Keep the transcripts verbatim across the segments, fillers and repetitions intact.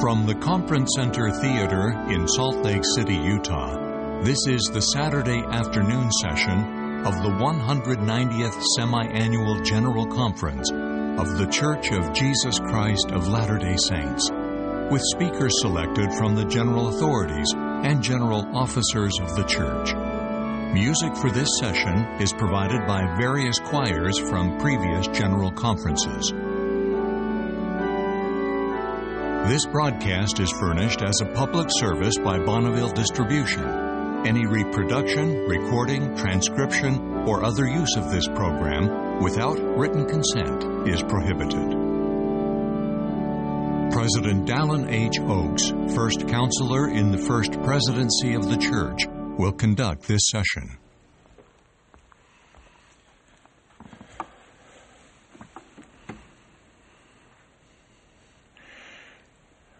From the Conference Center Theater in Salt Lake City, Utah, this is the Saturday afternoon session of the one hundred ninetieth Semi-Annual General Conference of The Church of Jesus Christ of Latter-day Saints, with speakers selected from the general authorities and general officers of the church. Music for this session is provided by various choirs from previous general conferences. This broadcast is furnished as a public service by Bonneville Distribution. Any reproduction, recording, transcription, or other use of this program without written consent is prohibited. President Dallin H. Oaks, First Counselor in the First Presidency of the Church, will conduct this session.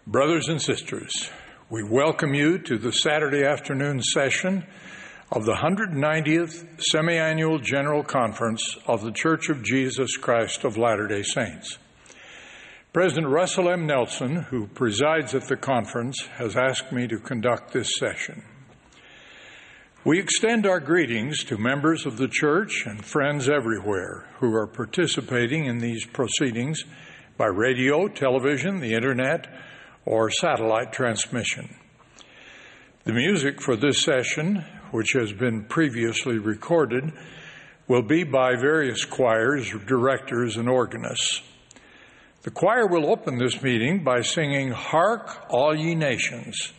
Brothers and sisters, we welcome you to the Saturday afternoon session of the hundred ninetieth Semi-Annual General Conference of The Church of Jesus Christ of Latter-day Saints. President Russell M. Nelson, who presides at the conference, has asked me to conduct this session. We extend our greetings to members of the church and friends everywhere who are participating in these proceedings by radio, television, the internet, or satellite transmission. The music for this session, which has been previously recorded, will be by various choirs, directors, and organists. The choir will open this meeting by singing Hark, All Ye Nations.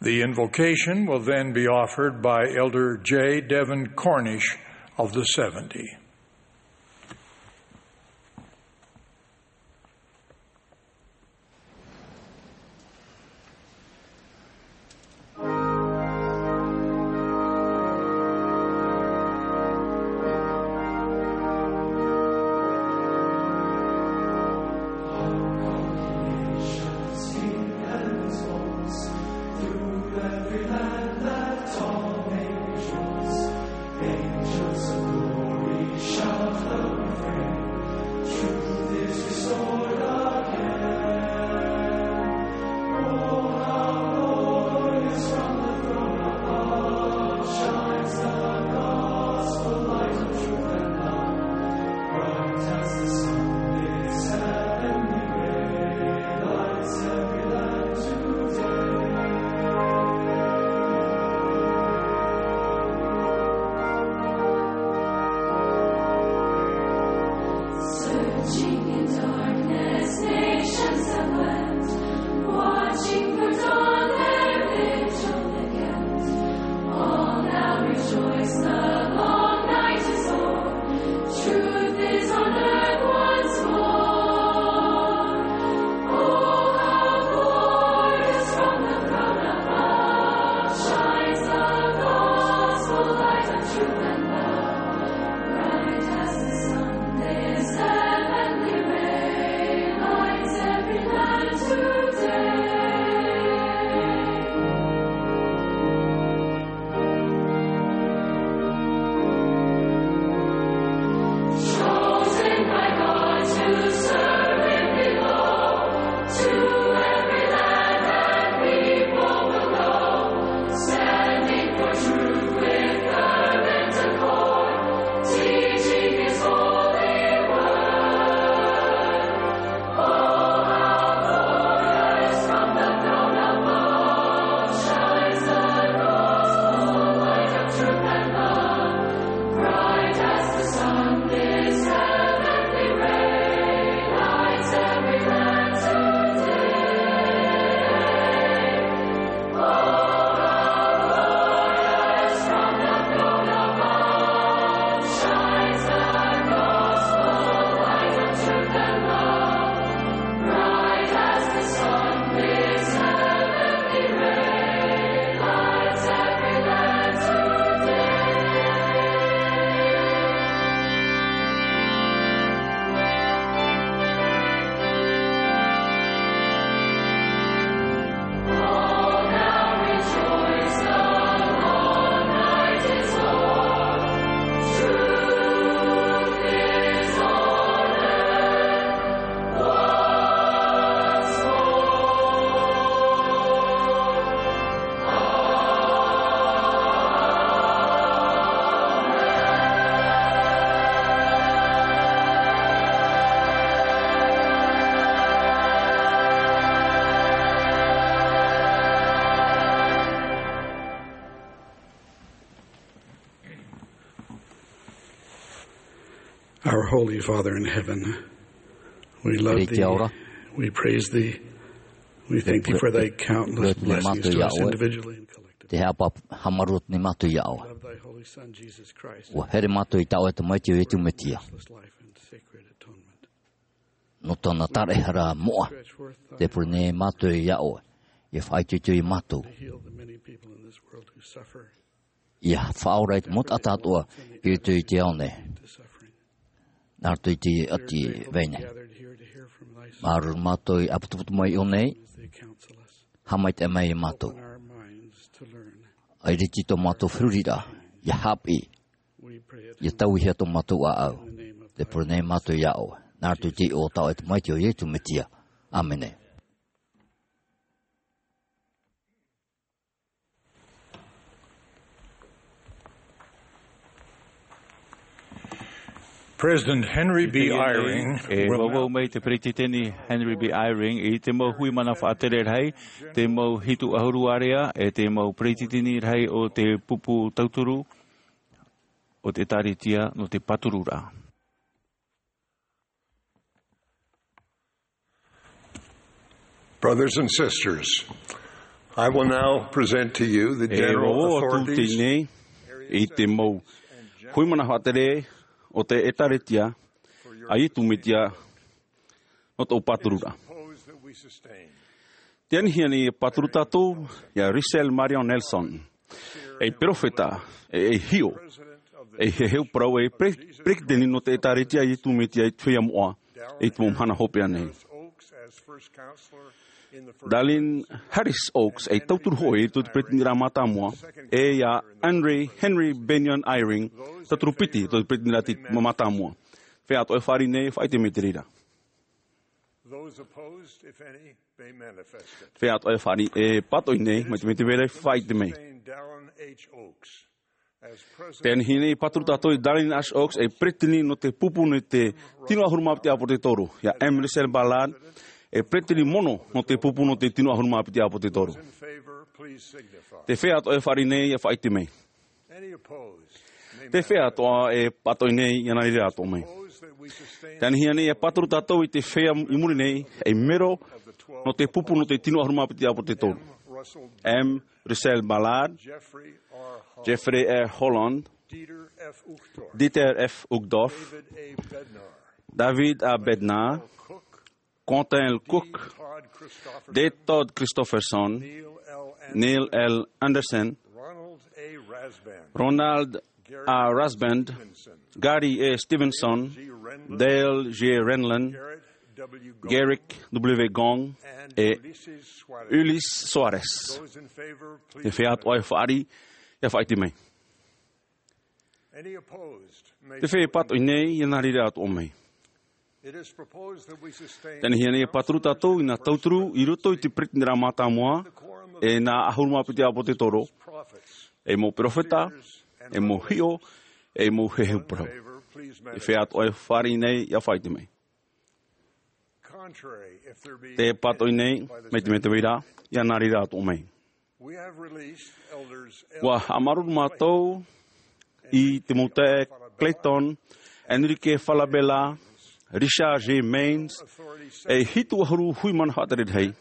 The invocation will then be offered by Elder J. Devin Cornish of the seventy. Our Holy Father in heaven, we love Riki thee. Ora. We praise thee. We thank thee for thy countless blessings to us individually and collectively. Te haʻapāpū haʻamāuruuru nei mātou iā ʻoe. We love thy holy Son, Jesus Christ. ʻUa here mātou i tā ʻoe tamaiti ʻo Iesu Mesia. Matchless life and sacred atonement. Nō tōna taraehara moʻa, tē pure nei mātou iā ʻoe, ʻia faʻaitoito iā mātou. To heal the many people in this world who suffer. ʻIa faʻaora i te mau taʻata atoʻa i roto i te ao nei. Nā roto i te ʻati vai nei. Māuruuru mātou i ʻāputuputu mai iho nei. Haʻamaitaʻi mai iā mātou. ʻAita i tō mātou feruriraʻa, ʻia haʻapiʻi, ʻia tauihia tō mātou ʻāʻau. Tē pure nei mātou iā ʻoe. Nā roto i te iʻoa o tā ʻoe tamaiti ʻo Iesu Mesia. ʻĀmene. President Henry B. Eyring, e vauvau mai te peretiteni Henry B. Eyring i te mau hui mana faʻatere rahi, te mau hitu ʻahuru ārea, e te mau peretiteni rahi o te pupu tauturu o te ʻĒtārētia nō te pātururaʻa. Brothers and sisters, I will now present to you the E general vau atu authorities, teie nei i te mau hui mana faʻatere o te ʻĒtārētia a Iesu Mesia nō tōʻu pātururaʻa. Tē anihia nei e pāturu tātou iā Russell Marion Nelson, ei perofeta, e, ei hiʻo, ei heheu parau, e pre-, peretiteni nō te ʻĒtārētia a Iesu Mesia i te feiā moʻa, i te mau mahana hopeʻa nei. Dallin Harris Oaks, ei tauturu hōʻē i te peretiteniraʻa mātāmua, e iā Henry, Henry Bennion Eyring, tauturu piti i te peretiteniraʻa mātāmua. Feiā atoʻa e fāriʻi nei, faʻaʻite mai i te reira. Those opposed, if any, may manifest it. Feiā atoʻa e fāriʻi, e pātoʻi nei, mai te mea tē vai ra, faʻaʻite mai. Sustain Dallin H. Oaks as president. Tē anihia nei e pāturu tātou iā Dallin H. Oaks, ei peretiteni nō te pupu nō te tino ʻahuru mā piti ʻāpōsetolo. Iā M. Russell Ballard, ei peretiteni mono nō te pupu nō te tino ʻahuru mā piti ʻāpōsetolo. Those in favor, please signify. Te feiā atoʻa e fāriʻi nei, ʻia faʻaʻite mai. Any opposed may manifest. Te feiā atoʻa e pātoʻi nei, ʻia nā reira atoʻa mai. Tē anihia nei e pāturu tātou i te feiā i muri nei, ei mero nō te pupu nō te tino ʻahuru mā piti ʻāpōsetolo. M. Russell Ballard, Jeffrey R. Holland, Dieter F. Uchtdorf, David A. Bednar, Quentin L. Cook, D. Todd Christofferson, Neil L. Andersen, Ronald A. Rasband, Gary A. Stevenson, Dale G. Renlund, Garrick W. Gong, e Ulisses Soares. Te feiā atoʻa e fāriʻi, ʻia faʻaʻite mai. Te feiā e pātoʻi nei, ʻia nā reira atoʻa mai. Tē anihia nei e pāturu tātou i nā tauturu i roto i te peretiteniraʻa mātāmua, e nā ʻahuru mā piti ʻāpōsetolo, ei mau perofeta, ei mau hiʻo, ei mau heheu parau. Te feiā atoʻa e fāriʻi nei, ʻia faʻaʻite mai. Tē pātoʻi nei, mai te mea tē vai ra, ʻia nā reira atoʻa mai. ʻUa haʻamāuruuru mātou i te mau taeaʻe Clayton, Enrique Falabella, Richard G. Maynes, ei hitu ʻahuru hui mana faʻatere rahi,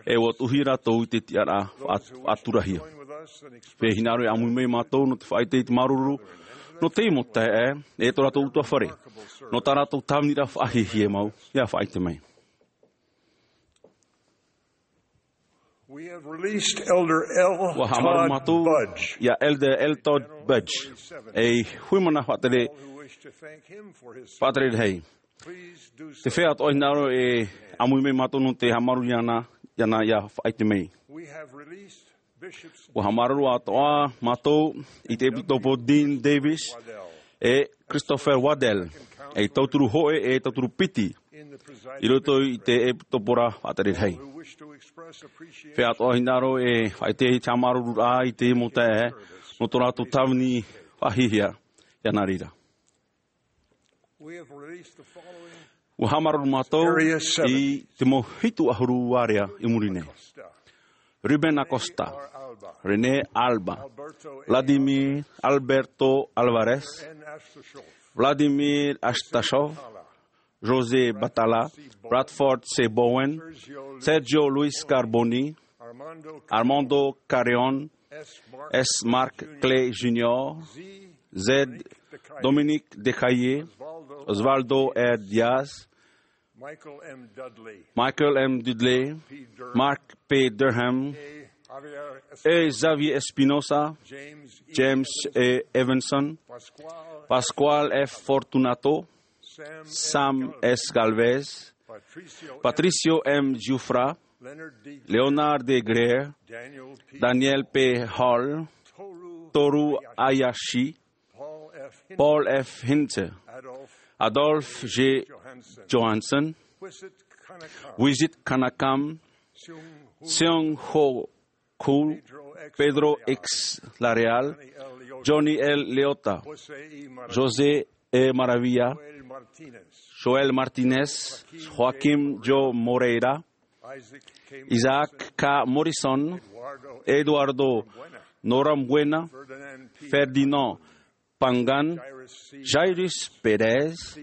e ʻua tuʻuhia rātou i te tiʻaraʻa faʻa-, faʻaturahia. Fē hinaʻaro e ʻāmui mai mātou nō te faʻaʻite i te māuruuru nō teie mau taeaʻe, e tō rātou ʻutuāfare, nō tā rātou tāviniraʻa faʻahiahia mau, ʻia faʻaʻite mai. We have released Elder L. ʻUa haʻamāuruuru Todd mātou Budge, iā Elder L. Todd Budge, ei hui mana faʻatere, all who wish to thank him for his faʻatere rahi. Please do so. Te feiā atoʻa e hinaʻaro e ʻāmui mai mātou nō te haʻamāuruuru iāna, iāna ʻia faʻaʻite mai. We have released Bishops ʻUa haʻamāuruuru atoʻa mātou i te ʻEpisekopo Dean Davis, e Christopher Waddell, ei tauturu hōʻē, e tauturu piti, i roto i te ʻepisekopora faʻatere rahi. Feiā atoʻa e hinaʻaro e faʻaʻite i te haʻamāuruururaʻa i te mau taeaʻe, nō tō rātou tāvini faʻahiahia, ʻia nā reira. We have released the following. ʻUa haʻamāuruuru mātou i te mau hitu ʻahuru ārea i muri nei. Ruben Acosta, René Alba, Vladimir Alberto Alvarez, Vladimir Astashov, José Batalla, Bradford C. Bowen, Sergio Luis Carboni, Armando Carreón, S. Marc Clay Junior, Z. Dominique Decaillé, Osvaldo R. Diaz, Michael M. Dudley, Mark P. Durham, E. Xavier Espinosa, James E. Evanson, Pascual F. Fortunato, Sam S. Galvez, Patricio M. Giuffra, Leonard D. Greer, Daniel P. Hall, Toru Hayashi, Paul F. Hintze, Adolf G. Johansson, Wizit Kanakam, Seung Ho Kul, Pedro X. Lareal, Johnny L. Leota, José E. Maravilla, Joel Martinez, Joaquim Joe Moreira, Isaac K. Morrison, Eduardo Norambuena, Ferdinand Pangan, Jairus Perez,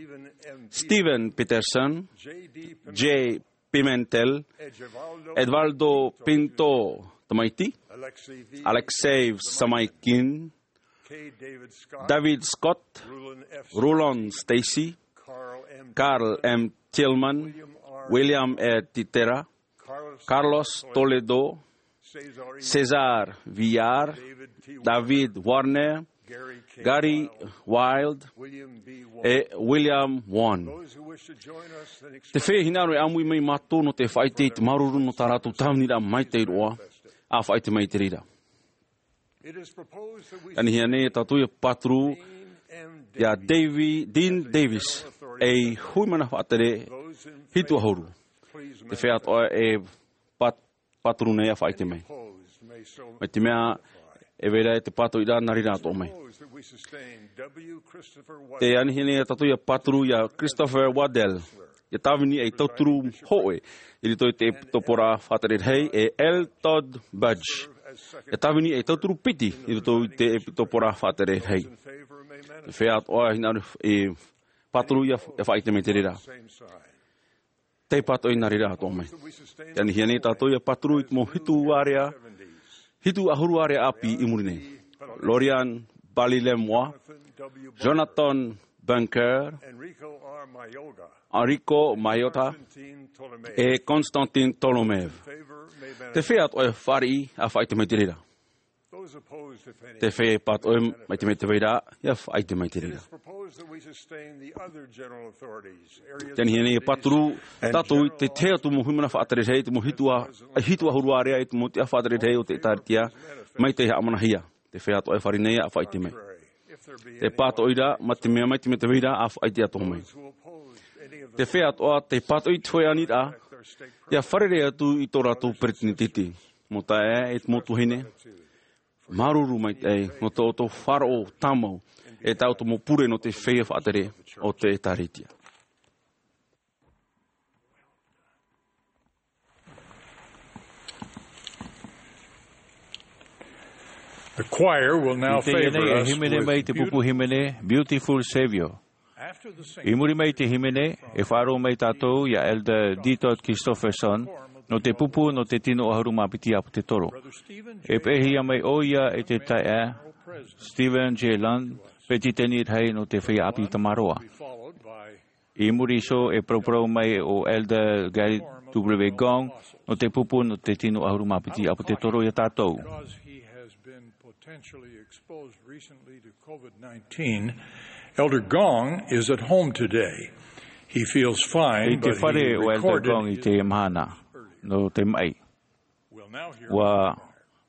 Steven Peterson, J. Pimentel, Edvaldo Pinto Tamaiti, Alexei Samaikin, David Scott, Roland Stacy, Carl M. Tillman, William R. Titera, Carlos Toledo, César Villar, David Warner, Gary Wild, e William Won. Te feiā hinaʻaro e ʻāmui mai mātou nō te faʻaʻite i te māuruuru nō tā rātou tāviniraʻa maitaʻi roa, ʻa faʻaʻite mai i te reira. Anihia nei e tātou ia pāturu ia Davi-, Dean Davis, ei hui mana faʻatere hitu ʻahuru. Te feiā atoʻa e pā-, pāturu nei ʻa faʻaʻite mai. Mai te mea e vai ra e te pātoʻiraʻa nā reira atoʻa mai. Te anihia nei e tātou ia pāturu ia Christopher Waddell, ia tāvini ei tauturu hōʻē i roto i te ʻEpitopōraʻa Faʻatere Rahi, e L. Todd Budge, ia tāvini ei tauturu piti i roto i te ʻEpitopōraʻa Faʻatere Rahi. Te feiā atoʻa hinaʻaro e pāturu ia, ia faʻaʻite mai i te reira. Te pātoʻi nā reira atoʻa mai. Te anihia nei tātou ia pāturu i te mau hitu ārea, hitu ʻahuru ārea ʻāpī i muri nei. Lorian Balilemoa, Jonathan Bunker, Enrico Maillotta, e Konstantin Tolomev. Te feiā atoʻa e fāriʻi ʻa faʻaʻite mai i te reira. Te feiā pātoʻi mai te mea te vai ra, ia faʻaʻite mai i te reira. Te anihia nei e pāturu tātou i te tahi atu mau hui mana faʻatere rahi, te mau hitu ā-, hitu ʻahuru ārea, i te mau tiʻa faʻatere rahi o te ʻĒtārētia, mai tei haʻamanahia. Te feiā atoʻa e fāriʻi nei ʻa faʻaʻite mai. Te pātoʻiraʻa, mai te mea, mai te mea te vai ra, ʻa faʻaʻite atoʻa mai. Te feiā atoʻa tē pātoʻi i te hōʻē aniraʻa, ia fārerei atu i tō rātou peresideni. Mau taeaʻe e te mau tuahine, māuruuru maitaʻi nō tō ʻoutou faʻaroʻo tāmau, e tā ʻoutou mau pure nō te feiā faʻatere o te ʻĒtārētia. The choir will now I teie nei favor e us hīmene with mai te beautiful pupu hīmene, Beautiful Savior. I muri mai i te hīmene, e faʻaroʻo mai tātou ia Elder D. Todd Christofferson, nō te pupu nō te tino ʻahuru mā piti ʻāpōtetoro. E peʻehia mai ʻoia e te taeaʻe Stephen J. Lund, peretiteni rahi nō te feiā ʻāpī Tamaroa. I muri iho e paraparau mai ʻo Elder Gary W. Gong, nō te pupu nō te tino ʻahuru mā piti ʻāpōtetoro ia tātou. Because he has been potentially exposed recently to COVID nineteen, Elder Gong is at home today. He feels fine, I te fare o Elder Gong i te mahana, nō te maʻi. Ua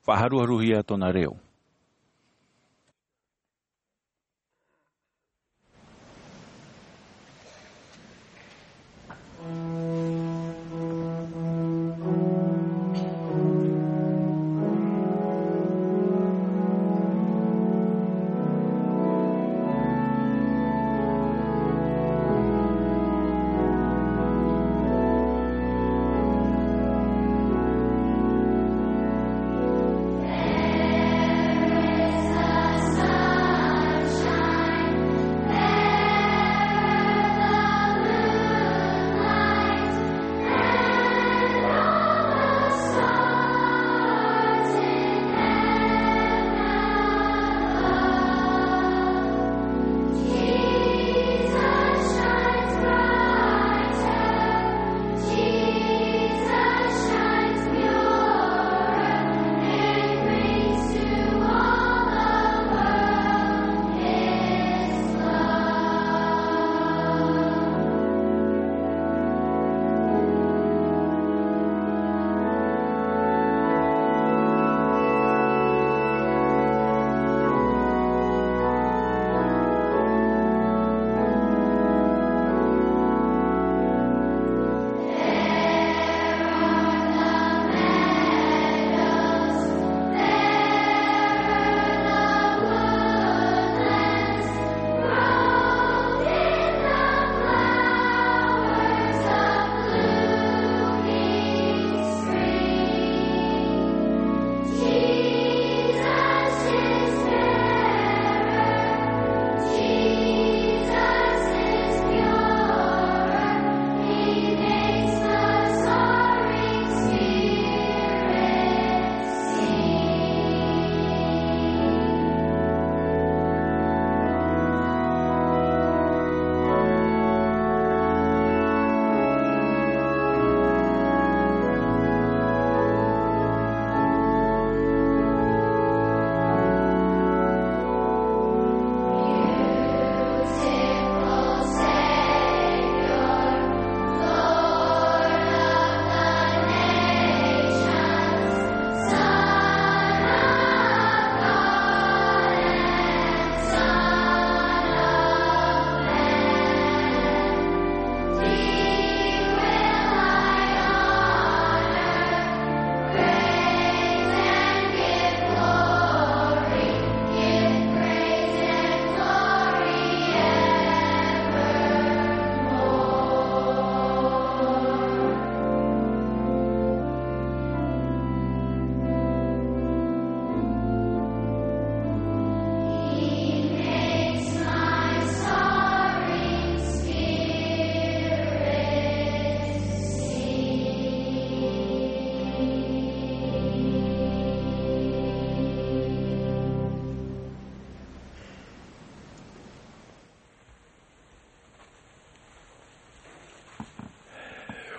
faʻaharuharuhia tōna reo.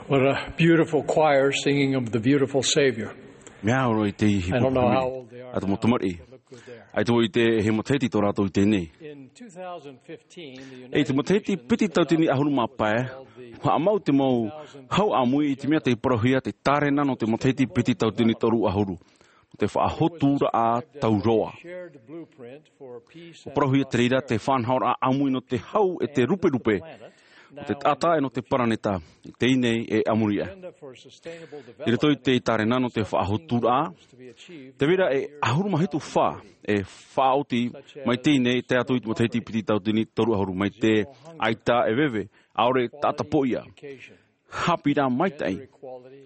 What a beautiful choir singing of the beautiful Savior. Mea ora i te ihi I don't know how old they are a te mau now. Tamariʻi. Look good there. ʻAita vau i te, he matahiti tō rātou i teie nei. In two thousand fifteen, the Ei te United matahiti Nations piti tautini ʻahuru mā pae, held the haʻamau te mau hau ʻāmui i te mea tei parauhia te tārena nō te matahiti piti tautini toru ʻahuru. Te faʻahoturaʻa tauroa. Shared blueprint for peace and prosperity. Parauhia te reira te faʻanahoraʻa ʻāmui nō te hau e te ruperupe, nō te taʻata e nō te paraneta, i teie nei e a muri aʻe. Agenda for sustainable development. I roto i te tārena nō te faʻahoturaʻa, te reira e ʻahuru mā hitu fā e faʻaoti mai teie nei, tae atu i te matahiti piti tautini toru ʻahuru, mai te ʻaita e veve, ʻaore taʻata poʻia. Haʻapiʻiraʻa maitaʻi,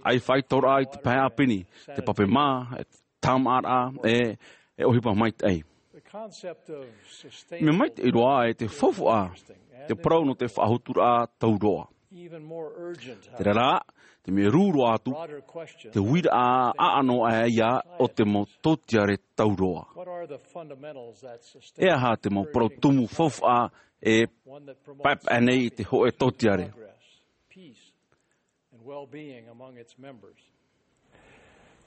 ʻaifaʻitoraʻa i te pae ʻāpeni, te pape mā, e te tāmāʻaraʻa, e, e ʻohipa maitaʻi. The concept of sustainable Mea maitaʻi roa e te faufaʻa, te parau nō te faʻahoturaʻa tauroa. Even more urgent, however. Terā rā, te mea rū roa atu, broader question, te uiraʻa ʻaʻano aʻe ia o te mau tōtiare tauroa. What are the fundamentals that sustain E aha te mau parau tumu faufaʻa e one that promotes paepae nei i te hōʻē tōtiare? Progress, peace, and well-being among its members.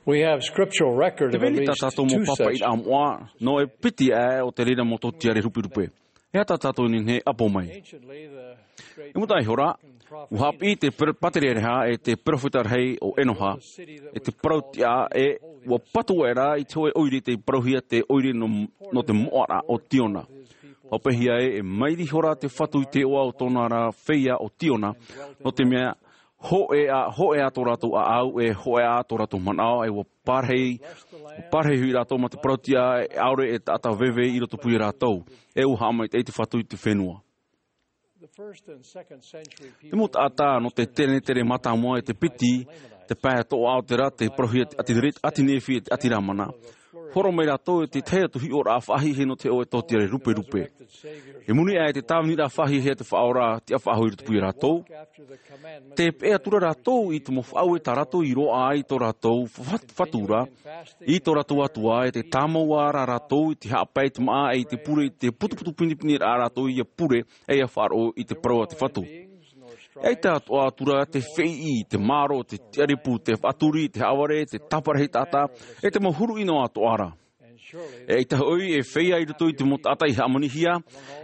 We have scriptural record Te of at veni tā least tātou mau two such pāpaʻiraʻa moʻa, nō e piti aʻe o te reira mau tōtiare ruperupe. E aha tā tātou e nehenehe e ʻapo mai? Anciently, the great I mua taʻa iho ra, American prophet ua haʻapiʻi te per-, pātereareha e te perofeta rahi o Enoha, e te parau tiʻa e ua patu aʻera i te hōʻē ʻoire tei parauhia te ʻoire nō, nō te moʻaraʻa o Tiona. Faʻapeʻehia e, e mairi ihora te Fatu i te iʻoa o tōna ra feiā o Tiona, nō te mea, hōʻē ā, hōʻē ā tō rātou ʻāʻau, e hōʻē ā tō rātou manaʻo, e ua pārahi, pārahi hoʻi rātou mā te parau tiʻa, e ʻaore e taʻata veve i rotopū ia rātou, e ua haʻamaitaʻi te Fatu i te fenua. The first and second century people Te mau taʻata nō te tenetere mātāmua e te piti, te pae toʻa o te ra, te parauhia te ʻāti Re-, ʻāti Nefi e te ʻāti Rāmana. Horo mai rātou e te tahi atu hiʻoraʻa faʻahiahia nō te hōʻē tōtiare ruperupe. I muri aʻe i te tāviniraʻa faʻahiahia te Faʻaora, tiʻa faʻahou i rotopū ia rātou. Tē peʻe atu ra rātou i te mau faʻaueraʻa tā rātou i roaʻa ai i tō rātou fa-, Fatu ra, i tō rātou Atua, e tē tāmau ra rātou i te haʻapae i te māʻa, e i te pure i te putuputu pinepine ra rātou ia pure, e ia faʻaroʻo i te parau a te Fatu. E ʻaita atoʻa atu ra te feiʻi, te mārō, te tiʻaripū, te faʻaturi, te haʻavare, te tāparahi taʻata, e te mau huru ʻino atoʻa ra. E ʻaita hoʻi e feiā i roto i te mau taʻata i hāmanihia,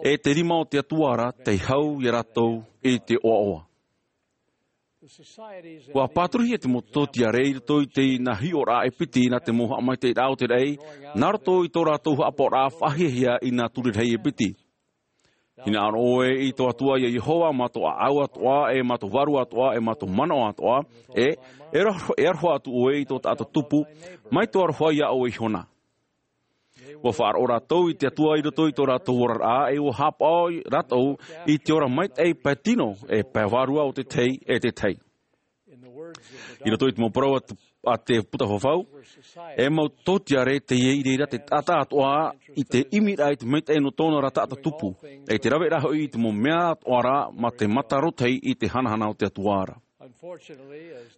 e te rima o te Atua ra, tei hau ia rātou i te ʻoaʻoa. Ua pāturuhia te mau tōtiare i roto i te nā hiʻoraʻa e piti nā te mau haʻamaitaʻiraʻa o te raʻi, nā roto i tō rātou haʻapaʻoraʻa faʻahiahia i nā ture rahi e piti. Hinaʻaro ʻoe i tō Atua ia Iehova, mā tō ʻāʻau atoʻa, e mā tō vārua atoʻa, e mā tō manaʻo atoʻa, e, e aroha, e aroha atu ʻoe i tō taʻata tupu, mai tō aroha ia ʻoe ihona. Ua faʻaroʻo rātou i te Atua i roto i tō rātou oraraʻa, e ua haʻapaʻo rātou i te ora maitaʻi pae tino, e pae vārua o te tahi, e te tahi. I roto i te mau parau a te, a te Puta Fafau, e mau tōtiare teie i reira te taʻata atoʻa i te ʻimiraʻa i te maitaʻi nō tōna ra taʻata tupu, e te raveraʻa hoʻi i te mau mea atoʻa ra mā te mata rōtahi i te hanahana o te Atua ra.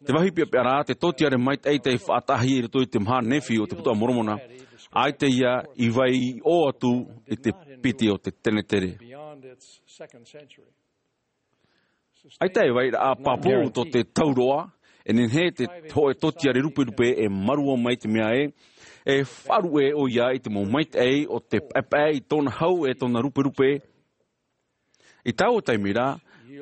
Te vāhi peʻapeʻa ra, te tōtiare maitaʻi tei faʻataʻahia i roto i te maha Nefi o te Puta a Moromona, ʻaita ia i vai i ʻō atu i te piti o te tenetere. ʻAita e vairaʻa pāpū tō te tauroa, e nehenehe te hōʻē tōtiare ruperupe e mārua mai te mea ē, e faʻaruʻe ʻoia i te mau maitaʻi o te paepae i tōna hau e tōna ruperupe. I taua taime ra,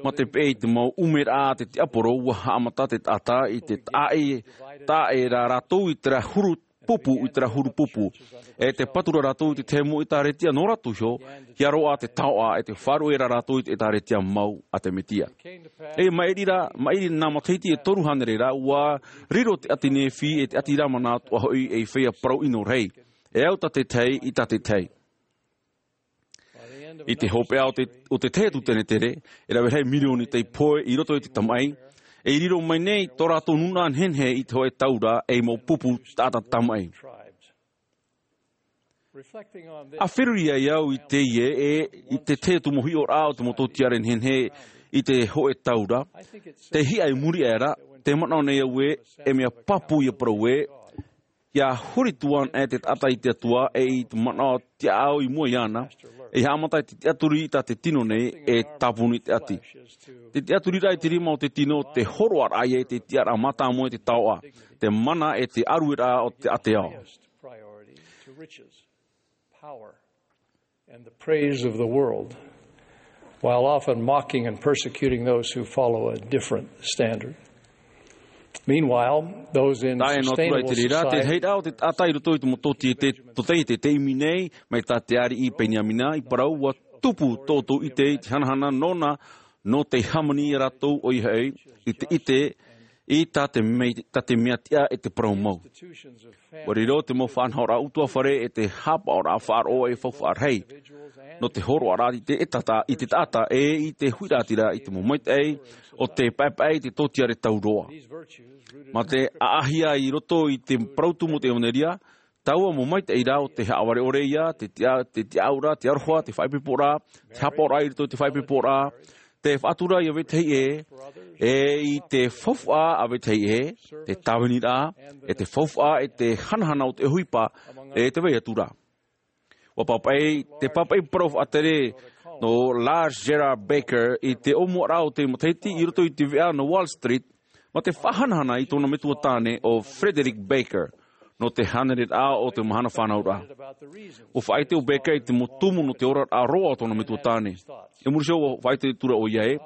mā te peʻe i te mau ʻumeraʻa a te tiaporo, ua haʻamata te taʻata i te taʻaʻe, taʻaʻe ra rātou i terā huru pupu, i terā huru pupu. E te patu ra rātou i te tahi mau ʻētāretia nō rātou iho, ʻia roaʻa te taoʻa, e te faʻaruʻe ra rātou i te ʻētāretia mau a te Mesia. E maʻiri ra, maʻiri nā matahiti e toru hānere ra, ua riro te ʻāti Nefi, e te ʻāti Rāmana atoʻa hoʻi ei feiā parau ʻino rahi. E au tā te tahi, i tā te tahi. I te hopeʻa o te, o te tahi atu tenetere, e rave rahi mirioni tei pohe i roto i te tamaʻi, e i riro mai nei tō rātou nūnaʻa nehenehe i te hōʻē tau ra, ei mau pupu taʻata tamaʻi. ʻA feruri ai au i teie, e i te tahi atu mau hiʻoraʻa o te mau tōtiare nehenehe i te hōʻē tau ra, tei hiʻa i muri aʻe ra, tē manaʻo nei au ē, e mea pāpū ia parau ē, Ia huri atu anaʻe te taʻata i te Atua e i te manaʻo tiaʻau i mua iāna, e haʻamata i te tiʻaturi i tā te tino nei e tāpuni te ʻati. Te tiʻaturiraʻa i te rima o te tino, te hōroʻaraʻa ia i te tiʻaraʻa mātāmua i te taoʻa, te mana e te ʻarueraʻa o te ʻātea. And the praise of the world, while often mocking and persecuting those who follow a different standard. Meanwhile, those in sustainable society. Te reira te taʻata i roto i te mototi e te totei te teimi nei, mai tā te ariʻi Peniamina i parau, ua tupu tō ʻoutou ʻite i te hanahana nōna, nō te hāmani i a rātou ʻoia hoʻi, i te ʻite i tā te mea tiʻa e te parau mau. Ua riro te mau faʻanahoraʻa ʻutuāfare e te hāpaʻoraʻa faʻaroʻo e faufaʻa rahi nō te hōroʻaraʻa i te taʻata e i te huiraʻatira i te mau maitaʻi o te paepae i te tōtiare tau roa. Mā te ʻaʻahia i roto i te parau tumu o te ʻevanelia, taua mau maitaʻi rā o te haʻavare ʻore ia, te tiʻaʻauraʻa, te aroha, te faʻaipoiporaʻa, te hāpaʻoraʻa i roto i te faʻaipoiporaʻa, te faʻatura i a vetahi ʻē, e i te faufaʻa a vetahi ʻē, te tāviniraʻa e te faufaʻa e te hanahana o te ʻohipa e te vai atu ra. Ua papaʻi te papaʻi parau faʻatere nō Lars Gerhard Bakker i te ʻōmuaraʻa o te matahiti i roto i te veʻa nō Wall Street, mā te faʻahanahana i tōna metua tāne o Frederick Bakker nō te hānereraʻa o te mahana fānauraʻa. Ua faʻaʻite ʻo Bakker i te mau tumu nō te oraraʻa roa o tōna metua tāne. I muri iho ua faʻaʻite atu ra ʻoia ē,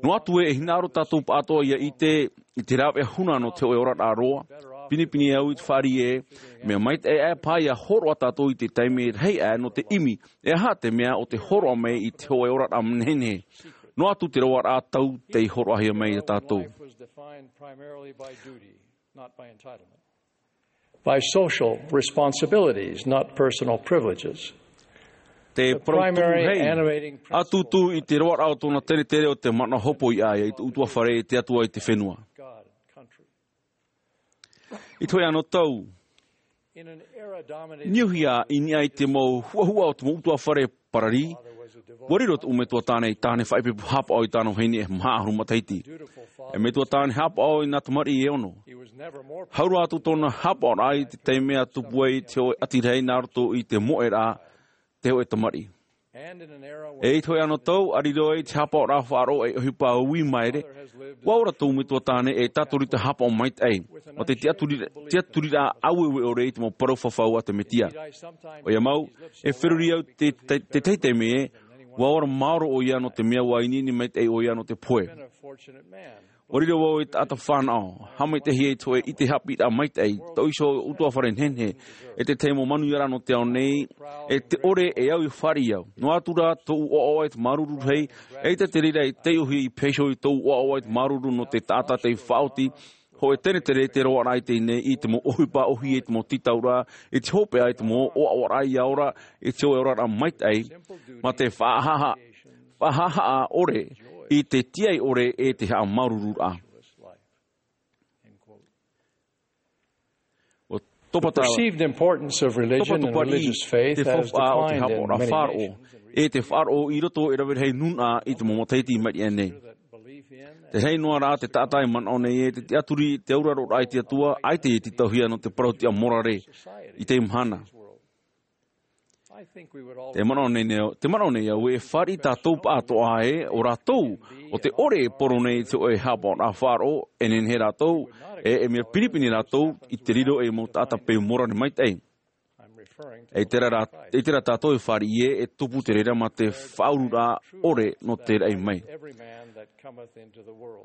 noa atu ē e hinaʻaro tātou pāʻatoʻa ia ʻite i te rāveʻa huna nō te hōʻē oraraʻa roa, pinepine au i te fāriʻi ē, mea maitaʻi aʻe paha ia hōroʻa tātou i te taime rahi aʻe nō te ʻimi e aha te mea o te hōroʻa mai i te hōʻē oraraʻa nehenehe. Noa atu te roaraʻa tau tei hōroʻahia mai i a tātou. By social responsibilities, not personal privileges. Te parau tumu hei ʻatutu i te roaraʻa o tōna teretere o te manaʻo hopoiʻa ia i te ʻutuāfare i te Atua i te fenua. I te hōʻē anō tau, niuhia i niʻa i te mau huʻahuʻa o te mau ʻutuāfare parari, ua riro te ʻu metua tāne i tāne faʻaipoipo hāpaʻo i tāna vahine e maha ʻahuru matahiti. E metua tāne hāpaʻo i nā tamariʻi e ono. Hau roa atu tōna hāpaʻoraʻa i te taime a tupu ai te hōʻē ʻati rahi nā roto i te moʻeraʻa te hōʻē tamariʻi. E i te hōʻē anō tau a riro ai te hāpaʻoraʻa faʻaroʻo e ʻohipa ui maere, ua ora tō metua tāne e tātorita hāpaʻo maitaʻi mā te tiʻaturiraʻa aueue ʻore i te mau parau fafau a te Mesia. ʻOia mau, e feruri au tētahi taime ē, ua ora maoro ʻoia nō te mea ua ineine maitaʻi ʻoia nō te pohe. Ua riro vau i te taʻata fānaʻo haʻamaitaʻihia i te hōʻē ʻite haʻapiʻiraʻa maitaʻi, tō iho ʻutuāfare nehenehe, e te tahi mau manuiaraʻa nō te ao nei, e te ʻore e au i fāriʻi au. Noa atu rā tōʻu ʻoaʻoa i te māuruuru rahi, eʻita te reira e taiʻohia i pēheo i tōʻu ʻoaʻoa i te māuruuru nō te taʻata tei faʻaoti, hōʻē tenetere te roaraʻa i teie nei i te mau ʻohipa ʻōhie i te mau tītauraʻa, i te hopeʻa i te mau ʻoaʻoaraʻa ia ora i te hōʻē oraraʻa maitaʻi, mā te faʻahaʻahaʻa ʻore i te tiaʻi ʻore e te haʻamāuruururaʻa. Ua topatopa paʻi te faufaʻa o te hāpaʻoraʻa faʻaroʻo e te faʻaroʻo i roto e rave rahi nūnaʻa i te mau matahiti i maʻiri aʻe nei. Te rahi noa rā te taʻata e manaʻo nei e te tiʻaturi te auraroraʻa i te Atua ʻaita e tītauhia nō te parau tiʻa morare i teie mahana. Te manaʻo nei au e fāriʻi tātou pāʻatoʻa ē ʻo rātou o te ʻore e poro nei i te hōʻē hāpaʻoraʻa faʻaroʻo e nehenehe rātou e e mea pinepine rātou i te riro e mau taʻata peu morare maitaʻi. E i terā tātou e fāriʻi ē e tupu te reira mā te faʻaururaʻa ʻore nō te raʻi mai.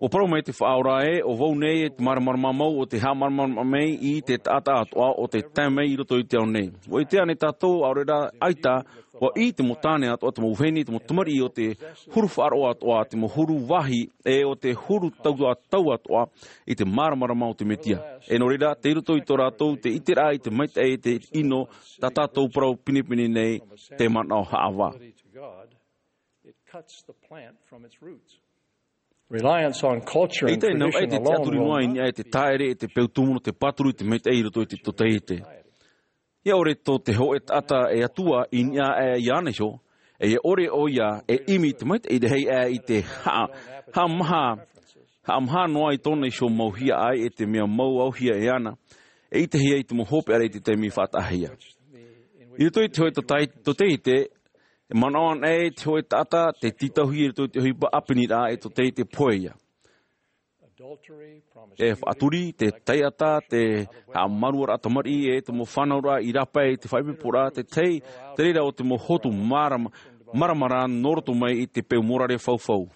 Ua parau mai te Faʻaora ē ʻo vau nei e te māramarama mau o te haʻamāramarama mai i te taʻata atoʻa o te tae mai i roto i te ao nei. Ua ʻite ānei tātou ʻaore rā ʻaita ua ʻī te mau tāne atoʻa te mau vahine te mau tamariʻi o te huru faʻaroʻo atoʻa te mau huru vāhi e o te huru tau atoʻa i te māramarama o te Mesia. E nō reira tei roto i tō rātou te ʻiteraʻa i te maitaʻi e te ʻino tā tātou parau pinepine nei te manaʻo haʻavā. Eʻita e nau ʻai te tiʻaturi noa i niʻa e te tāʻere e te peu tumu nō te pāturu i te maitaʻi i roto i te totaiete. Ia ʻore tō te hōʻē taʻata e atua i niʻa aʻe iāna iho, e ia ʻore ʻoia e ʻimi i te maitaʻi rahi aʻe i te haʻamaha noa i tōna iho mau hiaʻai e te mea mau auhia e ana. e ʻitehia i te mau hopeʻa i te taime i faʻataʻahia. I roto i te hōʻē tōtaiete, e manaʻo ana e te hōʻē taʻata te tītauhia i roto i te ʻohipa ʻāpeniraʻa e tōtaiete pohe ia. E faʻaturi, te taiʻata, te haʻamāuruururaʻa tamariʻi, e te mau fānauraʻa i rāpae i te faʻaipoiporaʻa, te tahi, te reira o te mau hotu māram-, māramarama nō roto mai i te peu mōrare faufau.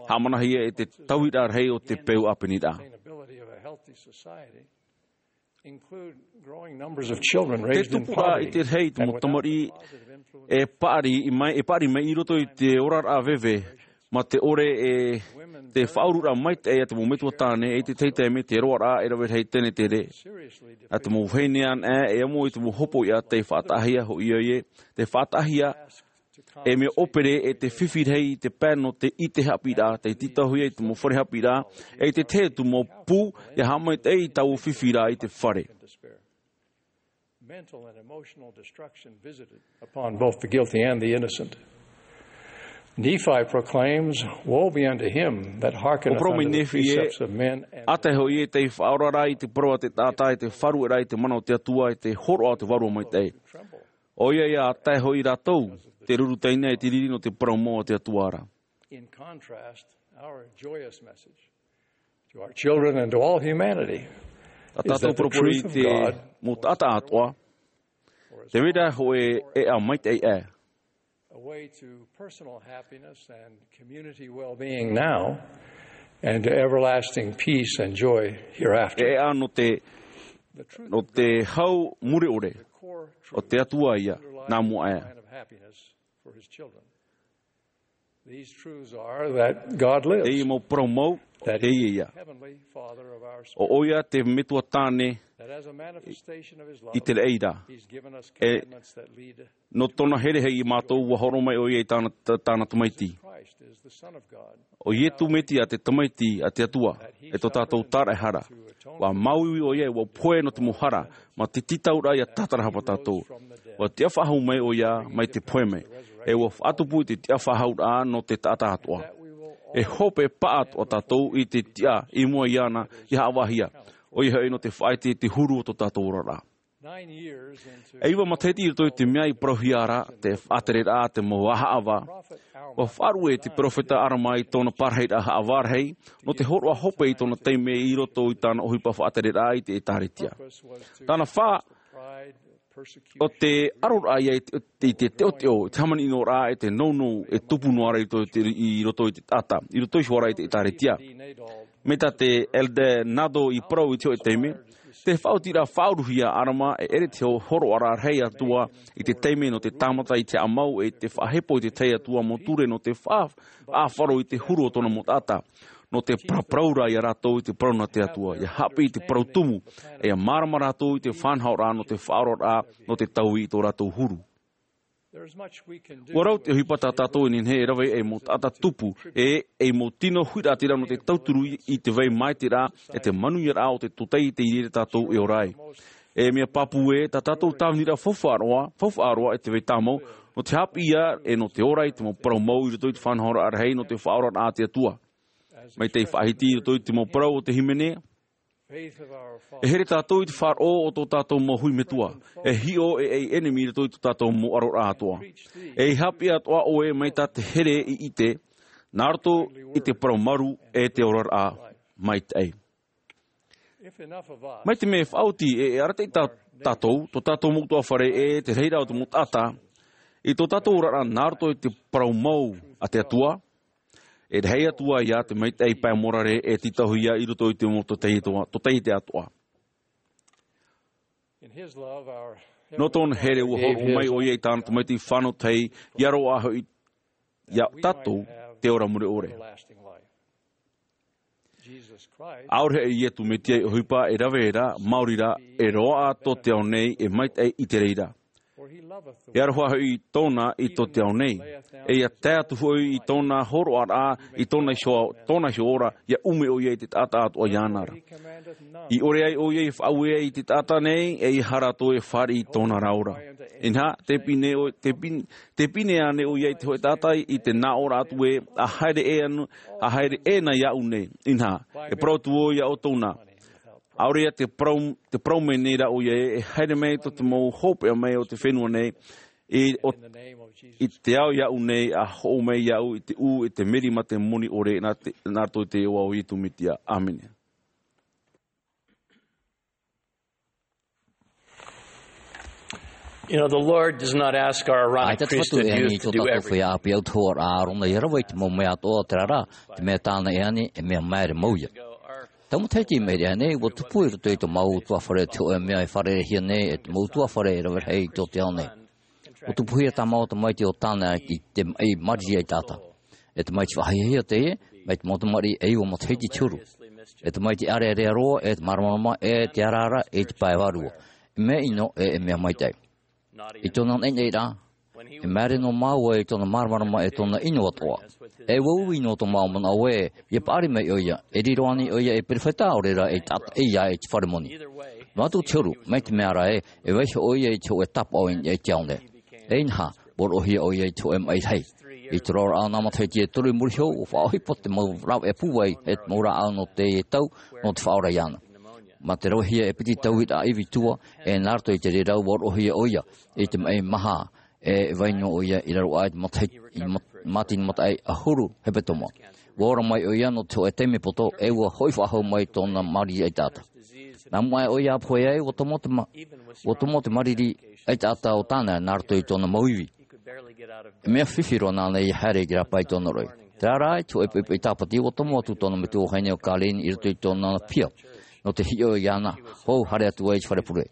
Haʻamanahia e te tauiraʻa rahi o te peu ʻāpeniraʻa. Te tupu rā i te rahi i te mau tamariʻi e paʻari mai, e paʻari mai i roto i te oraraʻa veve, mā te ʻore e te faʻaururaʻa maitaʻi a te mau metua tāne, i te tahi taime te roaraʻa e rave rahi tenetere. A te mau vahine ana e amo i te mau hopoiʻa tei faʻataʻahia hoʻi ʻoia, tei faʻataʻahia e mea ʻōpere e te fifi rahi i te pae nō te ʻite haʻapiʻiraʻa, tei tītauhia i te mau fare haʻapiʻiraʻa, e i te tahi atu mau pū, ʻia haʻamaitaʻi i taua fifi ra i te fare. Mental and emotional destruction visited upon both the guilty and the innocent. Nephi proclaims, "Woe be unto him that hearkeneth unto the precepts of men and" ʻO parau mai Nephi ē, ʻa tae hoʻi ē tei faʻaora ra i te parau a te taʻata, e tei faʻarueraʻa i te mana o te Atua, e tei hōroʻa te Vārua Maitaʻi. ʻOia ia, ʻa tae hoʻi rātou, tei ruru taina i te riri nō te parau mau a te Atua ra. In contrast, our joyous message to our children and to all humanity is that the truth of God mau taʻata atoʻa, te reira hōʻē ʻēʻa maitaʻi ē. A way to personal happiness and community well-being now and to everlasting peace and joy hereafter. ʻĒʻa nō te, nō te hau mure ʻore, o te Atua ia, nā mua ē. These truths are that God lives, Teie mau parau mau, that teie ia. Heavenly Father of our spirit, ʻO ʻoia te Metua Tāne that as a manifestation of his love, i te reira. He's given us commandments that lead nō tōna here hoʻi ia mātou, ʻua hōroʻa mai ʻoia i tāna, tā-, tāna Tamaiti. Christ is the Son of God. ʻO Ietu Metia te Tamaiti a te Atua, e tō tātou tāraʻehara. ʻUa māuiui ʻoia, ʻua pohe nō te mau hara, mā te tītauraʻa ʻia tātarahapa tātou. ʻUa tiʻa faʻahou mai ʻoia mai te pohe mai. E ʻua faʻatupu i te tiʻa faʻahouraʻa nō te taʻata atoʻa. E hope paʻatoʻa tātou i te tiʻa i mua iāna ʻia haʻavāhia. ʻOia hoʻi nō te faʻaʻite i te huru o tō tātou oraraʻa. E iva matahiti i roto i te mea i parauhia ra te faʻatereraʻa a te mau ʻāvaʻa, ʻua faʻarue te peropheta ʻAlama i tōna parahiraʻa ʻāvaʻa rahi, nō te hōroʻa hope i tōna taime i roto i tāna ʻohipa faʻatereraʻa i te ʻĒtārētia. Tāna fā, ʻo te ʻaroraʻa ia i te, i te teʻoteʻo, i te hāmani-ʻino-raʻa, e te nounou e tupu noa ra i roto i te, i roto i te taʻata, i roto iho ā ra i te ʻĒtārētia. Mai tā te Elder Naddell i parau i te hōʻē taime, te faʻaotiraʻa faʻauruhia a ʻAlama e ʻere te hō-, hōroʻaraʻa rahi atu ā i te taime nō te tāmata i te haʻamau e te faʻahepo i te tahi atu ā mau ture nō te faʻa-, faʻaʻāfaro i te huru o tōna mau taʻata. Nō te paraparau ra ia rātou i te parau nā te Atua, ʻia haʻapiʻi i te parau tumu, e ʻia mārama rātou i te faʻanahoraʻa nō te faʻaoraraʻa, nō te taui i tō rātou huru. ʻUa rau te ʻohipa tā tātou e nehenehe e rave ei mau taʻata tupu, e ei mau tino huiraʻatira nō te tauturu i te vai maitaʻiraʻa, e te manuiaraʻa o te tōtaiete i reira tātou e ora ai. E mea pāpū ē, tā tātou tāviniraʻa faufaʻa roa, faufaʻa roa e te vai tāmau, nō te haʻapiʻi ia, e nō te ora i te mau parau mau i roto i te faʻanahoraʻa rahi nō te faʻaoraraʻa a te Atua. Mai tei faʻahiti i roto i te mau parau o te hīmene, e here tātou i te faʻaroʻo o tō tātou mau hui metua, e hiʻo ei ʻenemi i roto i tō tātou mau ʻaroraʻa atoʻa. E haʻapiʻi atoʻa ʻoe mai tā te here i ʻite, nā roto i te parau maru e te oraraʻa maitaʻi. Mai te mea e faʻaoti, e, e arataʻi tā, tātou, tō tātou mau ʻutuāfare e te rahiraʻa o te mau taʻata, i tō tātou oraraʻa nā roto i te parau mau a te Atua, e rahi atu ā ia te maitaʻi pae mōrare e tītauhia i roto i te mau tōtaiete atoʻa, tōtaiete atoʻa. Nō tōna here ʻua hōroʻa mai ʻoia i tāna Tamaiti fānau tahi, ʻia roaʻa hoʻi ia tātou te ora mure ʻore. ʻAore hoʻi Ietu Metia i ʻohipa e rave ra, maori rā, e roaʻa tō te ao nei, e maitaʻi i te reira. E aroha hoʻi tōna i tō te ao nei. E ʻia tae atu hoʻi i tōna hōroʻaraʻa, i tōna iho, tōna iho ora, ʻia ʻume ʻoia i te taʻata atoʻa iāna ra. I ʻore ai ʻoia i faʻaue i te taʻata nei, e ʻeiaha rātou e fāriʻi i tōna ra ora. Inaha, tē pine ʻo-, tē pin-, tē pine ānei ʻoia i te hōʻē taʻata i te nā ʻō ra atu ē, ʻa haere ē anu, ʻa haere ē na iāʻu nei. Inaha, e parau atu vau iā ʻoutou na. ʻaore ia te parau, te parau mai nei rā ʻo ia ē, e haere mai tō te mau hopeʻa mai o te fenua nei, i, o, i te ao iāʻu nei, a hoʻo mai iāʻu i te ʻū, i te meri mā te moni ʻore, nā te, nā roto i te iʻoa o Iesu Mesia. ʻĀmene. You know, the Lord does not ask our Aaronic priesthood youth to do everything. ʻAita te Fatu e ani i tō tātou feiā ʻāpī autahuʻaraʻa ʻo ia rave i te mau mea atoʻa, terā rā, te mea tāna e ani, e mea māere mau ia. Tau matahiti i maʻiri aʻenei, ʻua tupu i roto i tō māua ʻutuāfare te hōʻē mea e fārereihia nei e te mau ʻutuāfare e rave rahi i tō te ao nei. ʻUa tupuhia tā māua tamaiti ʻo Tāna i te maʻi mariri ʻaitaʻata. E tamaiti faʻahiahia teie, mai te mau tamariʻi e iva matahiti te huru. E tamaiti ʻārearea roa, e te māramarama, e te araara, e te pae vārua. E mea ʻino, e, e mea maitaʻi. I tōna naʻinaʻiraʻa, e māere noa māua i tōna māramarama e tōna ʻino atoʻa. E ua ui noa tō māua manaʻo ē, ʻia paʻari mai ʻo ia, e riro ānei ʻo ia ei perofeta, ʻaore rā ei taʻata ʻeiā i te fare moni. Noa atu te huru, mai te mea ra ē, e vaiiho ʻo ia i te hōʻē tāpaʻo i niʻa i te ao nei. E inaha, ʻua roʻohia ʻo ia i te hōʻē maʻi rahi. I te roaraʻa o nā matahiti e toru i muri iho, ʻua faʻaʻohipa te mau rāveʻa pūai, e te mau rāʻau nō te tau, nō te faʻaora iāna. Mā te ravehia e piti tauiraʻa ivi tua, e nā roto i te reira ʻua roʻohia ʻo ia, i te maʻi maha, e vai noa ʻo ia i raro aʻe i te matahi-, i mat-, mātini mataʻi ʻahuru hepetoma. ʻUa ora mai ʻo ia nō te hōʻē taime poto, e ʻua hoʻi faʻahou mai tōna mariri ʻaitaʻata. Nā mua aʻe ʻo ia ʻa pohe ai, ʻua tomo te ma-, ʻua tomo te mariri ʻaitaʻata o Tāna nā roto i tōna mau ivi. E mea fifi roa nāna ʻia haere i te rāpae i tōna roʻi. Terā rā, i te hōʻē poʻipoʻi tāpati, ʻua tomo atu tōna metua vahine ʻo Colleen i roto i tōna pia, nō te hiʻo iāna, hou haere atu ai i te fare pure.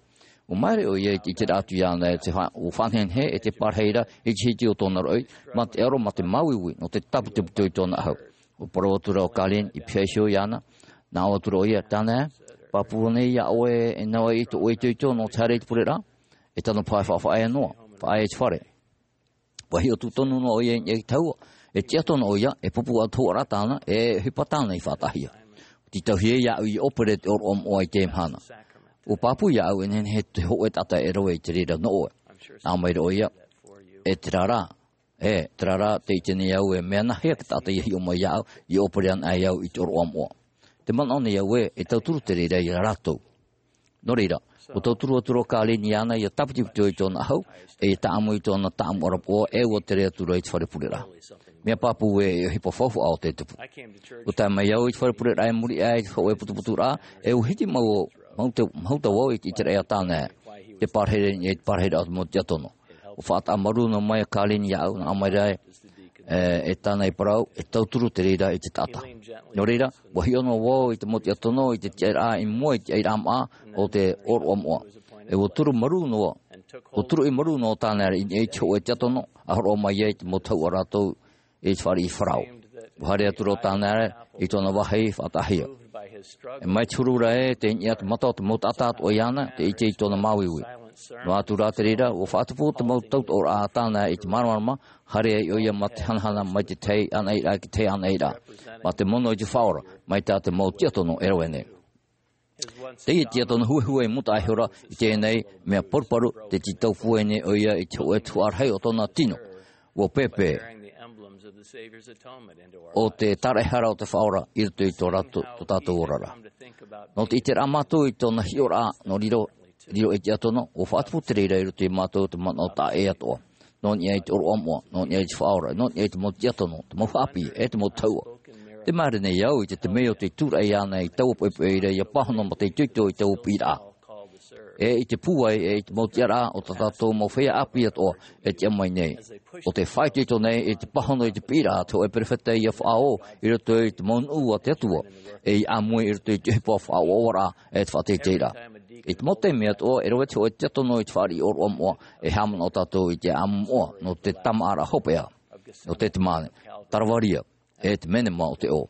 ʻUa māere ʻo ia i te ʻiteraʻa atu iāna e te fa-, ʻua faʻanehenehe e te pārahi ra i te hiti o tōna roʻi, mā te ʻaro, mā te māuiui, nō te tāputuputu i tōna ʻahu. ʻUa parau atu ra ʻo Colleen i pihaʻi iho iāna, nā ʻō atu ra ʻo ia, Tāna, pāpū nei iā ʻoe e nau ai i tō ʻoe itoito nō te haere i te pureraʻa, e tano paʻi faʻafaʻaea noa, faʻaea i te fare. ʻUa hiʻo tūtonu noa ʻo ia i niʻa i te tahua, e tiʻa tono ʻo ia, e pupu autahuʻaraʻa tāna, e ʻohipa tāna i faʻataʻahia. ʻUa tītauhia iāʻu ʻia ʻōpere te ʻōroʻa moʻa i teie mahana. ʻUa pāpū iāʻu e nehenehe te hōʻē taʻata e rave i te reira nō ʻoe. Nā ʻō mai ra ʻo ia, e terā rā, e terā rā, tē ʻite nei au e mea nāhea te taʻata ʻia hiʻo mai iāʻu, ʻia ʻōpere anaʻe au i te ʻōroʻa moʻa. Tē manaʻo nei au ē, e tauturu te reira ia rātou. Nō reira, ʻua tauturu atu ra ʻo Colleen iāna ʻia tāputuputu i tōna ʻahu, e ʻia tāʻamu i tōna tāʻamu ʻarapoʻa, e ʻua tere atu ra i te fare pureraʻa. Mea pāpū ē, e ʻohipa faufaʻa ʻo tē tupu. ʻUa tae mai au i te fare pureraʻa i muri aʻe i te hōʻē putuputuraʻa, e ʻua hiti mau, mau te, mau tau au i te ʻiteraʻa iā Tāna, te pārahi ra i niʻa i te pārahiraʻa o te mau tiʻatono. ʻUa faʻataʻa marū noa mai ʻo Colleen iāʻu, nā ʻō mai ra ē, e, e Tāna i parau, e tauturu te reira i te taʻata. Nō reira, ʻua hiʻo noa vau i te mau tiʻatono, i te tiʻaraʻa i mua i te ʻairaʻa māʻa o te ʻōroʻa moʻa. E ʻua turu marū noa, ʻua turuʻi marū noa Tāna i niʻa i te hōʻē tiʻatono, a hōroʻa mai ai te mau tahuʻa rātou i te fāriʻi Farao. ʻUa haere atu ra ʻo Tāna i tōna vāhi faʻataʻahia. E mai te huru ra ē, tei niʻa te mata o te mau taʻata atoʻa iāna, tē ʻite i tōna māuiui. Noa atu rā te reira, ʻua faʻatupu te mau tautoʻoraʻa a Tāna i te māramarama, haere ai ʻo ia mā te hanahana mai te tahi anaʻiraʻa ki te tahi anaʻiraʻa. Mā te mono i te Faʻaora, mai tā te mau tiʻatono e rave nei. Teie tiʻatono huehue i mūtaʻa ihora, i teie nei mea paruparu, tē tītau pūai nei ʻo ia i te hōʻē tuhaʻa rahi o tōna tino. ʻUa pēpē ʻo te tāraʻehara o te Faʻaora i roto i tō rātou, tō tātou oraraʻa. Nō te ʻiteraʻa mātou i tōna hiʻoraʻa, nō riro, riro ei tiʻatono, ʻua faʻatupu te reira i roto ia mātou te manaʻo taʻa ʻē atoʻa. Nō niʻa i te ʻōroʻa moʻa, nō niʻa i te Faʻaora, nō niʻa i te mau tiʻatono, te mau haʻapiʻi, e te mau tahuʻa. Tē māere nei au i te, te mea o te tūraʻi iāna i taua poʻipoʻi ra ʻia pāhono mā te itoito i taua piʻiraʻa. E i te pūai, e i te mau tiʻaraʻa o tā tātou mau feiā ʻāpī atoʻa, e tiʻa mai nei. ʻO tē faʻaitoito nei, i te pāhono i te piʻiraʻa, te hōʻē perofeta ʻia faʻaō, i roto i te mau nuʻu a te Atua, e ʻia ʻāmui i roto i te ʻohipa faʻaʻoaʻoaraʻa, e te faʻateiteiraʻa. I te mau taime atoʻa, e rave te hōʻē tiʻatono i te fāriʻi ʻōroʻa moʻa, e haʻamanaʻo tātou i te ʻāʻamu moʻa, nō te tāmāʻaraʻa hopeʻa, nō Tetemane, Taravaria, e te menema o te ʻō.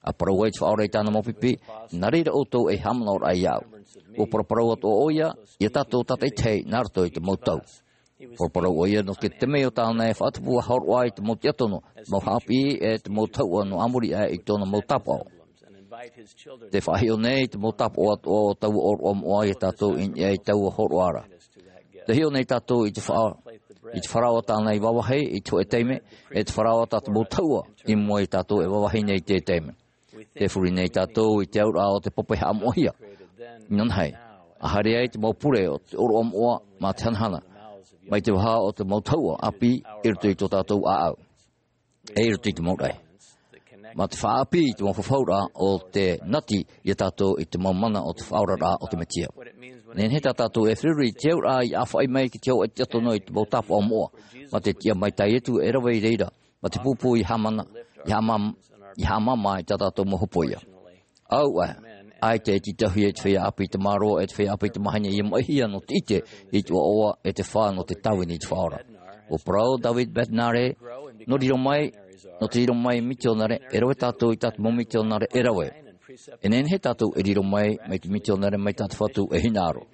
ʻA parau ai te Faʻaora i tāna mau pipi, nā reira ʻoutou ei haʻamanaʻoraʻa iāʻu. ʻUa paraparau atoʻa ʻo ia, ia tātou tātaʻitahi nā roto i te mau tau. Paraparau ʻo ia nō te mea o tāna e faʻatupu ʻa hōroʻa i te mau tiʻatono, te mau haʻapiʻi, e te mau tahuʻa nō muri aʻe i tōna mau tāpaʻo. Tē faʻahiʻo nei te mau tāpaʻo atoʻa o taua ʻōroʻa moʻa ia tātou i niʻa i taua hōroʻa ra. Tē hiʻo nei tātou i te fa-, i te Farao tāna i vāvāhi i te hōʻē taime, e te Farao tā te mau tahuʻa i mua ia tātou e vāvāhi nei i te taime. Tē furi nei tātou i te auraʻa o te pape haʻamoʻahia. Inanahi, a haere ai te mau pure o te ʻōroʻa moʻa mā te hanahana mai te vaha o te mau tahuʻa ʻāpī i roto i tō tātou ʻāʻau, e i roto i te mau raʻi mā te faʻaʻāpī i te mau fafauraʻa o te nati iā tātou i te mau mana o te faʻaoraraʻa o te Mesia. Nehenehe tā tātou e feruri i te auraʻa i ʻāfaʻi mai ki te hōʻē tiʻa tono i te mau tāpaʻo moʻa mā te tiʻa mai tā Ietu e rave i reira mā te pūpū i haʻamana, i haʻamam-, i haʻamāmā i tā tātou mau hopoiʻa. Auaʻe, ʻaita e tītauhia e te feiā ʻāpī i te mārō, e te feiā ʻāpī i te mahine ia maʻihia nō te ʻite i te ʻoaʻoa, e te fā nō te tāvini i te Faʻaora. ʻUa parau David Bednar, nō riro mai, nō te riro mai mitionare, e rave tātou i tā te mau mitionare e rave. E nehenehe tātou e riro mai, mai te mitionare mai tā te Fatu e hinaʻaro.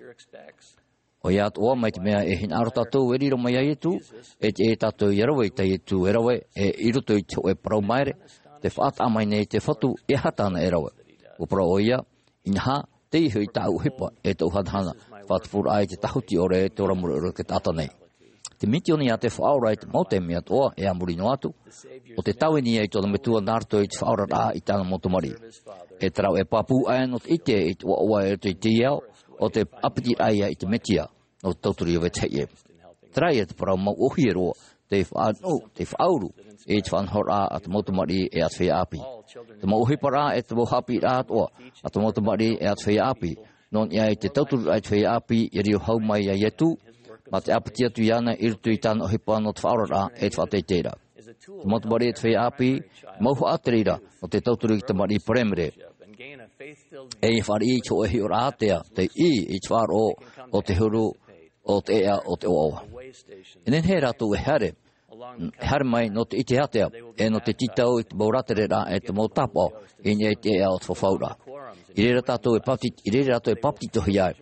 ʻOia atoʻa mai te mea e hinaʻaro tātou e riro mai iā Ietu, e te, e tātou ia rave i tā Ietu e rave, e i roto i te hōʻē parau māere, tē faʻataʻa mai nei te Fatu e aha tāna e rave. ʻUa parau ʻoia, inaha, tei iho i tāʻu ʻohipa, e tōʻu hanahana, faʻatupuraʻa i te tāhuti ʻore, e te ora mure ʻore o te taʻata nei. Te mitioni a te Faʻaora i te mau taime atoʻa, e a muri noa atu, ʻo te tāvini ia i tōna Metua nā roto i te faʻaoraraʻa i tāna mau tamariʻi. E te rāveʻa pāpū aʻe nō te ʻite i te ʻoaʻoa i roto i teie ao, ʻo te ʻāpitiraʻa ia i te Mesia, nō te tauturu ia vetahi ʻē. Terā ia te parau mau ʻōhie roa, tei faʻanuʻu, tei faʻauru, i te faʻanahoraʻa a te mau tamariʻi e a te feiā ʻāpī. Te mau ʻohiparaʻa e te mau haʻapiʻiraʻa atoʻa, a te mau tamariʻi e a te feiā ʻāpī, nō niʻa i te tautururaʻa i te feiā ʻāpī, ia riro hau mai iā Ietu, mā te ʻāpiti atu iāna i roto i tāna ʻohipa nō te faʻaoraraʻa e te faʻateiteiraʻa. Te mau tamariʻi e te feiā ʻāpī, mau haʻatereraʻa, nō te tauturu i te tamariʻi paraimere. E ia fāriʻi i te hōʻē hiʻoraʻa ātea, tei ʻī i te faʻaroʻo o te huru, o te ʻēʻa, o te ʻoaʻoa. E nehenehe rātou e haere, e haere mai nō te ʻite ātea, e nō te tītau i te mau rātereraʻa, e te mau tāpaʻo, i niʻa i te ʻēʻa o te fafauraʻa. I reira tātou e pāpeti-, i reira rātou e pāpetitohia ai,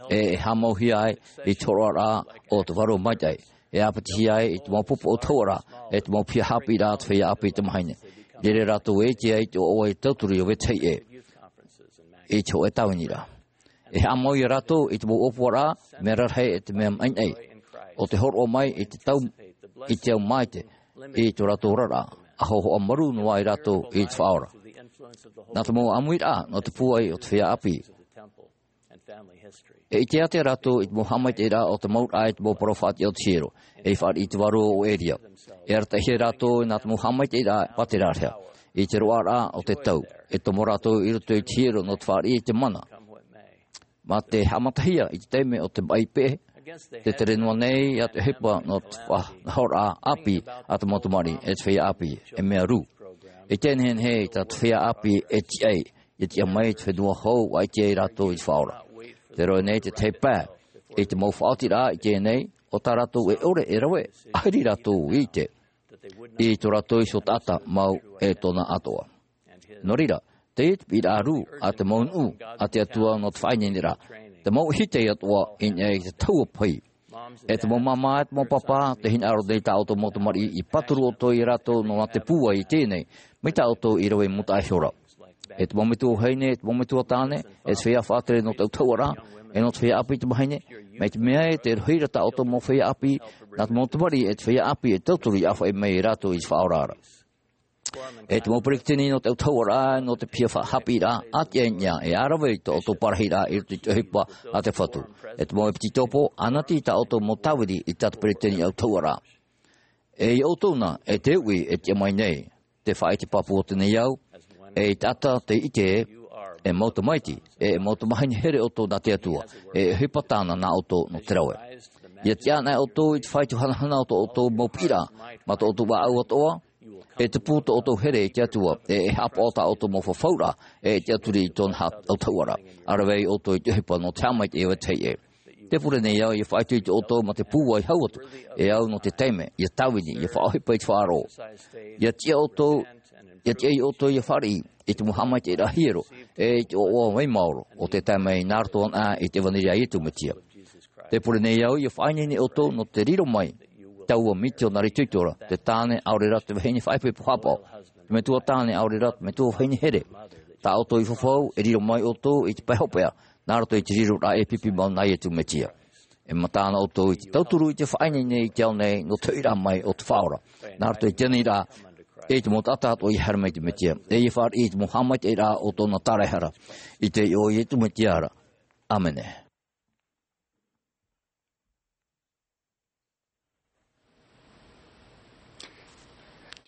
e, e haʻamauhia ai, i te hōroʻaraʻa o te Vārua Maitaʻi. E ʻāpitihia ai i te mau pupu ʻautahuʻaraʻa, e te mau piha haʻapiʻiraʻa a te feiā ʻāpī i te mahine. I reira rātou e ʻite ai i te ʻoaʻoa i te tauturu ia vetahi ʻē. I te hōʻē tāviniraʻa. E haʻamau ia rātou i te mau ʻōpuaraʻa, mea rarahi e te mea maʻinaʻi. ʻO te hōroʻa mai i te tau, i te au maitaʻi, i tō rātou oraraʻa, ʻa hōhoʻa marū noa ai rātou i te Faʻaora. Nā te mau ʻāmuiraʻa, nō te pūai o te feiā ʻāpī. E ʻite ātea rātou i te mau haʻamaitaʻiraʻa o te mau raʻa, i te mau parau faʻatiʻa o te hiero, e i fāriʻi i te vārua o Eria. E arataʻihia rātou nā te mau haʻamaitaʻiraʻa e pāterahia, i te roaraʻa o te tau, e tomo rātou i roto i te hiero nō te fāriʻi i te mana. Mā te haʻamatahia i te taime o te maʻi peʻe, tē tere noa nei ia te ʻohipa nō te faʻanahoraʻa ʻāpī a te mau tamariʻi e te feiā ʻāpī, e mea rū. E tē nehenehe i tā te feiā ʻāpī e tiʻa ai, ia tiʻa mai te fenua hou, ʻua ʻite ai rātou i te Faʻaora. Tē roaʻa nei te tahi pae, i te mau faʻaotiraʻa i teie nei, ʻo tā rātou e ʻore e rave, ʻahiri rātou i ʻite i tō rātou iho taʻata mau e tōna atoʻa. Nō reira, teie te piʻiraʻa rū a te mau nuʻu a te Atua nō te faʻaineineraʻa, te mau ʻihitai atoʻa i niʻa i te tahua pahi. E te mau māmā, e te mau pāpā, tē hinaʻaro nei tā ʻoutou mau tamariʻi, i pāturu ʻoutou ia rātou nō te pūai i teie nei, mai tā ʻoutou i rave i mūtaʻa ihora. E te mau metua vahine, e te mau metua tāne, e te feiā faʻatere nō te ʻautahuʻaraʻa, e nō te feiā ʻāpī i te mahine, mai te mea ē, tē rohi ra tā ʻoutou mau feiā ʻāpī, nā te mau tamariʻi, e te feiā ʻāpī, e tauturu i ʻāfaʻi mai ia rātou i te Faʻaora ra. E te mau peretiteni nō te ʻautahuʻaraʻa, nō te piha fa-, haʻapiʻiraʻa, ʻātiʻa i niʻa, e ʻā rave i tō ʻoutou parahiraʻa i roto i te ʻohipa a te Fatu. E te mau ʻepitiropo, ʻanati tā ʻoutou mau tāvini i tā te peretiteni ʻautahuʻaraʻa. E ia ʻoutou na, e te uʻi, e tiʻa mai nei, te faʻaʻite pāpū o teie nei ao, e ia taʻata tei ʻite ē, e mau tamaiti, e, e mau tamahine here ʻoutou nā te Atua, e, e ʻohipa tāna nā ʻoutou nō te rave. Ia tiʻa anaʻe ʻoutou i te fāito hanahana o tō ʻoutou mau piʻiraʻa, mā tō ʻoutou ʻāʻau atoʻa, e tupu tō ʻoutou here i te Atua, e, e haʻapaʻo tā ʻoutou mau fafauraʻa, e, e tiʻaturi i tōna ha-, ʻautahuʻaraʻa. ʻA rave ai ʻoutou i te ʻohipa nō te haʻamaitaʻi e vetahi ʻē. Tē pure nei au, ia faʻaitoito ʻoutou mā te pūai hau atu, e au nō te taime, ia tāvini, ia faʻaʻohipa i te faʻaroʻo. Ia tiʻa ʻoutou, ia tiʻa ia ʻoutou ia fāriʻi, i te mau haʻamaitaʻiraʻa hiero, e i te ʻoaʻoa vai maoro, ʻo tē tae mai nā roto anaʻe i te ʻevanelia a Iesu Mesia. Tē pure nei au, ia faʻaineine ʻoutou nō te riro mai, taua mitionare itoito ra, te tāne ʻaore ra te vahine faʻaipoipo haʻapaʻo, te metua tāne ʻaore ra te metua vahine here. Tā ʻoutou i fafau, e riro mai ʻoutou i te pae hopeʻa, nā roto i te riroraʻa e pipi mau nā Iesu Mesia. E mataʻu anaʻe ʻoutou i te tauturu i te faʻaineine i te ao nei, nō te hoʻiraʻa mai o te Faʻaora. Nā roto i teie nei rā, e te mau taʻata atoʻa ia haere mai i te Mesia. E ia fāriʻi i te mau haʻamaitaʻiraʻa o tōna tāraehara. I te iʻoa o Iesu Mesia ra. ʻĀmene.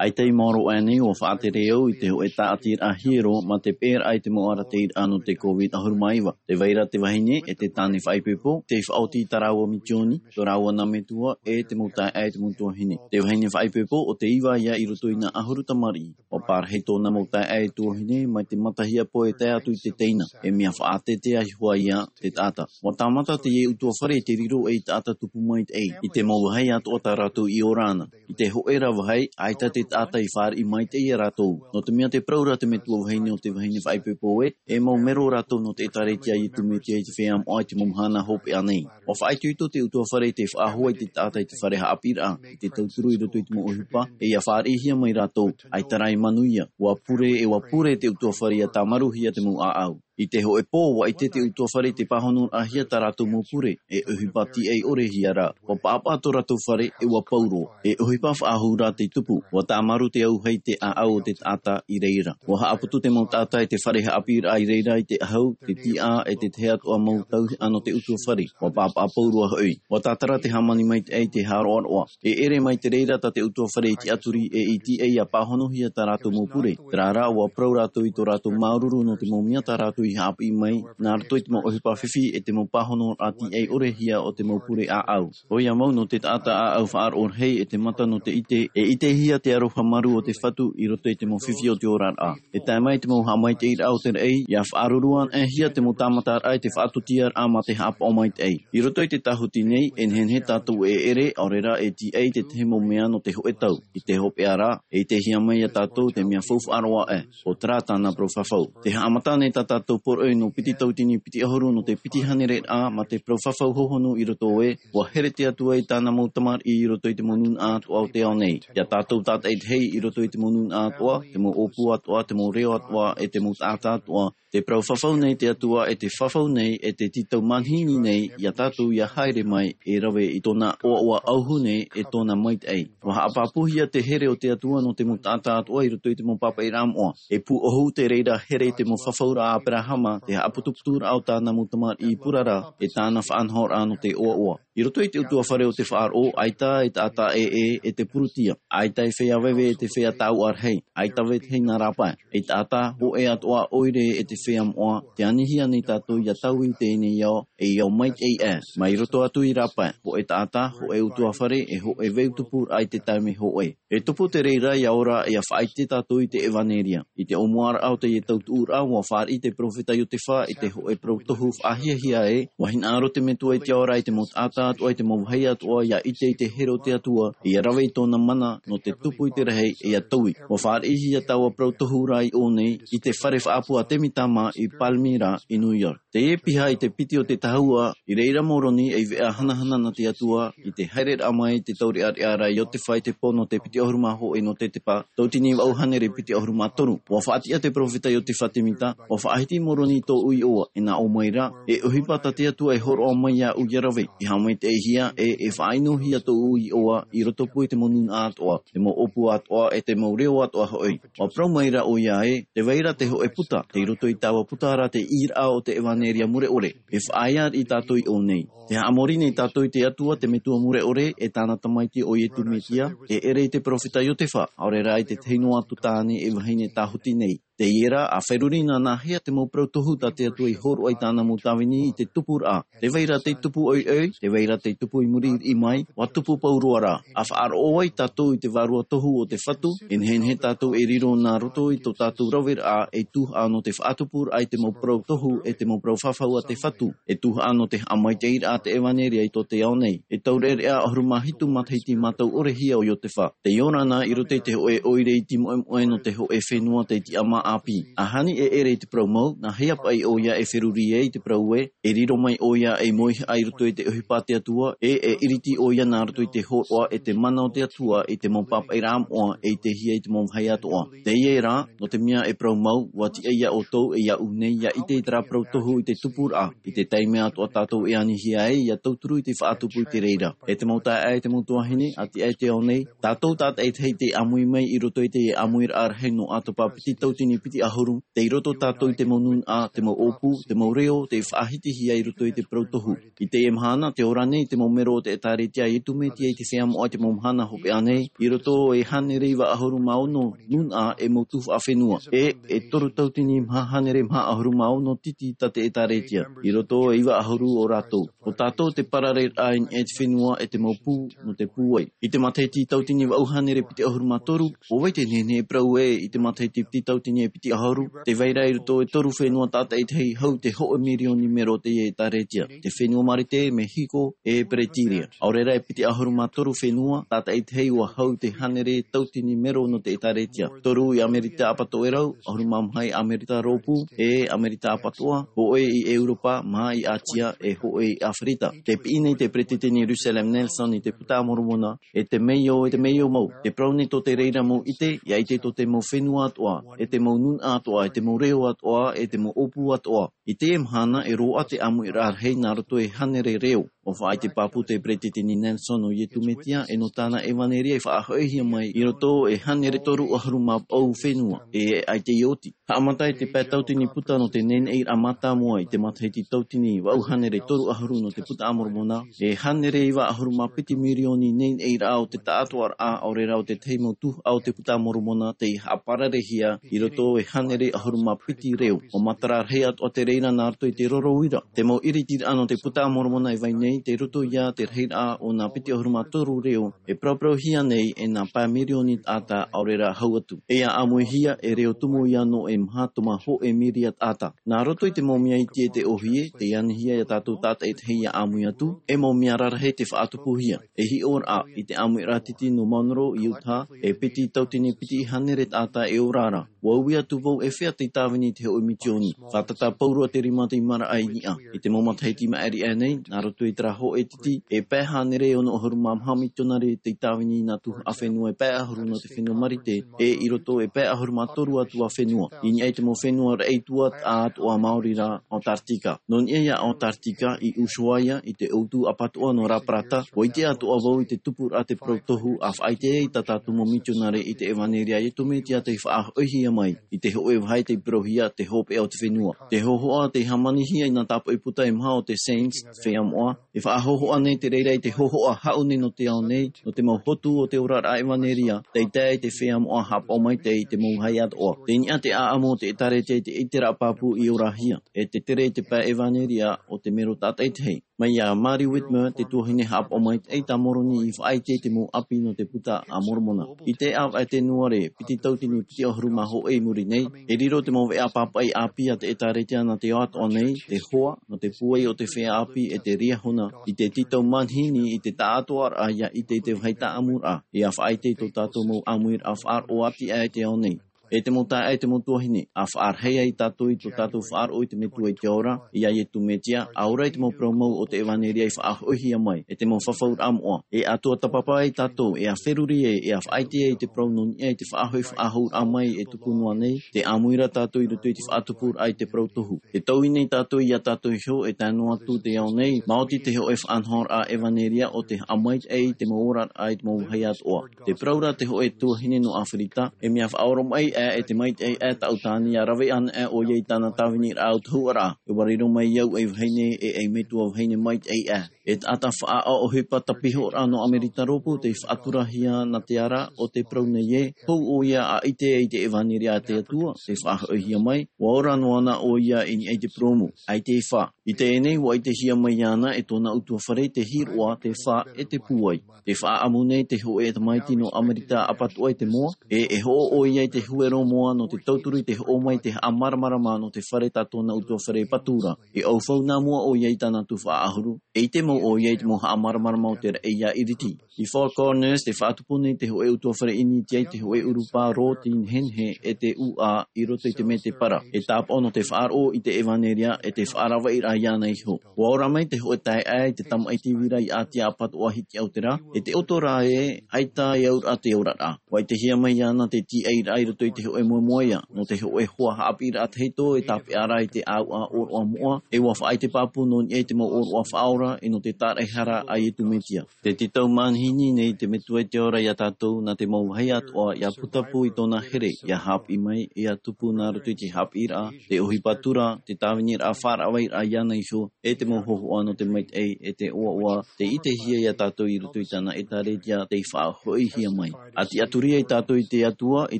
ʻAita i maoro aʻe nei, ʻua faʻatere au i te hōʻē tāʻatiraʻa hiero mā te peʻeraʻa i te mau arataʻiraʻa nō te COVID ʻahuru mā iva. Tē vai ra te vahine e te tāne faʻaipoipo, tei faʻaoti i tā rāua misioni, tō rāua nā metua, e te mau taeaʻe e te mau tuahine. Te vahine faʻaipoipo, ʻo te iva ïa i roto i nā ʻahuru tamariʻi. ʻUa parahi tōna mau taeaʻe e tuahine, mai te matahiapo e tae atu i te teina. E mea faʻateatea hoʻi ïa te taʻata. ʻUa tāmata teie ʻutuāfare i te riro ei taʻata tupu maitaʻi, i te mau vāhi atoʻa tā rātou i ora na. I te hōʻē ra vāhi, ʻaita te taʻata i fāriʻi maitaʻi ia rātou. Nō te mea tē parau ra te metua vahine ʻo te vahine faʻaipoipo ē, e mau mero rātou nō te ʻĒtārētia a Iesu Mesia i te feiā moʻa i te mau mahana hopeʻa nei. ʻUa faʻaitoito te ʻutuāfare i te faʻahou i te taʻata i te fare haʻapiʻiraʻa, i te tauturu i roto i te mau ʻohipa, e ʻia fāriʻihia mai rātou, ʻaita rā e manuia, ʻua pure e ʻua pure te ʻutuāfare ʻia tāmaruhia te mau ʻāʻau. I te hōʻē pō, ʻua ʻite te ʻutuāfare i te pāhonoraʻahia tā rātou mau pure, e ʻohipa tīaʻi ʻore hia rā. ʻUa paʻapaʻa tō rātou fare, e ʻua pau roa. E ʻohipa faʻahou rā tei tupu. ʻUa tāmaru te auahi i te ʻāʻau o te taʻata i reira. ʻUa haʻaputu te mau taʻata e te fare haʻapiʻiraʻa i reira i te ʻahu, te tiʻa, e te tahi atoʻa mau tauihaʻa nō te ʻutuāfare. ʻUa paʻapaʻa pauroa hoʻi. ʻUa tātara te hāmani maitaʻi i te haʻaroʻaroʻa. E ʻere mai te reira tā te ʻutuāfare i tiʻaturi e i tīaʻi ʻia pāhonohia tā rātou mau pure. Terā rā, ʻua parau rātou i tō rātou māuruuru nō te mau mea tā rātou i haʻapiʻi mai, nā roto i te mau ʻohipa fifi e te mau pāhonoraʻa tīaʻi ʻore hia o te mau pure ʻāʻau. ʻOia mau nō te taʻata ʻāʻau faʻaroʻo rahi e te mata nō te ʻite, e ʻitehia te aroha marū o te Fatu i roto i te mau fifi o te oraraʻa. E tae mai te mau haʻamaitaʻiraʻa o te raʻi, ʻia faʻaruru anaʻe hia te mau tāmataraʻa i te faʻatūtiaraʻa mā te haʻapaʻo maitaʻi. I roto i te tāhuti nei, e nehenehe tātou e ʻere, ʻaore rā e tīaʻi i te tahi mau mea nō te hōʻē tau. I te hopeʻa rā, e ʻitehia mai ia tātou te mea faufaʻa roa aʻe, ʻo terā tāna parau fafau. Tē haʻamata nei tā tātou poroʻi nō piti tauatini piti ʻahuru nō te piti hānereraʻa, mā te parau fafau hōhonu i roto ē, ʻua here te Atua i tāna mau tamariʻi i roto i te mau nūnaʻa atoʻa o te ao nei. Ia tātou tātaʻitahi i roto i te mau nūnaʻa atoʻa, te mau ʻōpū atoʻa, te mau reo atoʻa, e te mau taʻata atoʻa, tē parau fafau nei te Atua, e tē fafau nei, e tē tītau manihini nei ia tātou ʻia haere mai, e rave i tōna ʻoaʻoa auahi nei, e tōna maitaʻi. ʻUa haʻapāpūhia te here o te Atua nō te mau taʻata atoʻa i roto i te mau pāpaʻiraʻa moʻa. E pūʻohu te reira here i te mau fafauraʻa a Aperahama, te haʻaputuputuraʻa o tāna mau tamariʻi purara, e tāna faʻanahoraʻa nō te ʻoaʻoa. I roto i te ʻutuāfare o te faʻaroʻo, ʻaita e taʻata ʻē, e te purutia, ʻaita e feiā veve e te feiā tauʻa rahi, ʻaita vetahi nā rāpae, e taʻata, hōʻē atoʻa ʻoire e te feiā moʻa, tē anihia nei tātou ʻia taui i teie nei ao, e ao maitaʻi aʻe, mai roto atu i rāpae, hōʻē taʻata, hōʻē ʻutuāfare, e hōʻē veu tupuraʻa i te taime hōʻē. E tupu te reira ʻia ora, ʻia faʻaʻite tātou i te ʻevaneria. I te ʻōmuaraʻa o teie tautuʻuraʻa, ʻua fāriʻi te peropheta Iotefa i te hōʻē parau tohu faʻahiahia ē, ʻua hinaʻaro te Metua i te ao ra i te mau taʻata atoʻa, i te mau vāhi atoʻa, ʻia ʻite i te here o te Atua, ʻia rave i tōna mana, nō te tupu i te rahi, e ʻia taui. ʻUa fāriʻihia taua parau tohu ra i ʻō nei, i te fare faʻaʻapu a Temita mā i Palmyra, i New York. Teie piha i te piti o te tahua, i reira Moroni ei veʻa hanahana nā te Atua, i te haereraʻa mai i te taureʻareʻa ra a Iotefa i te pō nō te piti ʻahuru mā hōʻē nō te tepa, tauatini vaʻu hānere piti ʻahuru mā toru. ʻUa faʻatiʻa te peropheta Iotefa Temita, ʻua faʻahiti Moroni i tōʻu iʻoa, e nā ʻō mai ra, e ʻohipa tā te Atua e hōroʻa mai iāʻu ʻia rave, e haʻamaitaʻihia, e, e faʻaʻinohia tōʻu iʻoa, i rotopū i te mau nūnaʻa atoʻa, te mau ʻōpū atoʻa, e te mau reo atoʻa hoʻi. ʻUa parau mai ra ʻoia ē, tē vai ra te hōʻē puta, tei roto i taua puta ra te ʻīraʻa o te ʻevaneria mure ʻore, e faʻaea riʻi tātou i ʻō nei. Tē haʻamori nei tātou i te Atua, te Metua mure ʻore, e tāna Tamaiti ʻo Iesu Mesia, e ʻere i te peropheta Iotefa, ʻaore rā i te tahi noa atu tāne e vahine tāhuti nei. Teie rā, ʻa feruri nānāhia te mau parau tohu tā te Atua i hōroʻa i tāna mau tāvini i te tupuraʻa. Tē vai ra tei tupu ʻoiʻoi, tē vai ra tei tupu i muri riʻi mai, ʻua tupu pauroa rā. ʻA faʻaroʻo ai tātou i te vārua tohu o te Fatu, e nehenehe tātou e riro nā roto i tō tātou raveraʻa ei tuhaʻa nō te faʻatupuraʻa i te mau parau tohu e te mau parau fafau a te Fatu, ei tuhaʻa nō te haʻamaitaʻiraʻa a te ʻevaneria i tō te ao nei. E taureʻareʻa ʻahuru mā hitu matahiti mātau ʻore hia ʻo Iotefa. Tei ora na i roto i te hōʻē ʻoire iti moʻemoʻe nō te hōʻē fenua tei tiʻamā ʻāpī. ʻA hani e ʻere i te parau mau, nāhea paʻi ʻoia e feruri ai i te parau ē, e riro mai ʻoia ei mauhaʻa i roto i te ʻohipa a te Atua, e, e iriti ʻoia nā roto i te hōroʻa e te mana o te Atua i te mau pāpaʻiraʻa moʻa e ʻitehia i te mau vāhi atoʻa. Teie rā, nō te mea e parau mau, ʻua tiʻa ia ʻoutou e iāʻu nei ʻia ʻite i terā parau tohu i te tupuraʻa, i te taime atoʻa tātou e anihia ai ʻia tauturu i te faʻatupu i te reira. E te mau taeaʻe, e te mau tuahine, ʻa tiʻa i te ao nei, tātou tātaʻitahi tei ʻāmui mai i roto i te ʻāmuiraʻa rahi nō ʻAtopa piti tauatini piti ʻahuru, tei roto tātou i te mau nūnaʻa, te mau ʻōpū, te mau reo, tei faʻahitihia i roto i te parau tohu. I teie mahana, tē ora nei te mau mero o te ʻĒtārētia a Iesu Mesia i te feiā moʻa i te mau mahana hopeʻa nei, i roto e hānere iva ʻahuru mā ono nūnaʻa e mau tuhaʻa fenua. E, e toru tautini maha hānere maha ʻahuru mā ono titi tā te ʻĒtārētia. I roto e iva ʻahuru o rātou. ʻO tātou te parareraʻa i niʻa i te fenua e te mau pū, nō te pūai. I te matahiti tautini vaʻu hānere piti ʻahuru mā toru, ʻo vai te nehenehe e parau ē i te matahiti piti tautini e piti ʻahuru, tē vai ra i roto e toru fenua tātaʻitahi hau te hōʻē mirioni mero o te ʻĒtārētia. Te fenua Marite, Mehiko, e Peretīria. ʻAore rā e piti ʻahuru mā toru fenua, tātaʻitahi ʻua hau te hānere tautini mero nō te ʻĒtārētia. Toru i Amerika Apatoʻerau, ʻahuru mā maha i Amerika Rōpū, e Amerika Apatoʻa, hōʻē i ʻEuropa, maha i ʻĀtia, e hōʻē i ʻĀfirika. Tē piʻi nei te peretiteni Russell M. Nelson i te Puta a Moromona, e te meio, e te meio mau. Tē parau nei tō te reira mau ʻite, ʻia ʻite tō te mau fenua atoʻa, e te mau nūnaʻa atoʻa, e te mau reo atoʻa, e te mau ʻōpū atoʻa. I teie mahana, e roaʻa te ʻāmuiraʻa rahi nā roto e hānere reo. ʻUa faʻaʻite pāpū te peretiteni Nelson ʻo Iesu Mesia, e nō tāna ʻevaneria i faʻahoʻihia mai i roto e hānere toru ʻahuru mā vaʻu fenua, e ʻaita i oti. Haʻamata i te pae tautini puta nō te neneʻiraʻa mātāmua i te matahiti tautini vaʻu hānere toru ʻahuru nō te Puta a Moromona, e hānere iva ʻahuru mā piti mirioni neneʻiraʻa o te taʻatoʻaraʻa, ʻaore rā ʻo te tahi mau tuhaʻa o te Puta a Moromona tei haʻapararehia i roto e hānere ʻahuru mā piti reo. ʻUa matara rahi atoʻa te reira nā roto i te roro uira. Te mau ʻiritiraʻa nō te Puta a Moromona e vai nei, tei roto ia te rahiraʻa o nā piti ʻahuru mā toru reo, e parauparauhia nei e nā pae mirioni taʻata ʻaore rā hau atu. E ʻia ʻāmuihia e reo tumu ia nō e maha toma hōʻē miria taʻata. Nā roto i te mau mea iti e te ʻōhie, tei anihia ia tātou tātaʻitahi ʻia ʻāmui atu, e mau mea rarahi te faʻatupuhia. E hiʻoraʻa, i te ʻāmuiraʻa titi nō Monroe i Utah, e piti tautini piti hānere taʻata e ora ra. ʻUa ui atu vau e fea tei tāvini i te hōʻē misioni. Fātata pauroa te rima tei maraʻa i niʻa. I te mau matahiti maʻiri aʻe nei, nā roto i terā hōʻē titi, e pae hānere ono ʻahuru mā maha misionare tei tāvini i nā tuhaʻa fenua e pae ʻahuru nō te fenua Marite, e i roto e pae ʻahuru mā toru atu ā fenua. I niʻa i te mau fenua raʻi atu ā, atoʻa maori rā, Antarctica. Nō niʻa ia Antarctica, i Ushuaia, i te ʻōutu apatoʻa nō Raparata, ʻua ʻite atoʻa vau i te tupuraʻa te parau tohu, ʻa faʻaʻite ai tā tātou mau misionare i te ʻevaneria a Iesu Mesia tei faʻahoʻihia mai i te hōʻē vāhi tei parauhia te hopeʻa o te fenua. Te hōhoʻa tei hāmanihia i nā tāpaʻo puta e maha o te Saints, feiā moʻa, e faʻahōhoʻa nei te reira i te hōhoʻa haʻu nei nō te ao nei, nō te mau hotu o te oraraʻa ʻevaneria, tei tae i te feiā moʻa haʻapaʻo maitaʻi i te mau vāhi atoʻa. Tei niʻa te ʻāʻamu o te ʻĒtārētia i te ʻiteraʻa pāpū i orahia, e te tere i te pae ʻevaneria o te mero tātaʻitahi. Mai iā Mary Whitmer, te tuahine haʻapaʻo maitaʻi tā Moroni i faʻaʻite i te mau ʻāpī nō te Puta a Moromona. I te ʻāvaʻe Tenuare, piti tautini piti ʻahuru mā hōʻē i muri nei, e riro te mau veʻa pāpaʻi ʻāpī a te ʻĒtārētia nā te ao atoʻa nei, te hoa, nō te pūai o te feiā ʻāpī e te Liahona, i te tītau manihini i te taʻatoʻaraʻa ʻia ʻite i te vāhi taʻamuraʻa, ʻia faʻaʻite i tō tātou mau ʻāmuiraʻa faʻaroʻo ati aʻe i te ao nei. E te mau taeaʻe, e te mau tuahine, ʻa faʻarahi ai tātou i tō tātou faʻaroʻo i te Metua i te Ao ra, iā Iesu Mesia, ʻa ora i te mau parau mau o te ʻevaneria i faʻahoʻihia mai, e te mau fafauraʻa moʻa, e ʻa tuatāpapa ai tātou, e ʻa feruri ai, e ʻa faʻaʻite ai i te parau nō niʻa i te faʻahoʻi faʻahouraʻa mai e tupu noa nei, tē ʻāmui ra tātou i roto i te faʻatupuraʻa i te parau tohu. Tē taui nei tātou iā tātou iho, e tae noa atu te ao nei, maoti te hōʻē faʻanahoraʻa ʻevaneria ʻo te haʻamaitaʻi i te mau oraraʻa i te mau vāhi atoʻa. Tē parau ra te hōʻē tuahine nō ʻĀfirika, e mea faʻaoromaʻi aʻe, e te maitaʻi aʻe tāʻu tāne ʻia rave anaʻe ʻoia i tāna tāviniraʻa autahuʻaraʻa. E ʻua riro mai au ei vahine, e ei metua vahine maitaʻi aʻe. E taʻata faʻaʻohipa tāpihoraʻa nō ʻAmerika Rōpū tei faʻaturahia nā te ara o te parau nei ē, hou ʻoia ʻa ʻite i te ʻevaneria a te Atua, tei faʻahoʻihia mai, ʻua ora noa na ʻoia i niʻa i te purōmu, ʻaita e fā. I teie nei, ʻua ʻitehia mai iāna e tōna ʻutuāfare te hiroʻa, te fā, e te pūai. Tē faʻaʻamu nei te hōʻē tamaiti nō ʻAmerika Apatoʻa i te moa, e, e hoʻo ʻoia i te huero moa nō te tauturu i te hoʻo mai te haʻamāramarama nō te fare tā tōna ʻutuāfare patu ra. E ʻaufau nā mua ʻoia i tāna tuhaʻa ʻahuru, e ʻite mau ʻoia i te mau haʻamāramarama o te raʻi ʻia ʻiriti. I Four Corners, tē faʻatupu nei te hōʻē ʻutuāfare ʻInitia i te hōʻē ʻurupā rōti nehenehe e te ʻūʻā i roto i te mētēpara. E tāpaʻo nō te faʻaroʻo i te ʻevaneria, e te faʻaravaʻiraʻa iāna iho. ʻUa ora mai te hōʻē taeaʻe i te tamaʻiti vira i ʻĀtia Apatoʻa Hitiaʻau terā, e te ʻoto ra ē, ʻaita e auraʻa te oraraʻa. ʻUa ʻitehia mai iāna te tīaʻiraʻa i roto i te Te hōʻē moemoeā, nō te hōʻē hoa haʻapiʻiraʻa tahito e tāpeʻa ra i te ʻāuʻa ʻōroʻa moʻa, e ʻua faʻaʻite pāpū nō niʻa i te mau ʻōroʻa faʻaora, e nō te tāraʻehara a Iesu Mesia. Tē tītau manihini nei te Metua i te ora iā tātou, nā te mau vāhi atoʻa, ʻia putapū i tōna here, ʻia haʻapiʻi mai, ʻia tupu nā roto i te haʻapiʻiraʻa, te ʻohipa tura, te tāviniraʻa faʻaravaraʻa iāna iho, e te mau hōhoʻa nō te maitaʻi, e te ʻoaʻoa, tē ʻitehia iā tātou i roto i tāna ʻētārētia, tei faʻahoʻihia mai. ʻA tiʻaturi ai tātou i te Atua, i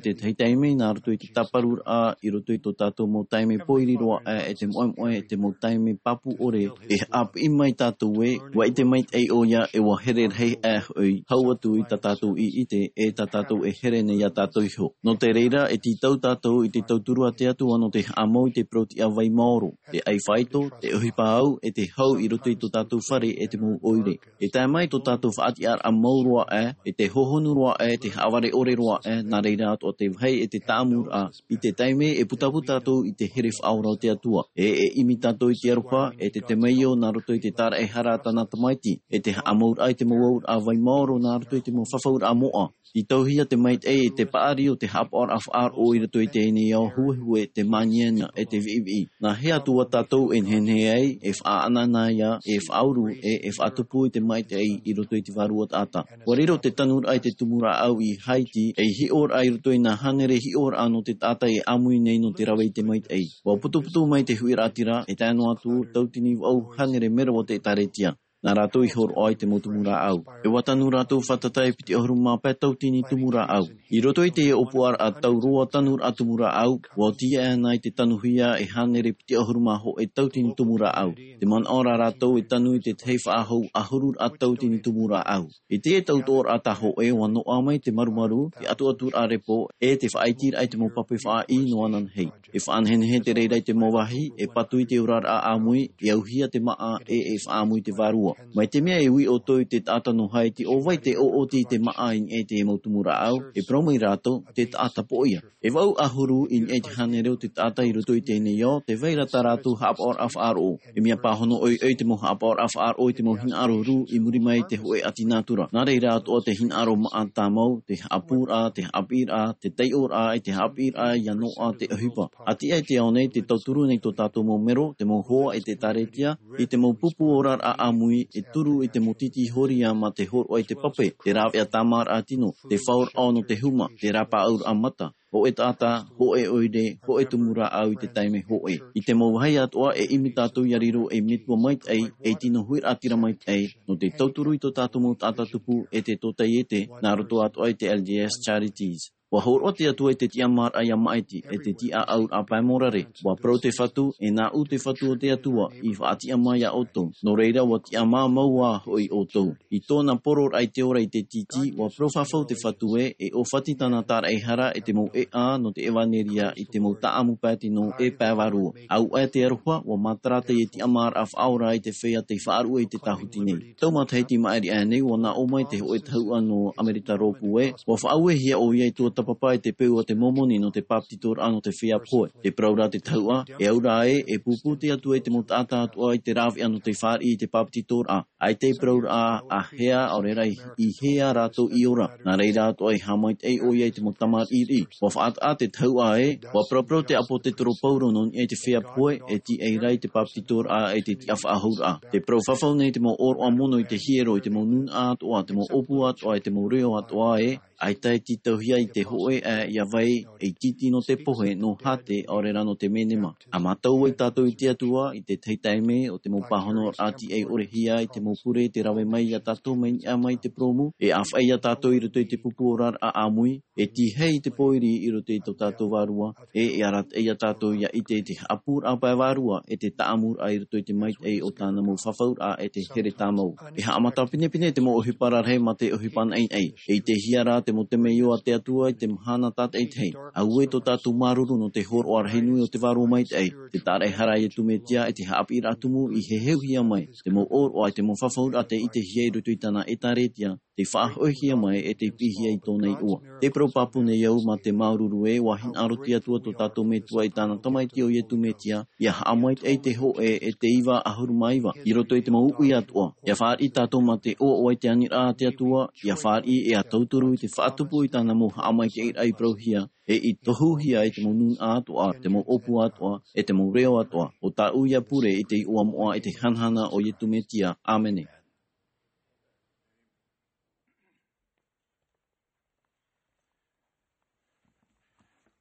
te tahi taime, nā roto i te tāparuraʻa, i roto i tō tātou mau taime pōiri roa aʻe, e te moemoeā, e te mau taime pāpū ʻore, e haʻapiʻi mai tātou ē, ʻua ʻite maitaʻi ʻoia, e ʻua here rahi aʻe hoʻi, hau atu i tā tātou i ʻite, e tā tātou e here nei iā tātou iho. Nō te reira, e tītau tātou i te tauturu a te Atua nō te haʻamau i te parau-tiʻa vai maoro, te ʻai faito, te ʻohipa au, e te hau i roto i tō tātou fare, e te mau ʻoire. E tae mai tō tātou faʻatiʻaraʻa mau roa aʻe, e te hohonu roa aʻe, te haʻavare ʻore roa aʻe, nā reira atoʻa te vāhi e te tāʻamuraʻa, i te taime e putapū tātou i te here faʻaora o te Atua. E, e ʻimi tātou i te aroha, e te temeio nā roto i te tāraʻehara a tāna tamaiti, e te haʻamauraʻa i te mau auraʻa vai maoro nā roto i te mau fafauraʻa moʻa. Tītauhia te maitaʻi e te paʻari o te haʻapaʻoraʻa faʻaroʻo i roto i teie nei ao huehue, te māniania, e te viʻiviʻi. Nā hea atu ā tātou e nehenehe ai, e faʻaʻanaʻana ia, e faʻauru, e, e faʻatupu i te maitaʻi i roto i te vārua taʻata. ʻUa riro te tanuraʻa i te tumu rāʻau i Haiti, ei hiʻoraʻa i roto i nā hānere hiʻoraʻa nō te taʻata e ʻāmui nei nō te rave i te maitaʻi. ʻUa putuputu mai te huiraʻatira, e tae noa atu, tautini vaʻu hānere mero o te ʻētārētia. Nā rātou i hōroʻa i te mau tumu rāʻau. E ʻua tanu rātou fātata e piti ʻahuru mā pae tautini tumu rāʻau. I roto i te ʻōpuaraʻa tau roa tanuraʻa tumu rāʻau, ʻua oti ana i te tanuhia e hānere piti ʻahuru mā hōʻē tautini tumu rāʻau. Te manaʻo ra rātou e tanu i te tahi faʻahou ʻahuru tautini tumu rāʻau. I teie tautoʻoraʻa tā hōʻē ʻua noaʻa mai te marumaru, te ʻatuʻaturaʻa repo, e te faʻaitiraʻa i te mau pape faʻaʻī noa ananahi. E faʻanehenehe te reira i te mau vāhi, e patu i te oraraʻa ʻāmui, e auhia te māʻa, e, e faʻaʻāmui te vārua. Mai te mea e ui ʻoutou i te taʻata nō Haiti, ʻo vai te ʻoʻoti i te māʻa i niʻa i te mau tumu rāʻau, e parau mai rātou, te taʻata poʻia. E vaʻu ʻahuru i niʻa i te hānere o te taʻata i roto i teie nei ao, tē vai ra tā rātou haʻapaʻoraʻa faʻaroʻo. E mea pāhono ʻoiʻoi te mau haʻapaʻoraʻa faʻaroʻo i te mau hinaʻaro rū i muri mai i te hōʻē ʻati nātura. Nā reira atoʻa te hinaʻaro māʻa tāmau, te haʻapūraʻa, te haʻapiʻiraʻa, te taiʻoraʻa, e te haʻapiʻiraʻa, ʻia noaʻa te ʻohipa. ʻA tiʻa i te ao nei, tē tauturu nei tō tātou mau mero, te mau hoa e te ʻētārētia, i te mau pupu oraraʻa ʻāmui, e turu i te mau tītī horia mā te hōroʻa i te pape, te rāveʻa tāmāraʻa tino, te faʻaora nō te huma, te rāpaʻauraʻa mata, hōʻē taʻata, hōʻē ʻoire, hōʻē tumu rāʻau i te taime hōʻē. I te mau vāhi atoʻa e ʻimi tātou ʻia riro ei metua maitaʻi, ei tino huiraʻatira maitaʻi, nō te tauturu i tō tātou mau taʻata tupu e te tōtaiete, nā roto atoʻa i te L D S Charities. ʻUa hōroʻa te Atua i te tiʻamāraʻa ʻia maʻiti, e te tiʻaʻauraʻa pae mōrare. ʻUa parau te Fatu, e nāʻu te Fatu o te Atua, i faʻatiʻamā iā ʻoutou. Nō reira, ʻua tiʻamā mau ā hoʻi ʻoutou. I tōna poroʻraʻa i te ora i te tītī, ʻua parau fafau te Fatu ē, e ʻōfati tāna tāraʻehara e te mau ʻēʻa nō te ʻevaneria i te mau taʻamu pae tino e pae vārua. ʻAuʻa te aroha, ʻua mātara teie tiʻamāraʻa faʻaora i te feiā tei faʻaruʻe i te tāhuti nei. Tau matahiti maʻiri aʻe nei, ʻua nā ʻō mai te hōʻē tahuʻa nō Amerika Rōpū ē, ʻua faʻauehia ʻoia i tuatāpapa i te peu a te Momoni nō te bāpetizoraʻa nō te feiā pohe. Tē parau ra te tahuʻa, e au rā ē, e pūpū te Atua i te mau taʻata atoʻa i te rāveʻa nō te fāriʻi i te bāpetizoraʻa. ʻAita e parauraʻa ā hea, ʻaore rā i, i hea rātou i ora. Nā reira atoʻa e haʻamaitaʻi ʻoia i te mau tamariʻi. ʻUa faʻataʻa te tahuʻa ē, ʻua paraparau te ʻāpōsetolo Paulo nō niʻa i te feiā pohe, e tīaʻi ra i te bāpetizoraʻa, e te tiʻafaʻahouraʻa. Tē parau fafau nei te mau ʻōroʻa mono i te hiero, i te mau nūnaʻa atoʻa, te mau ʻōpū atoʻa, e te mau reo atoʻa ē, ʻaita e tītauhia i te hōʻē ā ʻia vai, ei tītī nō te pohe, nō hāte, ʻaore rā nō te menema. ʻA mātau ai tātou i te Atua, i te tahi taime, ʻo te mau pāhonoraʻa tīaʻi ʻore hia, i te mau pure, tē rave mai iā tātou mai niʻa mai i te purōmu, e ʻāfaʻi iā tātou i roto i te pupu oraraʻa ʻāmui, e tīaʻi i te pōiri i roto i tō tātou vārua, e, e arataʻi iā tātou ʻia ʻite i te haʻapūraʻa pae vārua, e te taʻamuraʻa i roto i te maitaʻi o tāna mau fafauraʻa e te here tāmau. E haʻamata pinepine te mau ʻohipa rarahi mā te ʻohipa naʻinaʻi. E ʻitehia rā te mau temeio a te Atua i te mahana tātaʻitahi. Auē tō tātou māuruuru nō te hōroʻa rahi nui o te Vārua Maitaʻi, te tāraʻehara a Iesu Mesia, e te haʻapiʻiraʻa tumu i heheuhia mai, te mau ʻōroʻa, te mau fafauraʻa tei ʻitehia i roto i tāna ʻētārētia, tei faʻahoʻihia mai e tei piʻihia i tōna iʻoa. Tē parau pāpū nei au mā te māuruuru ē, ʻua hinaʻaro te Atua tō tātou Metua i tāna Tamaiti ʻo Iesu Mesia, ʻia haʻamaitaʻi te hōʻē e te iva ʻahuru mā iva, i roto i te mau uʻi atoʻa. ʻIa fāriʻi tātou mā te ʻoaʻoa i te aniraʻa a te Atua, ʻia fāriʻi e ʻia tauturu i te faʻatupu i tāna mau haʻamaitaʻiraʻa i parauhia, e i tohuhia i te mau nūnaʻa atoʻa, te mau ʻōpū atoʻa, e te mau reo atoʻa, ʻo tāʻu ïa pure i te iʻoa moʻa e te hanahana o Iesu Mesia. ʻĀmene.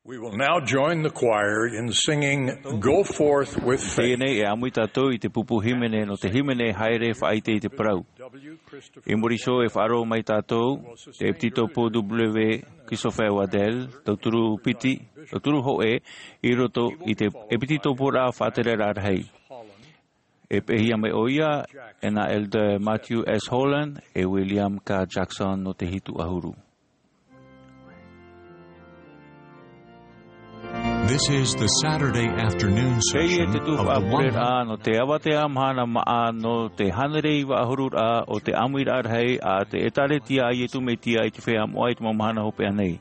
We will now join the choir in singing Go Forth with Faith. Teie nei e ʻāmui tātou i te pupu hīmene nō te hīmene Haere Faʻaʻite i te Parau. I muri iho e faʻaroʻo mai tātou, te ʻEpititopo W. Christopher Waddell, tauturu piti, tauturu hōʻē, i roto i te ʻEpititoporaʻa Faʻatereraʻa Rahi. E peʻehia mai ʻoia e nā Elder Matthew S. Holland e William K. Jackson nō te hitu ʻahuru. This is the Saturday afternoon session of the one hundred. Teie te tuhaʻa pureraʻa nō te avatea mahana māʻa nō te hānere iva ʻahururaʻa o te ʻāmuiraʻa rahi a te ʻĒtārētia a Iesu Mesia i te feiā moʻa i te mau mahana hopeʻa nei.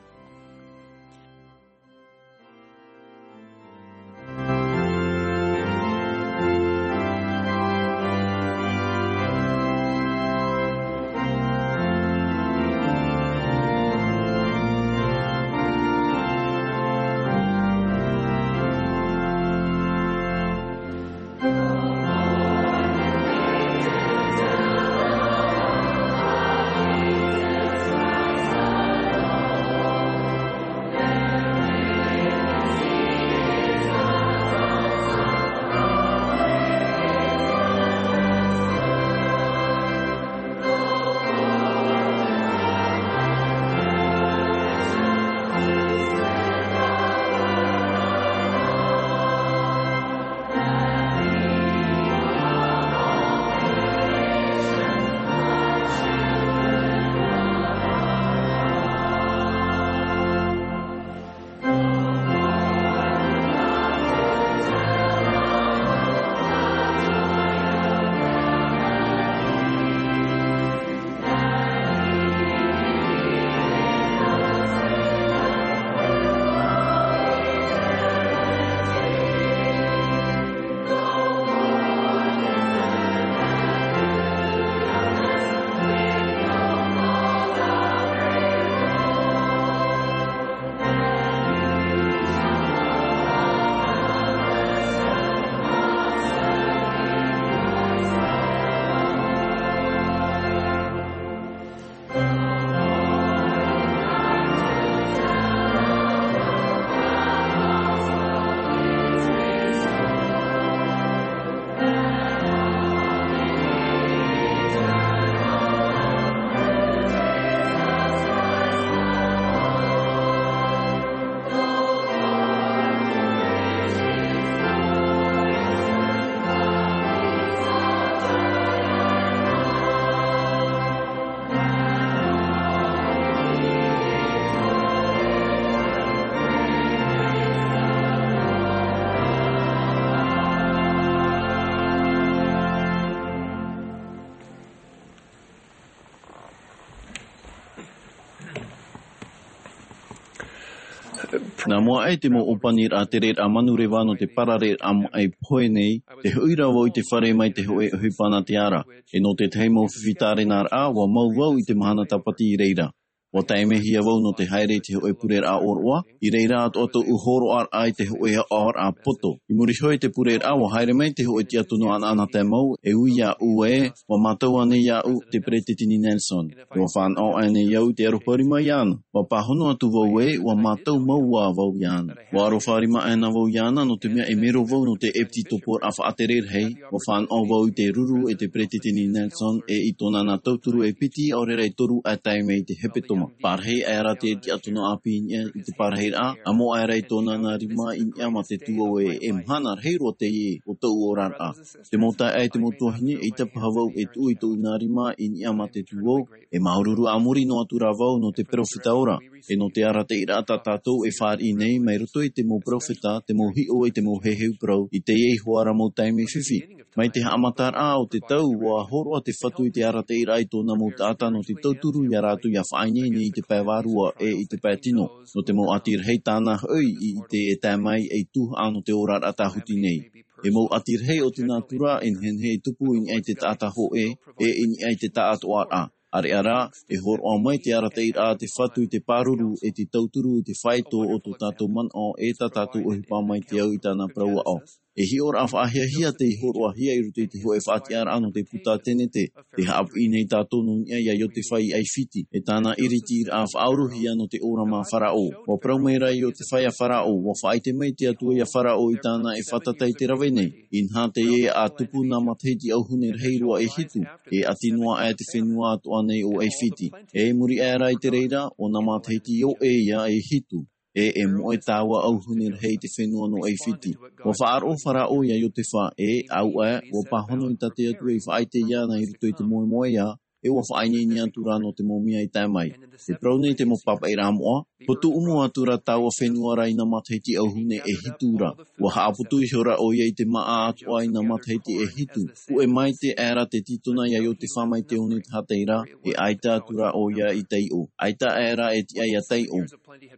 Nā mua aʻe te mau ʻōpaniraʻa tereraʻa manureva nō te parareraʻa maʻi pohe nei, tē hoʻi ra vau i te fare mai te hōʻē ʻohipa nā te ara. E nō te tahi mau fifi tārenaraʻa, ʻua mau vau i te mahana tāpati i reira. ʻUa taimehia vau nō te haere i te hōʻē pureraʻa ʻōroʻa, i reira atoʻa tōʻu hōroʻaraʻa i te hōʻē aʻoraʻa poto. I muri iho i te pureraʻa, ʻua haere mai te hōʻē tiʻatono ʻanaʻanatae mau, e ui iāʻu ē, ʻua mātau ānei iāʻu te Peretiteni Nelson. ʻUa fānaʻo ānei au i te aroha rima iāna. ʻUa pāhono atu vau ē, ʻua mātau mau ā vau iāna. ʻUa aroha rima ānei vau iāna, nō te mea e mero vau nō te ʻEpititoporaʻa Faʻatereraʻa Rahi, ʻua fānaʻo vau i te ruru e te Peretiteni Nelson, e i tōna nā tauturu e piti, ʻaore rā e toru ʻa tae mai i te hepetoma. Pārahi aʻera te tiʻatono ʻāpī i niʻa i te pārahiraʻa, ʻamo aʻera i tōna nā rima i niʻa mā te tū ʻē, e mahana rahi roa teie, ʻo tōʻu oraraʻa. Te mau taeaʻe, te mau tuahine, ʻeita paha vau e tuʻu i tōʻu nā rima i niʻa mā te tuō, e māuruuru a muri noa atu rā vau nō te peropheta ora, e nō te arataʻiraʻa tā tātou e fāriʻi nei mai roto i te mau peropheta, te mau hiʻo e te mau heheu parau, i teie iho ā ra mau taime fifi. Mai te haʻamataraʻa o te tau, ʻua hōroʻa te Fatu i te arataʻiraʻa i tōna mau taʻata nō te tauturu ia rātou ia faʻaineine i te pae vārua e i te pae tino. Nō te mau ʻati rahi tāna hoʻi i ʻite e tae mai ei tuhaʻa nō te oraraʻa tāhuti nei. E mau ʻati rahi o te nātura e nehenehe e tupu i niʻa i te taʻata hōʻē, e i niʻa i te taʻatoʻaraʻa. ʻĀreʻa rā, e hōroʻa mai te arataʻiraʻa a te Fatu i te pāruru e te tauturu i te faito o tō tātou manaʻo e tā tātou ʻohipa mai te au i tāna parau aʻo. E hiʻoraʻa faʻahiahia tei hōroʻahia i roto i te hōʻē faʻatiʻaraʻa nō te puta Tenete, tē haʻapiʻi nei tātou nō niʻa ia Iotefa i ʻAifiti, e tāna ʻiritiraʻa faʻaorohia nō te ora mā Faraō. ʻUa parau mai ra Iotefa ia Faraō, ʻua faʻaʻite mai te Atua ia Faraō i tāna e fātata i te rave nei. Inaha teie ʻa tupu nā matahiti ʻauhune rahi roa e hitu, e ʻati noa aʻe te fenua atoʻa nei o ʻAifiti. E i muri aʻe ra i te reira, ʻo nā matahiti ʻoʻe ia e hitu. E, e moʻe taua ʻauhune rahi i te fenua nō ʻAifiti. ʻUa faʻaroʻo Faraō ia Iotefa, e, auaʻe, ʻua pāhono i tā te Atua i faʻaʻite iāna i roto i te moemoeā, e ʻua faʻaineine atu ra nō te mau mea i tae mai. E parau nei te mau pāpaʻiraʻa moʻa, ʻua tuʻumu atu ra taua fenua ra i nā matahiti ʻauhune e hitu ra. ʻUa haʻaputu ihora ʻoia i te māʻa atoʻa i nā matahiti e hitu. Puʻe maite aʻe ra te tītona ia Iotefa mai te one tahatai ra, e ʻaita atu ra ʻoia i taiʻo. ʻAita aʻe ra e tiʻa ia taiʻo.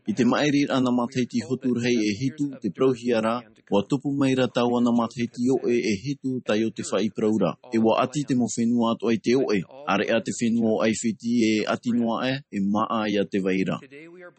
I te maʻiriraʻa nā matahiti hotu rahi e hitu, tē parauhia ra, ʻua tupu mai ra taua nā matahiti ʻoʻe e hitu tā Iotefa i parau ra. E ʻua ʻati te mau fenua atoʻa i te ʻoʻe, ʻāreʻa te fenua o ʻAifiti e ʻati noa aʻe, e māʻa ia te vai ra.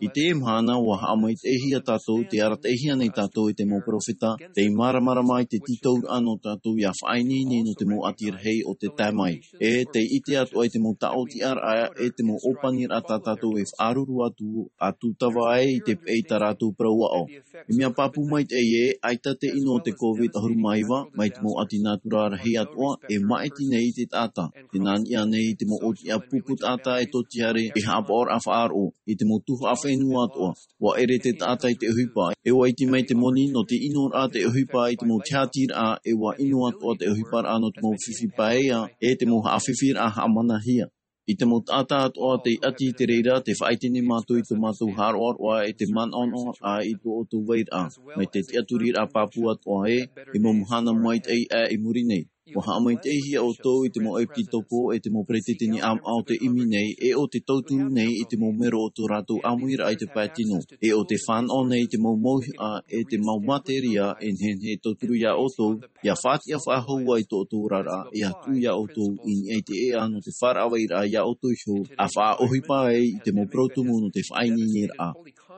I teie mahana, ʻua haʻamaitaʻihia tātou, tē arataʻihia nei tātou e te mau peropheta, tei māramarama i te tītauraʻa nō tātou ia faʻaineine nō te mau ʻati rahi o te tae mai. E tei ʻite atoʻa i te mau taʻotiʻaraʻa, e te mau ʻōpaniraʻa tā tātou e faʻaruru atu, ʻa tūtava ai i te peʻe i tā rātou parau aʻo. E mea pāpū maitaʻi ē, ʻaita te ʻino o te COVID ʻahuru mā iva, mai te mau ʻati nātura rahi atoʻa, e maʻiti nei i te taʻata. Tē nā niʻa nei i te mau ʻōtiʻa pupu taʻata e tōtihare, e haʻapaʻoraʻa faʻaroʻo, i te mau tuhaʻa fenua atoʻa. ʻUa ʻere te taʻata i te ʻohipa, e ʻua iti mai te moni nō te ʻinoraʻa te ʻohipa i te mau tiʻatiraʻa, e ʻua ʻino atoʻa te ʻohiparaʻa nō te mau fifi paea, e te mau haʻafifiraʻa haʻamanahia. I te mau taʻata atoʻa tei ʻati i te reira, tē faʻaʻite nei mātou i tō mātou haʻaroʻaroʻa e te manaʻonaʻoraʻa i tō ʻoutou vairaʻa, mai te tiʻaturiraʻa pāpū atoʻa ē, i mau mahana maitaʻi aʻe i muri nei. ʻUa haʻamaitaʻihia ʻoutou i te mau ʻepisekopo e te mau peretiteni ʻāmaʻa o te ʻimi nei, e ʻo te tauturu nei i te mau mero o tō rātou ʻāmuiraʻa i te pae tino, e ʻo te fānaʻo nei i te mau mauhaʻa e te mau materia e nehenehe e tauturu ia ʻoutou, ia faʻatiʻa faʻahou ai tō ʻoutou oraraʻa, e ʻia tuʻu ia ʻoutou i niʻa i te ʻēʻa nō te faʻaravaʻiraʻa ia ʻoutou iho, ʻa faʻaʻohipa ai i te mau parau tumu nō te faʻaineineraʻa.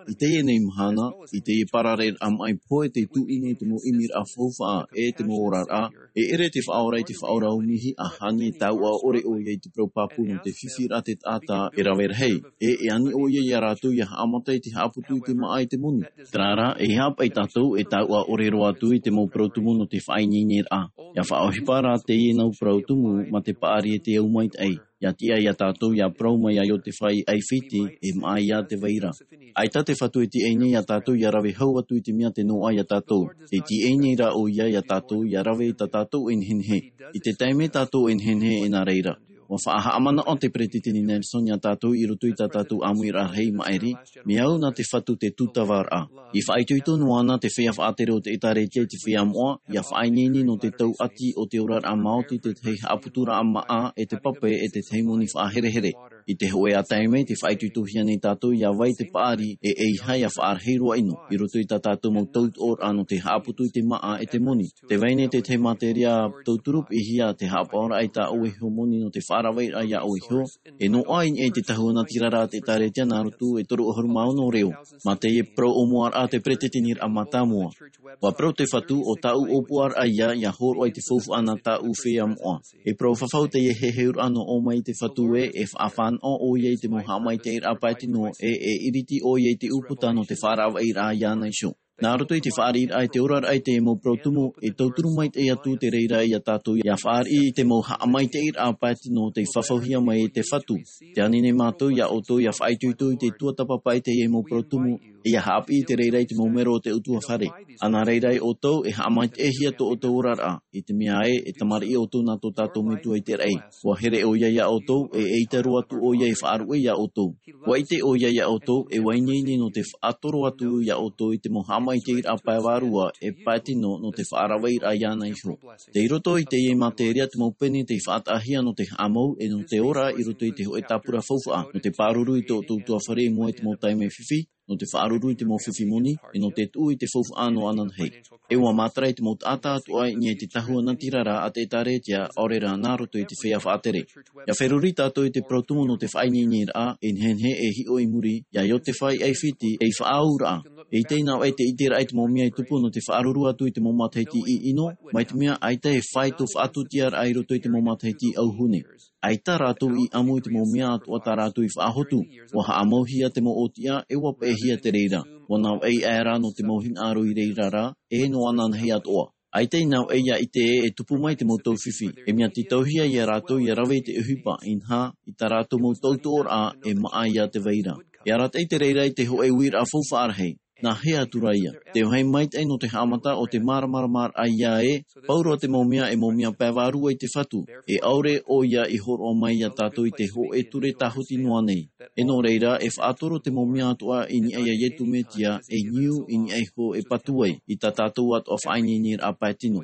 I teie nei mahana, i teie parareraʻa maʻi pohe tei tuʻu nei te mau ʻimiraʻa faufaʻa e te mau oraraʻa, e ʻere te Faʻaora i te faʻaora ʻōmihi ʻa hani e taua ʻore ʻoia i te parau pāpū nō te fifiraʻa te taʻata e rave rahi, e, e ani ʻoia ia rātou ia haʻamata i te haʻaputu i te māʻa e te moni. Terā rā, e haʻapaʻo tātou e taua ʻore roa atu i te mau parau tumu nō te faʻaineineraʻa. ʻIa faʻaʻohipa rā teie nau parau tumu mā te paʻari e te au maitaʻi. ʻIa tiʻa ia tātou ʻia parau mai ia Iotefa i ʻAifiti, e māʻa ia te vai ra. ʻAita te Fatu e tiaʻi nei ia tātou ʻia rave hau atu i te mea tē noaʻa ia tātou. Tē tiaʻi nei rā ʻoia ia tātou ʻia rave i tā tātou e nehenehe. I te taime tātou e nehenehe e nā reira. ʻUa faʻahaʻamanaʻo te Peretiteni Nelson ia tātou i roto i tā tātou ʻāmuiraʻa rahi maʻiri, mea au nā te Fatu te tūtavaraʻa. I faʻaitoito noa na te feiā faʻatere o te ʻĒtārētia i te feiā moʻa, ʻia faʻaineine nō te tau ʻati o te oraraʻa maoti, te tahi haʻaputuraʻa māʻa, e te pape, e te tahi moni faʻaherehere. I te hōʻē ā taime, tē faʻaitoitohia nei tātou ʻia vai te paʻari, e ʻeiaha ʻia faʻarahi roa ʻino, i roto i tā tātou mau tautoʻoraʻa nō te haʻaputu i te māʻa, e te moni. Tē vai nei te tahi materia tauturu piʻihia, te haʻapaʻoraʻa i tā ʻoe iho moni nō te faʻaravaʻiraʻa ia ʻoe iho, e noaʻa i niʻa i te tahua natirara a te ʻĒtārētia nā Rutu e toru ʻahuru mā ono reo, mā teie parau ʻōmuaraʻa te Peretiteniraʻa Mātāmua. ʻUa parau te Fatu, ʻo tāʻu ʻōpuaraʻa ïa, ʻia hōroʻa i te faufaʻa nā tāʻu feiā moʻa. E parau fafau teie heheuraʻa nō ʻō mai i te Fatu ē, e faʻafānaʻo ʻoia i te mau haʻamaitaʻiraʻa pae tino, e, e iriti ʻoia i te ʻūputa nō te faʻaravaʻiraʻa iāna iho. Nā roto i te fāriʻiraʻa i te oraraʻa i te mau parau tumu, e tauturu maitaʻi atu te reira ia tātou ʻia fāriʻi i te mau haʻamaitaʻiraʻa pae tino tei fafauhia mai e te Fatu. Tē ani nei mātou ia ʻoutou ʻia faʻaitoito i te tuatāpapa i teie mau parau tumu, ʻIa haʻapiʻi te reira i te mau mero o te ʻutuāfare. Ana reira ʻoutou e haʻamaitaʻihia tō ʻoutou oraraʻa, i te mea ē, e tamariʻi ʻoutou nā tō tātou Metua i te raʻi. ʻUa here ʻoia iā ʻoutou, ʻe ʻeita roa atu ʻoia e faʻaruʻe iā ʻoutou. ʻUa ʻite ʻoia iā ʻoutou, e ʻua ineine nō te faʻatoro atu iā ʻoutou i te mau haʻamaitaʻiraʻa pae vārua, e pae tino nō te faʻaravaʻiraʻa iāna iho. Tei roto i teie materia te mau pene tei faʻataʻahia nō te haʻamau, ʻe nō te ora i roto i te hōʻē tāpura faufaʻa, nō te pāruru i tō ʻoutou ʻutuāfare i mua i te mau taime fifi, nō te faʻaruru i te mau fifi moni, ʻe nō te tuʻu i te faufaʻa nō ananahi. ʻE ʻua mātara i te mau taʻata atoʻa i niʻa i te tahua natirara a te ʻĒtārētia, ʻaore rā nā roto i te feiā faʻatere. ʻIa feruri tātou i te parau tumu nō te faʻaineineraʻa, e nehenehe e hiʻo i muri, iā Iosepha i ʻAifiti, ʻe i faʻaauraʻa. ʻEita ināʻoe te ʻiteraʻa i te mau mea i tupu nō te faʻaruru atu i te mau matahiti ʻino, mai te mea ʻaita e fāito faʻatūtiaraʻa i roto i te mau matahiti auhune. ʻAita rātou i ʻamu i te mau mea atoʻa tā rātou i faʻahotu. ʻUa haʻamauhia te mau ʻōtiʻa, ʻe ʻua peʻehia te reira. ʻUa navaʻi aʻera nō te mau hinaʻaro i reira ra, ʻe nō ananahi atoʻa. ʻAita ināʻoe ʻia ʻite ē e tupu mai te mau taufifi. E mea tītauhia iā rātou ʻia rave i te ʻohipa, inaha, i tā rātou mau tautoʻoraʻa, e maʻa iā te vai ra. E arataʻi te reira i te hōʻē uiraʻa faufaʻa rahi. Nā hea atu ra ia? Te vāhi maitaʻi nō te haʻamata o te māramaramaraʻa ia ē, pauroa te mau mea e mau mea pae vārua i te Fatu, e ʻaore ʻoia i hōroʻa mai iā tātou i te hōʻē ture tāhuti noa nei. ʻE nō reira, e faʻatoro te mau mea atoʻa i niʻa iā Iesu Mesia, e niu i niʻa iho e patu ai, i tā tātou atoʻa faʻaineineraʻa pae tino.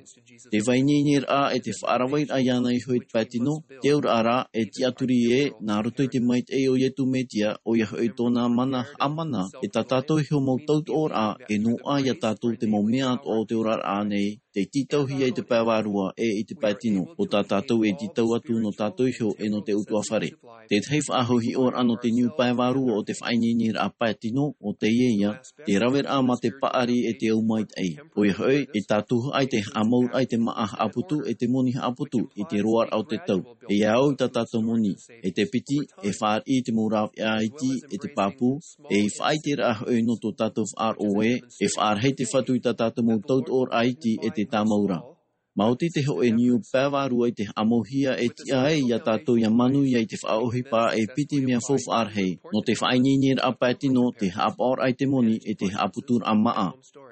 Te faʻaineineraʻa ʻe te faʻaravaʻiraʻa iāna iho i te pae tino, te auraʻa ra, e tiʻaturi ē, nā roto i te maitaʻi o Iesu Mesia, ʻoia hoʻi tōna mana haʻamana, e tā tātou iho mau tautoʻoraʻa, e noaʻa iā tātou te mau mea atoʻa o te oraraʻa nei, tei tītauhia i te pae vārua, ʻe i te pae tino, ʻo tā tātou e tītau atu nō tātou iho, ʻe nō te ʻutuāfare. Te tahi faʻahiʻoraʻa nō te niu pae vārua o te faʻaineineraʻa pae tino, ʻo teie ia, te raveraʻa mā te paʻari ʻe te au maitaʻi. ʻOia hoʻi, e tātou ai te haʻamauraʻa i te māʻa haʻaputu ʻe te moni haʻaputu i te roaraʻa o te tau. E ia au i tā tātou moni, e te piti, e fāriʻi i te mau rāveʻa iti ʻe te pāpū, ʻe i faʻaʻiteraʻa hoʻi nō tō tātou faʻaroʻo ē, e faʻarahi te Fatu i tā tātou mau tautoʻoraʻa iti ʻe te tāmau ra. Maoti te hōʻē niu pae vārua i te haʻamauhia e tiʻa ai iā tātou ʻia manuia i te faʻaʻohipa e piti mea faufaʻa rahi, nō te faʻaineineraʻa pae tino, te haʻapaʻoraʻa i te moni, ʻe te haʻaputuraʻa māʻa.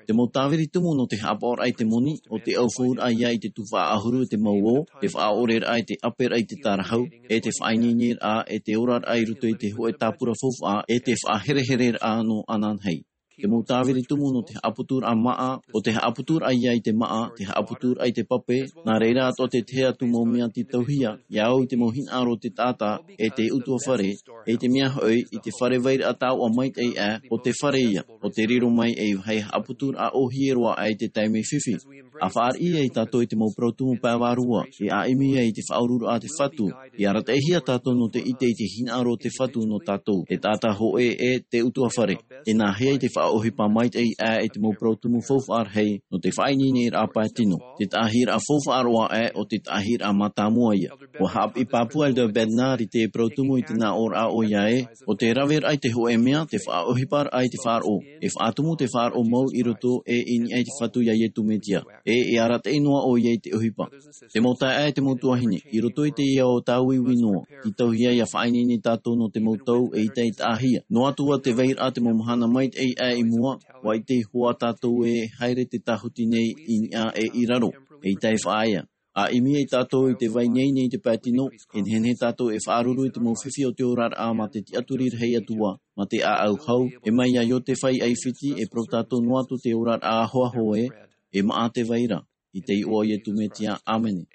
Te mau tāviri tumu nō te haʻapaʻoraʻa i te moni, ʻo te ʻaufauraʻa ia i te tuhaʻa ʻahuru ʻe te mau ō, te faʻaʻoreraʻa i te ʻāperaʻa i te tarahau, ʻe te faʻaineineraʻa ʻe te oraraʻa i roto i te hōʻē tāpura faufaʻa, ʻe te faʻaherehereraʻa nō ananahi. Te mau tāviri tumu nō te haʻaputuraʻa māʻa, ʻo te haʻaputuraʻa ia i te māʻa, te haʻaputuraʻa i te pape, nā reira atoʻa te tahi atu mau mea tītauhia, ia au i te mau hinaʻaro o te taʻata, ʻe te ʻutuāfare, ʻe i te mea hoʻi, i te fare vairaʻa taoʻa maitaʻi aʻe, ʻo te fare ia, ʻo te riro mai ei vāhi haʻaputuraʻa ʻōhie roa aʻe i te taime fifi. ʻA fāriʻi ai tātou i te mau parau tumu pae vārua, e ʻimi ai i te faʻaururaʻa a te Fatu, e arataʻihia tātou nō te ʻite i te hinaʻaro o te Fatu nō tātou, e taʻata hōʻē ʻe te ʻutuāfare. E nā hea i te faʻaʻohipa maitaʻi aʻe i te mau parau tumu faufaʻa rahi, nō te faʻaineineraʻa pae tino. Te taʻahiraʻa faufaʻa roa aʻe, ʻo te taʻahiraʻa mātāmua ia. ʻUa haʻapiʻi pāpū Elder Bednar i te parau tumu i te nā ʻōraʻa ʻoia ē, ʻo te raveraʻa i te hōʻē mea, te faʻaʻohiparaʻa i te faʻaroʻo. E faʻatumu te faʻaroʻo mau i roto ʻe i niʻa i te Fatu iā Iesu Mesia. ʻE, e arataʻi noa ʻoia i te ʻohipa. Te mau taeaʻe, te mau tuahine, i roto i teie ao tāuiui noa, tītauhia ʻia faʻaineine tātou nō te mau tau e ʻita e taʻahia. Noa atu ā te vairaʻa te mau mahana maitaʻi aʻe i mua, ʻua ʻite iho ā tātou e haere te tāhuti nei i niʻa ʻe i raro, e ʻita e faʻaea. ʻA ʻimi ai tātou i te vai nei nei te pae tino, e nehenehe tātou e faʻaruru i te mau fifi o te oraraʻa mā te tiʻaturi rahi atu ā, mā te ʻāʻau hau, e mai iā Iosepha i ʻAifiti, e parau tātou noa atu te oraraʻa ahoaho ē, e maʻa te vai ra, i te iʻoa o Iesu Mesia, ʻāmene.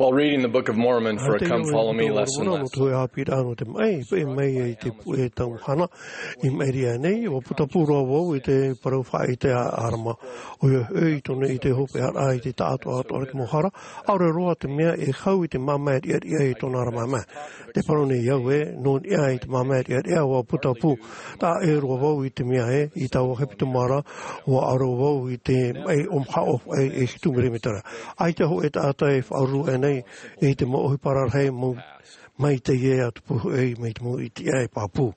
While reading the Book of Mormon for a Come Follow Me lesson last night. Te hāpiʻiraʻa nō te maʻi, e mai ai te puʻe tau mahana, i maʻiri aʻenei, ʻua putapū roa vau i te parau faʻaʻite a ʻArama. ʻOia hoʻi, i tōna ʻite hopeʻaraʻa i te taʻatoʻatoʻa o te mau hara, ʻaore roa te mea e hau i te māmā riʻariʻa i tōna ra māmā. Te parau nei au ē, nō niʻa i te māmā riʻariʻa ʻua putapū. Taʻa ʻē roa vau i te mea ē, i taua hepetoma ra, ʻua ʻaro vau i te maʻi ʻōmaha ʻōfaʻi e hitu mirimetera. ʻAita hōʻē taʻata e faʻaruru aʻenei i te mau ʻohipa rarahi mau, mai teie ā tupu hoʻi, mai te mau ʻītiʻa e pāpū.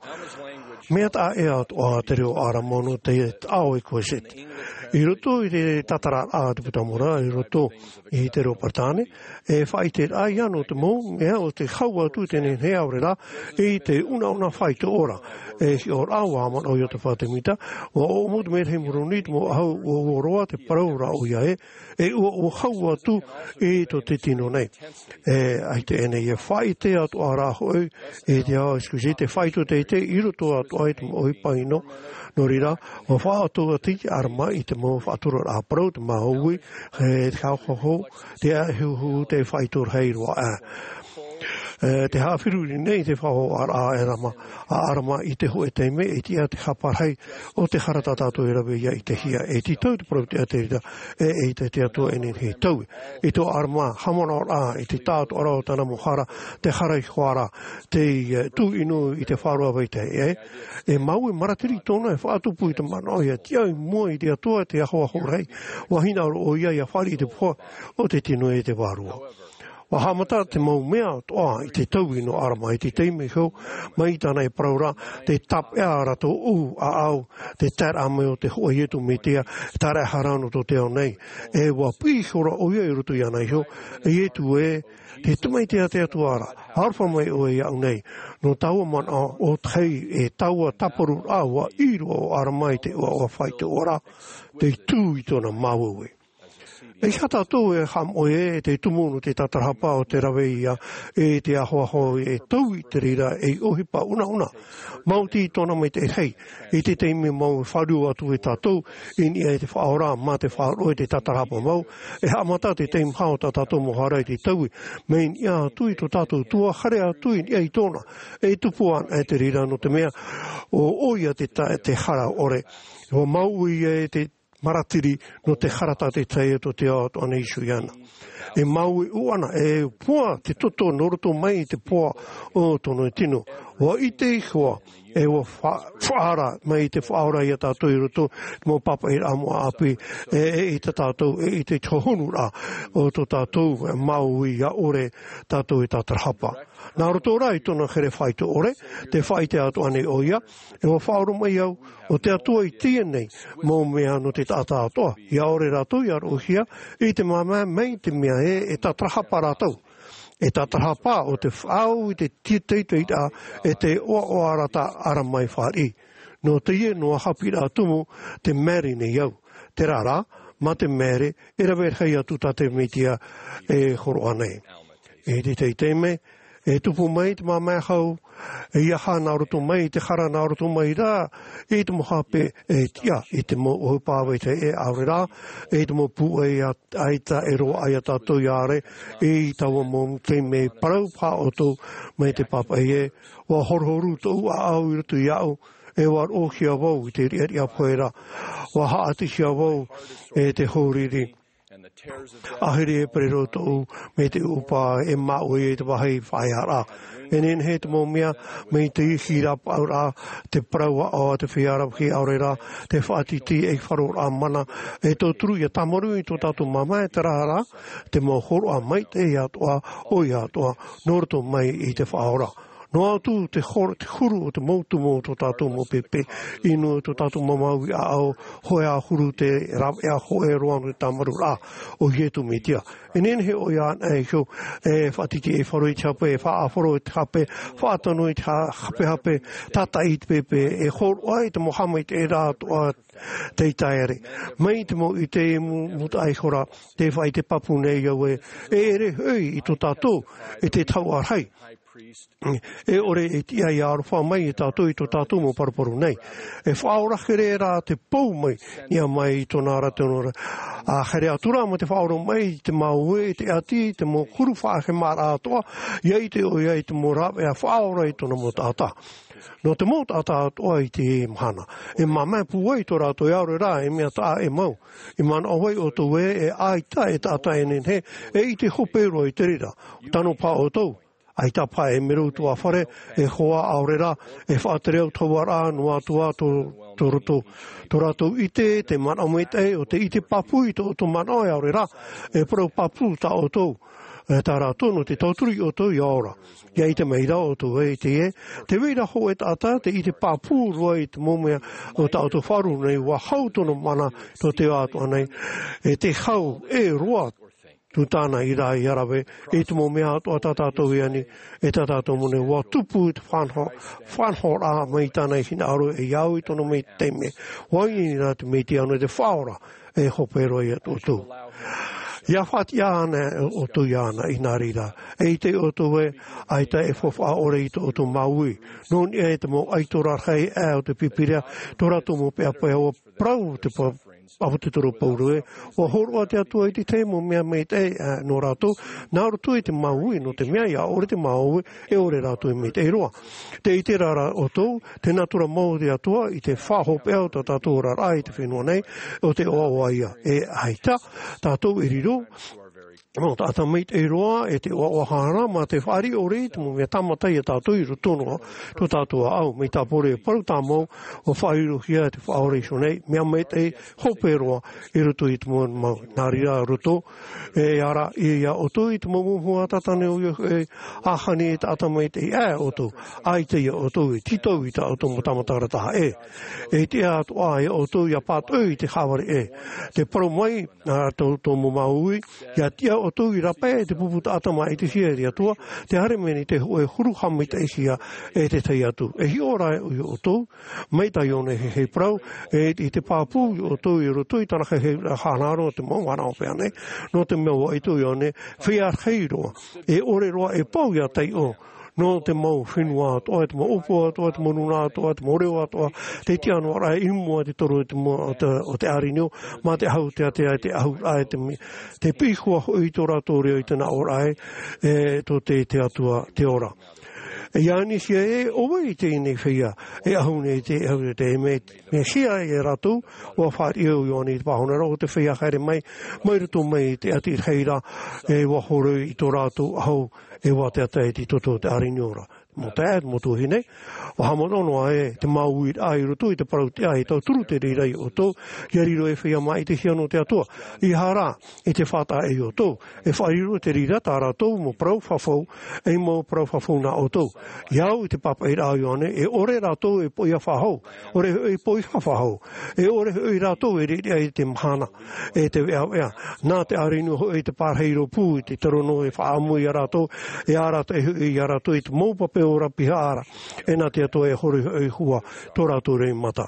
Mea taʻa ʻē atoʻa te reo ʻarama nō te taʻa ʻo e Kōseti. I roto i te tātararaʻa a te puta Mormona, i roto i te reo Peretāne, e faʻaʻite ia nō te mau mea o te hau atu i te nehenehe aore rā, i te unauna faito ora. E hiʻo rā, ʻua manaʻo Iosepha Sāmita, ʻua ʻōmuaraʻa mai te Moroni, te mau ʻahu, ʻua ʻua roa te parau ra ʻoia ē, e ʻua, ʻua hau atu i tō te tino nei. E, ʻaita ʻēnei e faʻaʻite atoʻa rā hoʻi, i te ao Iesu Kristo, te faito teitei i roto atoʻa i te mau ʻohipa ʻino, nō reira, ʻua faʻaʻoto atu te ʻarama i te mau faʻaturaraʻa parau, te māuiui, e, te haʻahoʻo, te ahuhu, te faito rahi roa aʻe. E, te haʻaferuri nei te faʻahoʻoraʻa a ʻarama, a ʻarama i te hōʻē taime, e tiʻa te hapa rahi o te hara tā tātou e rave ia i te hia. E tītau te parau teitei ra, e, e ʻaita te Atua e nehenehe e taui. I tō ʻarama haʻamanaʻoraʻa, i te tāʻatoʻaraʻa o tāna mau hara, te hara iho ā ra, te, e, tūʻino i te faʻaroʻo vai te, e, e mau e maratiri tōna e faʻatupu i te manaʻo ʻia tiʻa i mua i te Atua te ahoaho rahi, ʻua hinaʻaro ʻoia ʻia fāriʻi i te pohe o te tino e te vārua. ʻUa haʻamata te mau mea atoʻa i te taui nō ʻarama i te taime iho, mai tāna e parau ra, tē tāpeʻa ra tōʻu ʻāʻau, te taeraʻa mai o te hōʻē Iesu Mesia, e tāraʻehara nō tō te ao nei. E ʻua piʻi iho ra ʻoia i roto iāna iho, e Iesu ē, te tamaiti a te Atua ra, aroha mai ʻoe iāʻu nei, nō taua manaʻo ʻo tahi, e taua tāparuraʻa ʻua ʻī roa ʻo ʻarama i te ʻoaʻoa faito ora, tei tū i tōna māuiui. E ʻeiaha tātou e haʻamoʻe ē, e te tumu nō te tātarahapa ʻo te rave ia, e te ahoaho e taui i te reira ei ʻohipa unauna. Maoti tōna maitaʻi rahi, i te taime mau e fāriu atu e tātou, i niʻa i te Faʻaora, mā te faʻaroʻo i te tātarahapa mau, e haʻamata te taime hau tā tātou mau hara i te taui, mai niʻa atu i tō tātou Atua, haere atu i niʻa i tōna, e tupu ana e te reira nō te mea, ʻo, ʻoia te ta-, te hara ʻore. ʻUa māuiui e te maratiri nō te hara tātaʻitahi o tō te ao atoʻa nei Isu iāna. E māuiui ana, e poa te toto nō roto mai i te poa o tōna tino. ʻUa ʻite iho ā, e ʻua fa-, faʻaara mai te Faʻaora ia tātou i roto i te mau pāpaʻiraʻa mau ʻāpī, e, e ʻite tātou, e ʻite te hōhonuraʻa o tō tātou, e māuiui ʻore tātou e tātarahapa. Nā roto rā i tōna here faito ʻore, tē faʻaʻite atoʻa nei ʻoia, e ʻua faʻaora mai au, ʻo te Atua i teie nei, mau mea nō te taʻata atoʻa, ʻia ʻore rātou ʻia roʻohia, i te māmā mai te mea ē, e tātarahapa rātou. E tātarahapa ʻo te faʻaau i te teiteiraʻa, e te ʻoaʻoa ra tā ʻarama e fāriʻi. Nō teie noa haʻapiʻiraʻa tumu, tē maere nei au. Terā rā, mā te maere, e rave rahi atu tā te Mesia e hōroʻa nei. I te taime, e tupu mai te māmā hau, e ʻeiaha nā roto mai i te hara nā roto mai rā, i te mau hape, e tiʻa, i te mau ʻohipa vai te e ʻaore rā, i te mau pūai ʻaita e roaʻa ia tātou ʻia ʻore, i taua mau taime parau paha ʻoutou mai te pāpaʻi ē, ʻua horuhoru tōʻu ʻāʻau i roto iāʻu, e ʻua roʻohia vau i te riʻariʻa pohe ra, ʻua haʻatihia vau e te hōriri. ʻAhiri e pererō tōʻu, mai te ʻūpā e māʻua i te vāhi faʻaearaʻa. E nehenehe te mau mea, mai te ihi rāpaʻauraʻa, te parau aʻo a te feiā rave ʻaore rā, te faʻatītī ei faʻaroʻoraʻa mana, e tauturu ʻia tāmarū i tō tātou māmā e terā rā, te mau hōroʻa maitaʻi atoʻa, ʻoia atoʻa, nō roto mai i te Faʻaora. Noa atu te hor-, te huru o te mau tumu o tō tātou mau pēpē, ʻino tō tātou mau māuiui ʻāʻau, hōʻē ā huru te rāveʻa hōʻē roa nō te tāmarūraʻa o Iesu Mesia. E nehenehe ʻoia anaʻe iho, e faʻatītī ei faʻaroʻo i te hape, e faʻaʻāfaro i te hape, faʻatano i te ha-, hapehape, tātaʻi i te pēpē, e hōroʻa i te mau haʻamaitaʻiraʻa atoʻa tei taere. Mai te mau ʻite mū-, mūtaʻa iho ra, tē faʻaʻite pāpū nei au ē, e ʻere hoʻi i tō tātou, e te tahuʻa rahi. E ʻore e tiʻa ʻia aroha mai ia tātou i tō tātou mau paruparu nei. E faʻaora here rā te pou mai, niʻa mai i tōna ra, tōna ra. ʻA haere atu rā mā te faʻaora mai i te mau ē, i te ʻati, i te mau huru faʻahemaraʻa atoʻa, ʻia ʻite ʻoia i te mau rāveʻa faʻaora i tōna mau taʻata. Nō te mau taʻata atoʻa i te mahana. E māmā pūai tō rātou e ʻaore rā, e mea taʻa ʻē mau. I manaʻo ai ʻoutou ē, e ʻaita e taʻata e nehenehe, e ʻite hope roa i te reira. Tano paha ʻoutou. ʻAita paha e mero atu ā fare, e hoa ʻaore rā, e faʻatere au taua rā, noa atu ā tō, tō roto. Tō rātou ʻite, te manaʻo maitaʻi, ʻo te ʻite pāpū i tō ʻoutou manaʻo e ʻaore rā, e parau pāpū tā ʻoutou. E tā rātou nō te tauturu iā ʻoutou ia ora. Ia ʻite mai ra ʻoutou ē, i teie, te vai ra hōʻē taʻata, tē ʻite pāpū roa i te mau mea o tā ʻoutou faʻaroʻo nei, ʻua hau tōna mana, tō te ao atoʻa nei, e te hau, e roa, tū tāna i rā ia rave, i te mau mea atoʻa tā tātou i ani, e tā tātou mau nei, ʻua tupu i te faʻanaho-, faʻanahoraʻa mai tāna i hinaʻaro, e ia au i tōna mau taime. ʻUa ʻite ra te Mesia nō te Faʻaora, e hope roa iā ʻoutou. Ia faʻatiʻa ana ʻoutou iāna i nā reira. E ʻite ʻoutou ē, ʻaita e faufaʻa ʻore i tō ʻoutou mau ui. Nō niʻa i te mau ʻaito rarahi aʻe o te Pīpīria, tō rātou mau peʻapeʻa ʻua parau te pa-, ʻAposetolo Paulo ē, ʻua hōroʻa te Atua i te tahi mau mea maitaʻi, ā, nō rātou, nā roto i te mau ui, nō te mea ia ʻore te mau ui, e ʻore rātou e maitaʻi roa. Tē ʻite ra ʻoutou, te natura mau o te Atua, i te faʻahopeʻa o tā tātou oraraʻa i te fenua nei, ʻo te ʻoaʻoa ïa. E ʻaita, tātou e riro, mau taʻata maitaʻi roa, e te ʻoaʻoa haʻamata, mā te fāriʻi ʻore i te mau mea tāmata ia tātou i roto noa, tō tātou ʻāʻau, mai tāpō ra e parau tāmau, ʻua faʻarirohia te Faʻaora Iesu nei, mea maitaʻi, hope roa, i roto i te mau, mau, nā reira roto, e ara, i iā ʻoutou i te mau mōhua tātane o ia, e, ʻahani e taʻata maitaʻi, ā, ʻoutou, ʻaita iā ʻoutou, e tītau i tā ʻoutou mau tāmataraʻa taha, e, e tiʻa atoʻa iā ʻoutou, ia pātoʻi i te haʻavare, e, te parau mai, ā, tō, tō mau mau ui, ia tiʻa ʻoutou i rāpae te pupu taʻata māʻitihia e te Atua, tē haere mai nei te hōʻē huru haʻamaitaʻihia e te tahi atu. E hiʻo ra iā ʻoutou, mai tā Ioane hei, hei parau, e, i te pāpū iā ʻoutou i roto i tāna hei, hei, hānaro te mau vānaʻo pēnei, nō te mea ʻua ʻite ʻo Ioane, feiā rahi roa, e ʻore roa e pau ia taiʻo, nō te mau fenua atoʻa, te mau ʻōpū atoʻa, te mau nūnaʻa atoʻa, te mau reo atoʻa, tē tiʻa noa ra i mua i te toro o te mau, o te, o te ʻārinio, mā te ʻahu, te ātea, te ʻahu, ā, te me-, te piʻihua hoʻi i tō rātou reo i te nā ʻō ra, e, tō te, te Atua, te ora. E Ioane sia e, ʻo vai teie nei feiā, e ʻahu nei te, ʻahu te, me, Mesia iā rātou, ʻua fāriʻi ʻo Ioane i te pāhonoraʻa, ʻo te feiā haere mai, mai roto mai i te ʻati rahi ra, e ʻua horoi i tō rātou ʻahu, e ʻua taetae i te toto o te ʻārinio ra. Mau taeaʻe, mau tuahine, ʻua haʻamanaʻo noa e te mau uiraʻa i roto i te parau tiʻa e tauturu te reira iā ʻoutou, ia riro ei feiā māʻitihia nō te Atua, ʻeiaha rā, i te faʻataʻa iā ʻoutou, e faʻariro te reira tā rātou mau parau fafau, ei mau parau fafau nā ʻoutou. Ia au i te pāpaʻiraʻa a Ioane, e ʻore rātou e poʻia faʻahou, ʻore hoʻi e poʻiha faʻahou, e ʻore hoʻi rātou e riʻariʻa i te mahana, e te veʻaveʻa. Nā te ʻārinio hoʻi te pārahi rōpū i te terono e faʻaʻamu iā rātou, e arataʻi hoʻi iā rātou i te mau pape ora pihaʻa ra, e nā te Atua e horoi hoʻi hua tō rātou reimata.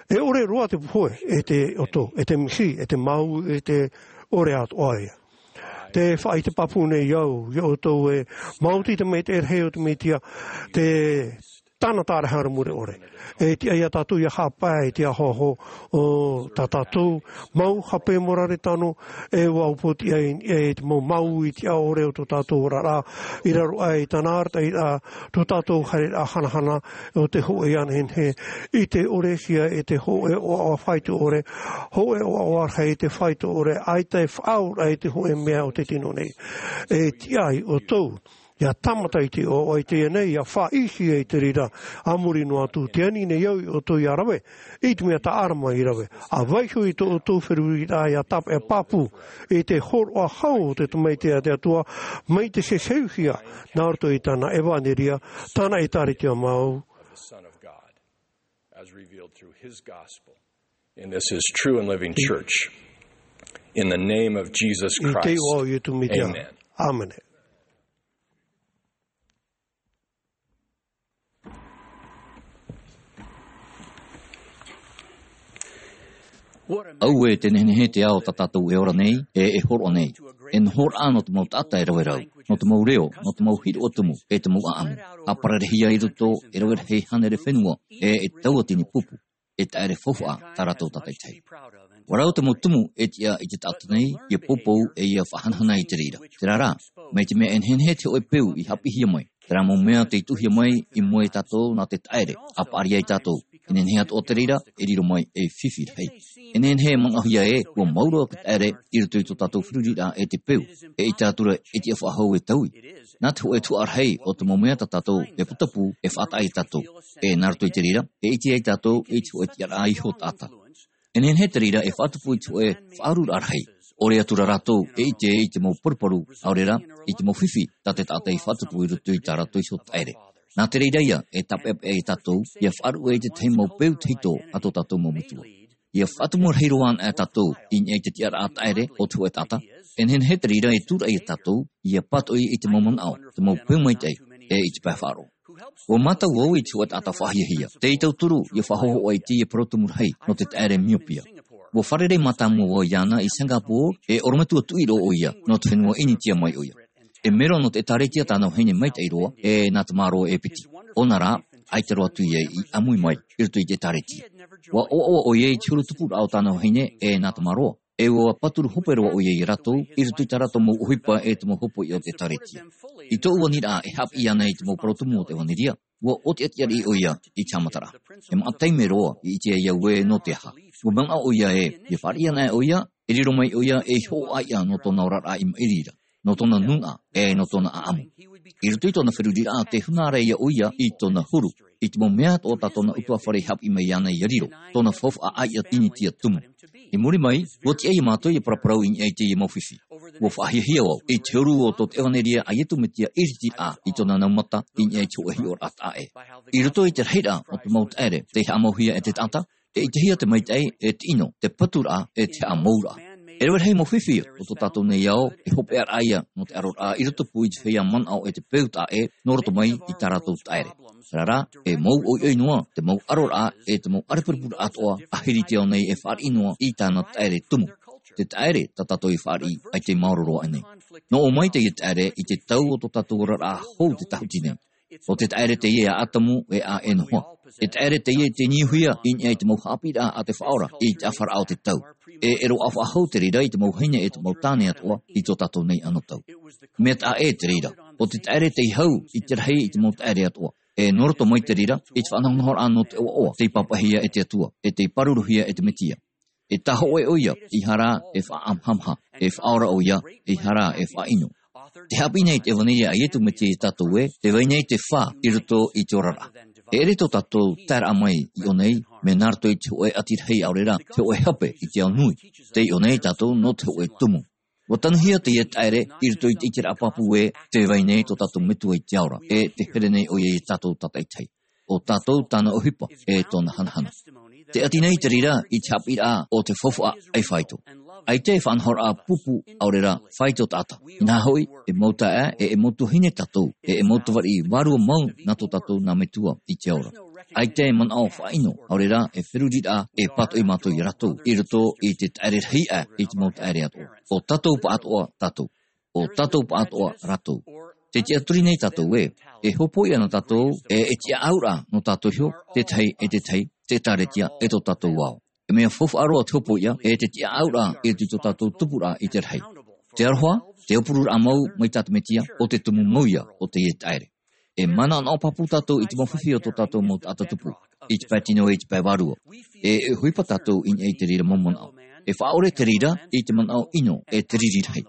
E ʻore roa te pohe, e te ʻoto, e te mihi, e te mau, e te ʻore atoʻa ïa. Te faʻaʻite pāpū nei au, iā ʻoutou e, maoti te maitaʻi rahi o te Mesia, te tāna tārahu ra mure ʻore. E tiʻa iā tātou ia haʻapae i te ahoaho o tā tātou mau hape morare tano, e ʻua upoʻotiʻa i, e te mau mau i te ʻaore o tō tātou oraraʻa, i raro aʻe i tāna arataʻiraʻa, tō tātou haereraʻa hanahana, o te hōʻē anahenehe, i te ʻore hia e te hōʻē ʻoaʻoa faito ʻore, hōʻē ʻoaʻoa rahi i te faito ʻore, ʻaita e faʻaora i te hōʻē mea o te tino nei. E tiʻa iā ʻoutou, ia tāmata i te ʻoaʻoa i teie nei, ia faʻaʻitehia i te reira, a muri noa atu, tē ani nei au iā ʻoutou ia rave, i te mea tā ʻArama i rave. ʻA vaiiho i tō ʻoutou feruriraʻa ia tāpeʻa pāpū, i te hōroʻa hau o te Tamaiti a te Atua, mai te heheuhia, nā roto i tāna ʻevanelia, tāna ʻĒtārētia mau. As revealed through his gospel. In this his true and living church. In the name of Jesus Christ. I te iʻoa o Iesu Mesia. Amen. Āmene. Auē, te nehenehe te ao tā tātou e ora nei, e, e hōroʻa nei. E noho ra nō te mau taʻata e rave ra, nō te mau reo, nō te mau hiroʻa tumu, e te mau ʻāʻamu. ʻA pararehia i roto, e rave rahi hānere fenua, e, e tauatini pupu, e taʻere faufaʻa tā rātou tātaʻitahi. ʻUa rau te mau tumu e tiʻa i te taʻata nei, ʻia poupou, e ʻia faʻahanahana i te reira. Terā rā, mai te mea e nehenehe te hōʻē peu i haʻapiʻihia mai, terā mau mea tei tuʻuhia mai i mua ia tātou nā te taʻere, ʻa paʻari ai tātou. E nehenehe atoʻa te reira, e riro mai ei fifi rahi. E nehenehe e manaʻohia ē, ʻua mau roa te taʻere i roto i tō tātou feruriraʻa e te peu, e ʻaita atu ra e tiʻa faʻahou e taui. Nā te hōʻē tuhaʻa rahi o te mau mea tā tātou e putapū, e faʻataʻa ia tātou. E nā roto i te reira, e ʻite ai tātou i te hōʻē tiʻaraʻa iho taʻata. E nehenehe te reira e faʻatupu i te hōʻē faʻaururaʻa rahi. ʻOre atu rā rātou e ʻite i te mau paruparu, ʻaore rā, i te mau fifi tā te taʻata i faʻatupu i roto i tā rātou iho taʻere. Nā te reira ia, e tāpeʻapeʻa ia tātou ia faʻaruʻe i te tahi mau peu tahito a tō tātou mau metua. Ia faʻatumu rahi roa ana tātou i niʻa i te tiʻaraʻa taʻere o te hōʻē taʻata, e nehenehe te reira e tūraʻi ia tātou ia pātoʻi i te mau manaʻo, te mau peu maitaʻi, e i te pae faʻaroʻo. Ua mātau au i te hōʻē taʻata faʻahiahia, tei tauturu ia faʻahōhoʻa i teie parau tumu rahi nō te taʻere miopia. Ua fārerei mātāmua vau iāna i Singapore, e ʻorometua tuʻi roa ʻoia nō te fenua Initia mai ʻoia. E melo nō te ʻĒtārētia tāna vahine maitaʻi roa, e nā te māroa e piti. ʻOna rā, ʻaita roa atu ia i ʻāmui mai i roto i te ʻĒtārētia. Ua ʻoaʻoa ʻoia i te huru tupuraʻa o tāna vahine, e nā te māroa. E ua pāturu hope roa ʻoia ia rātou i roto i tā rātou mau ʻohipa e te mau hopoiʻa o te ʻĒtārētia. I tōʻu aniraʻa e haʻapiʻi ana i te mau parau tumu o te ʻevanelia, ua ʻōtiʻati ʻoia i te haʻamataraʻa. E maʻa taime roa i ʻite ai au ē nō te aha. Ua manaʻo ʻoia ē, ia fāriʻi ana ʻoia, e riro mai ʻoia ei hoʻo ʻāiʻa nō tōna oraraʻa i maʻiri ra, nō tōna nūnaʻa, e nō tōna ʻāʻamu. I roto i tōna feruriraʻa, tē huna ra ia ʻoia i tōna huru, i te mau mea atoʻa tā tōna ʻutuāfare i haʻapiʻi mai iāna ia riro, tōna faufaʻa ʻāiʻa Initia tumu. I muri mai, ua tiʻa ia mātou ia paraparau i niʻa i teie mau fifi. Ua faʻahiahia vau i te huru o tō te ʻevanelia a Iesu Mesia ʻiritiraʻa i tōna nau mata i niʻa i te hōʻē hiʻoraʻa taʻa ʻē. I roto i te rahiraʻa o te mau taʻere tei haʻamauhia e te taʻata, e ʻitehia te maitaʻi, e te ʻino, te paturaʻa, e te haʻamouraʻa. E rave rahi mau fifi o tō tātou nei ao, e hopeʻaraʻa ia nō te ʻaroraʻa i rotopū i te feiā manaʻo e te peu taʻa ʻē nō roto mai i tā rātou taʻere. Terā rā, e mau ʻoiʻoi noa te mau ʻaroraʻa, e te mau ʻarepurepuraʻa atoʻa a Hiri te ao nei e fāriʻi noa i tāna taʻere tumu. Te taʻere tā tātou i fāriʻi, ʻaita i maoro roa aʻe nei. Nō ʻō mai teie taʻere i te tau o tō tātou oraraʻa hou te tāhuti nei. ʻO te taʻere teie a ʻĀtamu e a Enoha. E taʻere teie tei niuhia i niʻa i te mau haʻapiʻiraʻa a te Faʻaora i te ʻāfaraʻa o te tau. E, e roaʻa faʻahou te reira i te mau vahine e te mau tāne atoʻa i tō tātou nei anotau. Mea taʻa ʻē te reira, ʻo te taʻere tei hau i te rahi i te mau taʻere atoʻa. E nō roto mai te reira i te faʻanahonahoraʻa nō te ʻoaʻoa tei pāpaʻihia e te Atua, e tei pāruruhia e te Mesia. E tāhōʻē ʻoia, ʻeiaha rā e faʻaʻamahamaha, e faʻaora ʻoia, ʻeiaha rā e faʻaʻino. Tē haʻapiʻi nei te ʻevanelia a Iesu Mesia ia tātou ē, tē vai nei te fā i roto i te oraraʻa. E ʻere tō tātou taeraʻa mai i ʻō nei, mea nā roto i te hōʻē ʻati rahi ʻaore rā te hōʻē hape i te ao nui. Tē ʻō nei tātou nō te hōʻē tumu. Ua tanuhia teie taʻere i roto i te ʻiteraʻa pāpū ē, tē vai nei tō tātou Metua i te ao ra, e tē here nei ʻoia ia tātou tātaʻitahi. ʻO tātou tāna ʻohipa, e tōna hanahana. Tē ʻati nei te reira i te haʻapiʻiraʻa o te faufaʻa ʻaifāito. ʻAita e faʻanahoraʻa pupu ʻaore rā faito taʻata. Inaha hoʻi, e mau taeaʻe, e, e mau tuahine tātou, e, e mau tamariʻi vārua mau nā tō tātou nā Metua i te ao ra. ʻAita e manaʻo faʻaʻino, ʻaore rā e feruriraʻa e pātoʻi mātou ia rātou, i roto i te taʻere rahi aʻe i te mau taʻere atoʻa. ʻO tātou pāʻatoʻa tātou. ʻO tātou pāʻatoʻa rātou. Tē tiʻaturi nei tātou ē, e hopoiʻa na tātou, e, e tiʻaʻauraʻa nō tātou iho, te tahi e te tahi, te ʻĒtārētia, e tō tātou ao. E mea faufaʻa roa te hopoiʻa, e te tiʻaʻauraʻa i roto i tō tātou tupuraʻa i te rahi. Te aroha, te aupururaʻa mau mai tā te Mesia, ʻo te tumu mau ia o teie taʻere. E manaʻonaʻo pāpū tātou i te mau fifi o tō tātou mau taʻata tupu, i te pae tino e i te pae vārua. E, e ʻohipa tātou i niʻa i te reira mau manaʻo. E faʻaʻore te reira i te manaʻo ʻino e te riri rahi.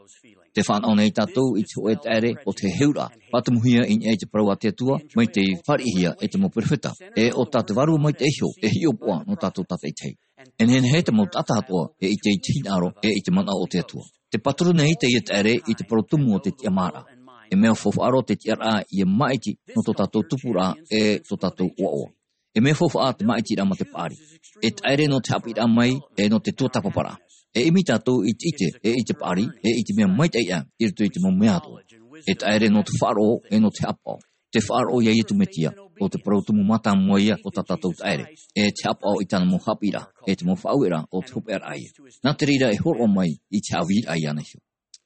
Tē faʻanaho nei tātou i te hōʻē taʻere o te heheuraʻa, faʻatumuhia i niʻa i te parau a te Atua, mai tei fāriʻihia e te mau perofeta. E ʻo tā te Vārua Maitaʻi iho, e hiʻopoʻa nō tātou tātaʻitahi. E nehenehe te mau taʻata atoʻa e ʻite i te hinaʻaro, e i te manaʻo o te Atua. Tē pāturu nei teie taʻere i te parau tumu o te tiʻamāraʻa. E mea faufaʻa roa te tiʻaraʻa ia māʻiti nō tō tātou tupuraʻa, e tō tātou ʻoaʻoa. E mea faufaʻa te māʻitiraʻa mā te paʻari. E taʻere nō te haʻapiʻiraʻa mai, e nō te tuatāpaparaʻa. E ʻimi tātou i te ʻite, e i te paʻari, e i te mea maitaʻi aʻe, i roto i te mau mea atoʻa. E taʻere nō te faʻaroʻo, e nō te haʻapaʻo. Te faʻaroʻo ia Iesu Mesia, ʻo te parau tumu mātāmua ia o tā tātou taʻere. E te haʻapaʻo i tāna mau haʻapiʻiraʻa, e te mau faʻaueraʻa o te hopeʻaraʻa ia. Nā te reira e hōroʻa mai i te haʻavīraʻa iāna iho.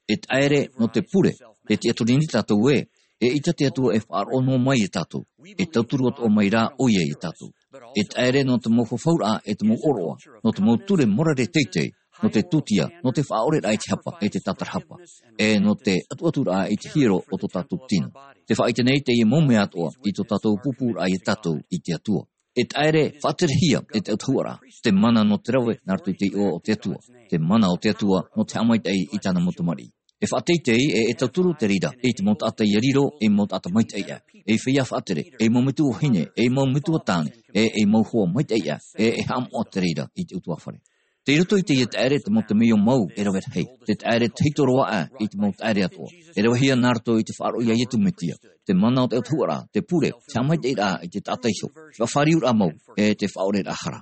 E taʻere nō te pure, e tiʻaturi nei tātou ē, eʻita te Atua e faʻaroʻo noa mai ia tātou, e tauturu atoʻa mai rā ʻoia ia tātou. E taʻere nō te mau fafauraʻa, e te mau ʻōroʻa, nō te mau ture morare teitei, nō te tūtia, nō te faʻaʻoreraʻa i te hapa, e te tātarahapa, e nō te ʻatuʻaturaʻa i te hiero o tō tātou tino. Tē faʻaʻite nei teie mau mea atoʻa i tō tātou pūpūraʻa ia tātou i te Atua. E taʻere faʻaterehia e te ʻautahuʻaraʻa, te mana nō te rave nā roto i te iʻoa o te Atua, te mana o te Atua nō te haʻamaitaʻi i tāna mau tamariʻi. E faʻateitei, e, e tauturu te reira i te mau taʻata ia riro ei mau taʻata maitaʻi aʻe, ei feiā faʻatere, ei mau metua vahine, ei mau metua tāne, e ei mau hoa maitaʻi aʻe, e, e haʻamoʻa te reira i te ʻutuāfare. Tei roto i teie taʻere te mau temeio mau e rave rahi, te taʻere tahito roa aʻe i te mau taʻere atoʻa. E ravehia nā roto i te faʻaroʻo ia Iesu Mesia, te mana o te autahuʻaraʻa, te pure, te haʻamaitaʻiraʻa i te taʻata iho, te faʻafāriuraʻa mau, e te faʻaʻoreraʻa hara.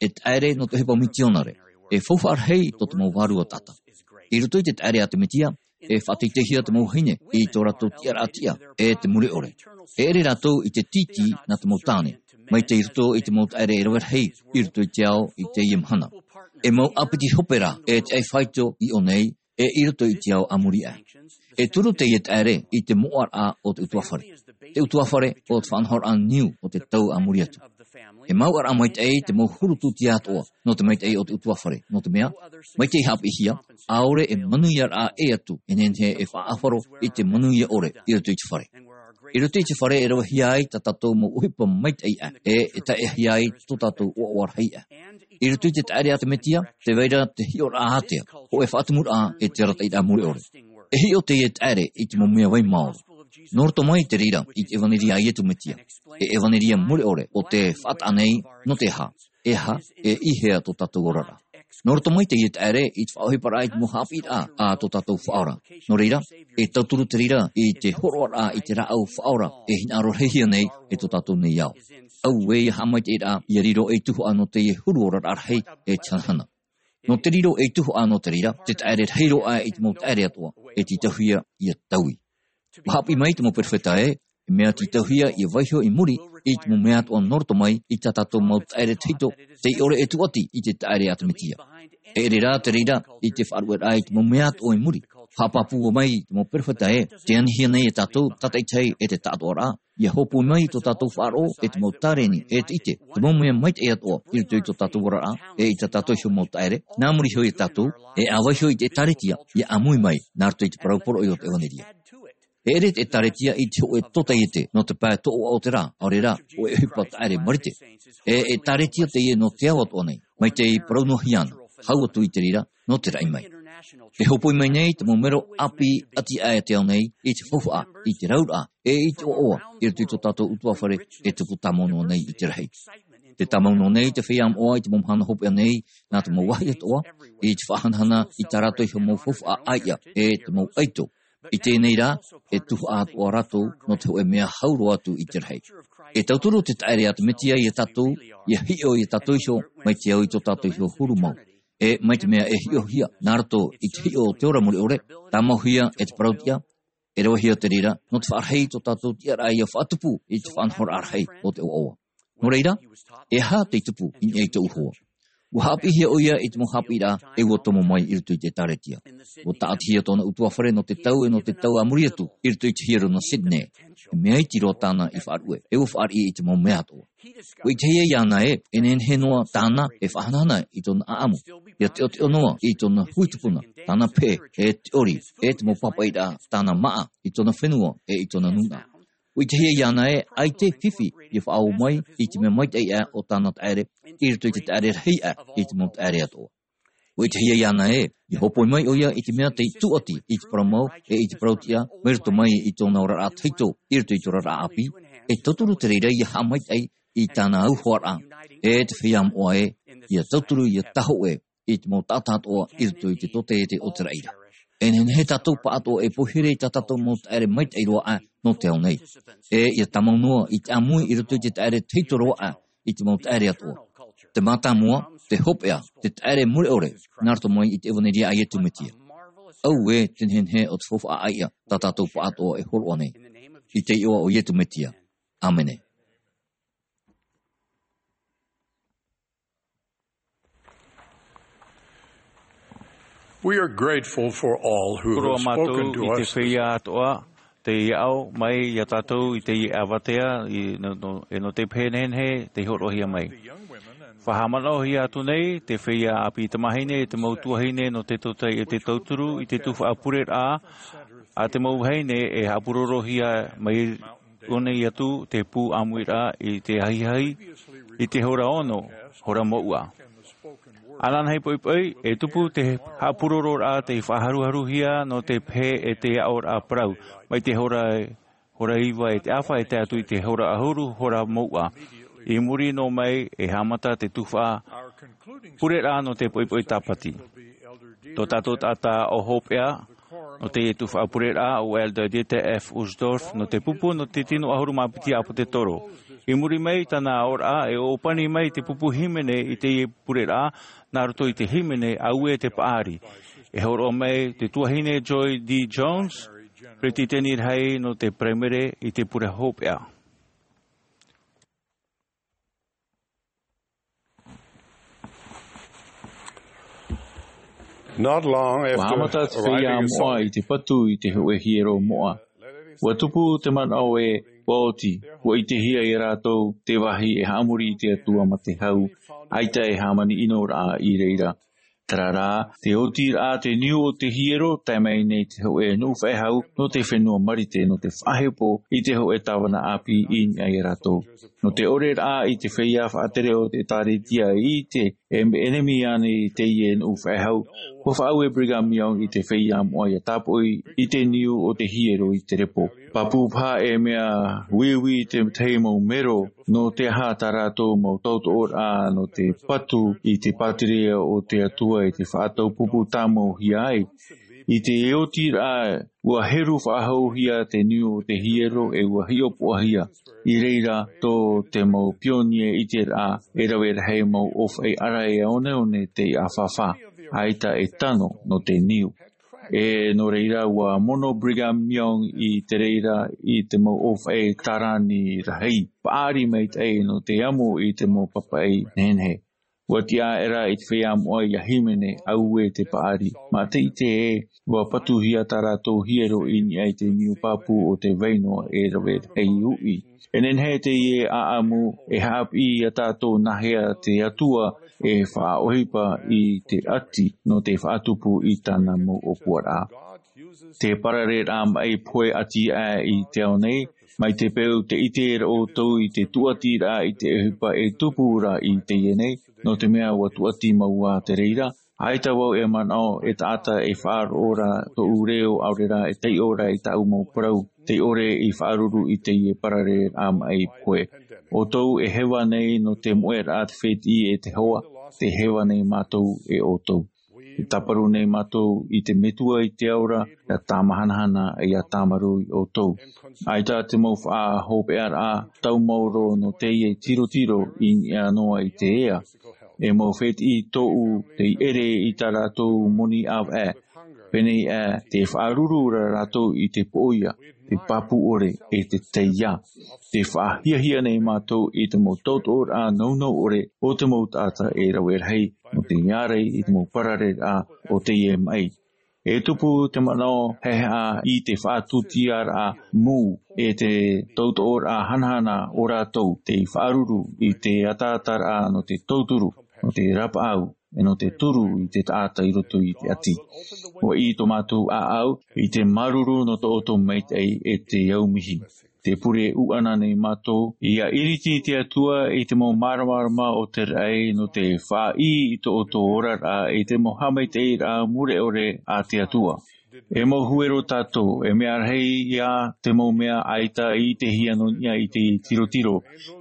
E taʻere nō te ʻohipa mitionare, e faufaʻa rahi tō te mau vārua taʻata. I roto i te taʻere a te Mesia, e faʻateiteihia te mau vahine i tō rātou tiʻaraʻa tiʻa, e te mure ʻore. E ʻere rātou i te tītī nā te mau tāne, mai tei roto i te mau taʻere e rave rahi, i roto i te ao i teie mahana. E mau ʻāpiti hope rā, e te ʻaifāito i ʻō nei, e i roto i te ao a muri aʻe. E turu teie taʻere i te moʻaraʻa o te ʻutuāfare. Te ʻutuāfare o te faʻanahoraʻa niu o te tau a muri atu. E mauʻaraʻa maitaʻi te mau huru tūtia atoʻa, nō te maitaʻi o te ʻutuāfare, nō te mea, mai tei haʻapiʻihia, ʻaore e manuiaraʻa ʻē atu, e nehenehe e faʻaʻāfaro i te manuia ʻore, i roto i te fare. I roto i te fare e ravehia ai tā tātou mau ʻohipa maitaʻi aʻe, e, e taeʻahia ai tō tātou ʻoaʻoa rahi aʻe. I roto i te taʻere a te Mesia, tē vai ra te hiʻoraʻa ātea, hōʻē faʻatumuraʻa e te arataʻiraʻa mure ʻore. E hiʻo teie taʻere i te mau mea vai maoro. Nō roto mai te reira i te ʻevaneria a Iesu Mesia, e ʻevaneria mure ʻore o te faʻataʻa nei, nō te aha, e aha, e i hea tō tātou oraraʻa. Nō roto mai teie taʻere i te faʻaʻohiparaʻa i te mau haʻapiʻiraʻa a tō tātou Faʻaora. Nō reira, e tauturu te reira i te hōroʻaraʻa i te rāʻau Faʻaora e hinaʻaro rahihia nei e tō tātou nei ao. Auē ia haʻamaitaʻiraʻa ia riro ei tuhaʻa nō teie huru oraraʻa rahi e te hanahana. Nō te riro ei tuhaʻa nō te reira, te taʻere rahi roa aʻe i te mau taʻere atoʻa, e tītauhia ia taui. ʻUa haʻapiʻi mai te mau perofeta ē, e mea tītauhia ia vaiho i muri i te mau mea atoʻa nō roto mai i tā tātou mau taʻere tahito, tei ʻore e tūʻati i te taʻere a te Mesia. E ʻere rā te reira i te faʻaruʻeraʻa i te mau mea atoʻa i muri. Haʻapāpū mai te mau perofeta ē, tē anihia nei e tātou, tātaʻitahi e te taʻatoʻaraʻa, ia hōpoi mai tō tātou faʻaroʻo, e te mau tāreni, e te ʻite, te mau mea maitaʻi atoʻa, i roto i tō tātou oraraʻa, e i tā tātou iho mau taʻere, nā muri iho ia tātou, e ʻa vaiho i te ʻĒtārētia, ia ʻāmui mai, nā roto i te parau poroʻi o te ʻevaneria. E ʻere te ʻĒtārētia i te hōʻē tōtaiete, nō te pae toʻoʻa o te rā, ʻaore rā, hōʻē ʻohipa taʻere marite. E ʻĒtārētia teie nō te ao atoʻa nei, mai tei parau noa hia ana, hau atu i te reira, nō te raʻi mai. E hōpoi mai nei te mau mero ʻāpī ʻati aʻe te ao nei, i te faufaʻa, i te rauraʻa, e i te ʻoaʻoa, i roto i tō tātou ʻutuāfare, e tupu tāmau noa nei i te rahi. Te tāmau noa nei te feiā moʻa i te mau mahana hopeʻa nei, nā te mau vāhi atoʻa, i te faʻahanahana, i tā rātou iho mau faufaʻa ʻāiʻa, e te mau ʻaito. I teie nei rā, e tuhaʻa atoʻa rātou, nō te hōʻē mea hau roa atu i te rahi. E tauturu te taʻere a te Mesia ia tātou, ia hiʻo ia tātou iho, mai te au i tō tātou iho huru mau. E mai te mea e hiʻohia, nā roto i te hiʻo o te ora mure ʻore, tāmauhia e te parauʻtiʻa, e ravehia te reira, nō te faʻarahi i tō tātou tiʻaraʻa ia faʻatupu i te faʻanahoraʻa rahi o te ʻoaʻoa. Nō reira, e aha tei tupu i niʻa i tōʻu hoa? ʻUa haʻapiʻihia ʻoia i te mau haʻapiʻiraʻa e ua tomo mai i roto i te ʻĒtārētia. ʻUa tāʻatihia tōna ʻutuāfare nō te tau e nō te tau a muri atu i roto i te hiero nō Sydney. E mea iti roa tāna i faʻaruʻe, e ua fāriʻi i te mau mea atoʻa. ʻUa ʻitehia iāna ē, e nehenehe noa tāna e faʻahanahana i tōna ʻāʻamu. Ia teʻoteʻo noa i tōna hui tupuna, tāna peʻe, e te ʻori, e te mau pāpaʻiraʻa tāna māʻa i tōna fenua e i tōna nūnaʻa. ʻUa ʻitehia iāna ē, ʻaita e fifi ia faʻaō mai i te mea maitaʻi aʻe o tāna taʻere, i roto i te taʻere rahi aʻe i te mau taʻere atoʻa. ʻUa ʻitehia iāna ē, ia hōpoi mai ʻoia i te mea tei tūʻati i te parau mau, e i te parauʻtiʻa, mai roto mai i tōna oraraʻa tahito, i roto i te oraraʻa ʻāpī, e tauturu te reira ia haʻamaitaʻi i tāna auhoaraʻa, e te feiā moʻa ē, ia tauturu ia tāhōʻē, i te mau taʻata atoʻa i roto i te tōtaiete o te raʻi ra. E nehenehe tātou pāʻatoʻa e poihere i tā tātou mau taʻere maitaʻi roa aʻe nō te ao nei. E ia tāmau noa i te ʻāmui i roto i te taʻere tahito roa aʻe i te mau taʻere atoʻa. Te mātāmua, te hopeʻa, te taʻere mure ʻore, nā roto mai i te ʻevaneria a Iesu Mesia. Auē te nehenehe o te faufaʻa ʻāiʻa tā tātou pāʻatoʻa e hōroʻa nei. I te iʻoa o Iesu Mesia. ʻĀmene. We are grateful for all who Koroa have mātou spoken to i te us this feiā atoʻa, tei aʻo mai iā tātou i teie avatea, i, no, no, e nō te pehe nehenehe, tei hōroʻahia mai. Faʻahaʻamanaʻohia atu nei, te feiā ʻāpī tamāhine, te mau tuahine, nō te tōtaiete tauturu, i te tuhaʻa pureraʻa, a te mau vahine, e haʻapurorohia mai ʻō nei atu te pū ʻāmuiraʻa i te ahiahi, i te hora ono, hora mouʻa. Ananahi poʻipoʻi, e tupu te haʻapurororaʻa tei faʻaharuharuhia nō te pehe e te aʻoraʻa parau, mai te hora, hora iva e te ʻāfa e tae atu i te hora ʻahuru, hora mouʻa. I muri noa mai e haʻamata te tuhaʻa pureraʻa nō te poʻipoʻi tāpati. Tō tātou taʻata ʻo hopeʻa nō te tuhaʻa pureraʻa ʻo Elder Dieter F. Uchtdorf nō te pupu nō te tino ʻahuru mā piti ʻāpōsetolo. I muri mai i tāna aʻoraʻa e ʻōpani mai te pupu hīmene i teie pureraʻa nā roto i te hīmene Auē te Paʻari. E hōroʻa mai te tuahine Joy D. Jones, peretiteni rahi nō te Paraimere i te pure hopeʻa. Not long after arriving in Salt Lake, ua haʻamata te feiā moʻa i te patu i te hōʻē hiero moʻa. Ua tupu te manaʻo ē ua oti, ua ʻitehia e rātou te vāhi e haʻamori i te Atua mā te hau, ʻaita e hāmani ʻino rā i reira. Terā rā, te oti rā te niu o te hiero, tae mai nei te hōʻē nuʻu faʻehau nō te fenua Marite, nō te faʻahepo i te hōʻē tāvana ʻāpī i niʻa ia rātou. Nō te ʻore rā i te feiā faʻatere o te ʻĒkālesia i ʻite e ʻenemi ānei teie nuʻu faʻehau, ua faʻaue Brigham Young i te feiā moʻa ʻia tāpoʻi i te niu o te hiero i te repo. Pāpū paha e mea uiui te tahi mau mero, nō te aha tā rātou mau tautooraʻa nō te patu i te pātireia o te Atua i te faʻataupupu tāmauhia ai. I te oti rā, ua heru faʻahouhia te niu o te hiero e ua hiʻopoʻahia. I reira tō te mau pionie i te rā, e rave rahi mau ʻōfaʻi ara e oneone tei ʻāfāfā, ʻaita e tano nō te niu. E nō reira ua mono Brigham Young i te reira i te mau ʻōfaʻi tārani rahi, paʻari maitaʻi nō te amo i te mau papaʻi nehenehe. Ua tiʻa aʻera i te feiā moʻa ʻia hīmene Auē te Paʻari. Mā te ʻite ē, ua patuhia tā rātou hiero i niʻa i te niu pāpū o te vai noa e rave rahi uʻi. E nehenehe teie ʻāʻamu e haʻapiʻi ia tātou nāhea te Atua e faʻaʻohipa i te ʻati nō te faʻatupu i tāna mau ʻōpuaraʻa. Te parareraʻa maʻi pohe ʻati aʻe i te ao nei, mai te peu te ʻite ra ʻoutou i te tūʻatiraʻa i te ʻohipa e tupu ra i teie nei, nō te mea ua tūʻati mau ā te reira, ʻaita vau e manaʻo e taʻata e faʻaroʻo ra tōʻu reo ʻaore rā e taiʻo ra i tāʻu mau parau, tei ʻore i faʻaruru i teie parareraʻa maʻi pohe. ʻOutou e heva nei nō te moʻeraʻa te fētiʻi e te hoa, tē heva nei mātou e ʻoutou. E tāparu nei mātou i te Metua i te ao ra, ʻia tāmahanahana, ʻia tāmarū ia ʻoutou. ʻAita te mau faʻahopeʻaraʻa tau maoro nō teie tirotiro i niʻa noa i te ea. E mau fētiʻi tōʻu tei ʻere i tā rātou moni ʻāvaʻe. Pēnei aʻe, tē faʻaruru ra rātou i te poʻoia, te pāpū ʻore, e te taiā. Tē faʻahiahia nei mātou i te mau tautooraʻa nounou ʻore o te mau taʻata e rave rahi, nō te ʻārai i te mau parareraʻa o teie maʻi. E tupu te manaʻo haʻehaʻa i te faʻatūtiaraʻa mū, e te tautooraʻa hanahana o rātou tei faʻaruru i te ataataraʻa nō te tauturu, nō te rapaʻau, e nō te turu i te taʻata i roto i te ʻati. ʻUa ʻī tō mātou ʻāʻau i te māuruuru nō tō ʻoutou maitaʻi e te aumihi. Tē pure ʻuʻana nei mātou, ʻia ʻiriti te Atua i te mau māramarama o te raʻi nō te faʻaʻī i tō ʻoutou oraraʻa i te mau haʻamaitaʻiraʻa mure ʻore a te Atua. E mau huero tātou, e mea rahi ia te mau mea ʻaita i ʻitehia nō niʻa i te tirotiro.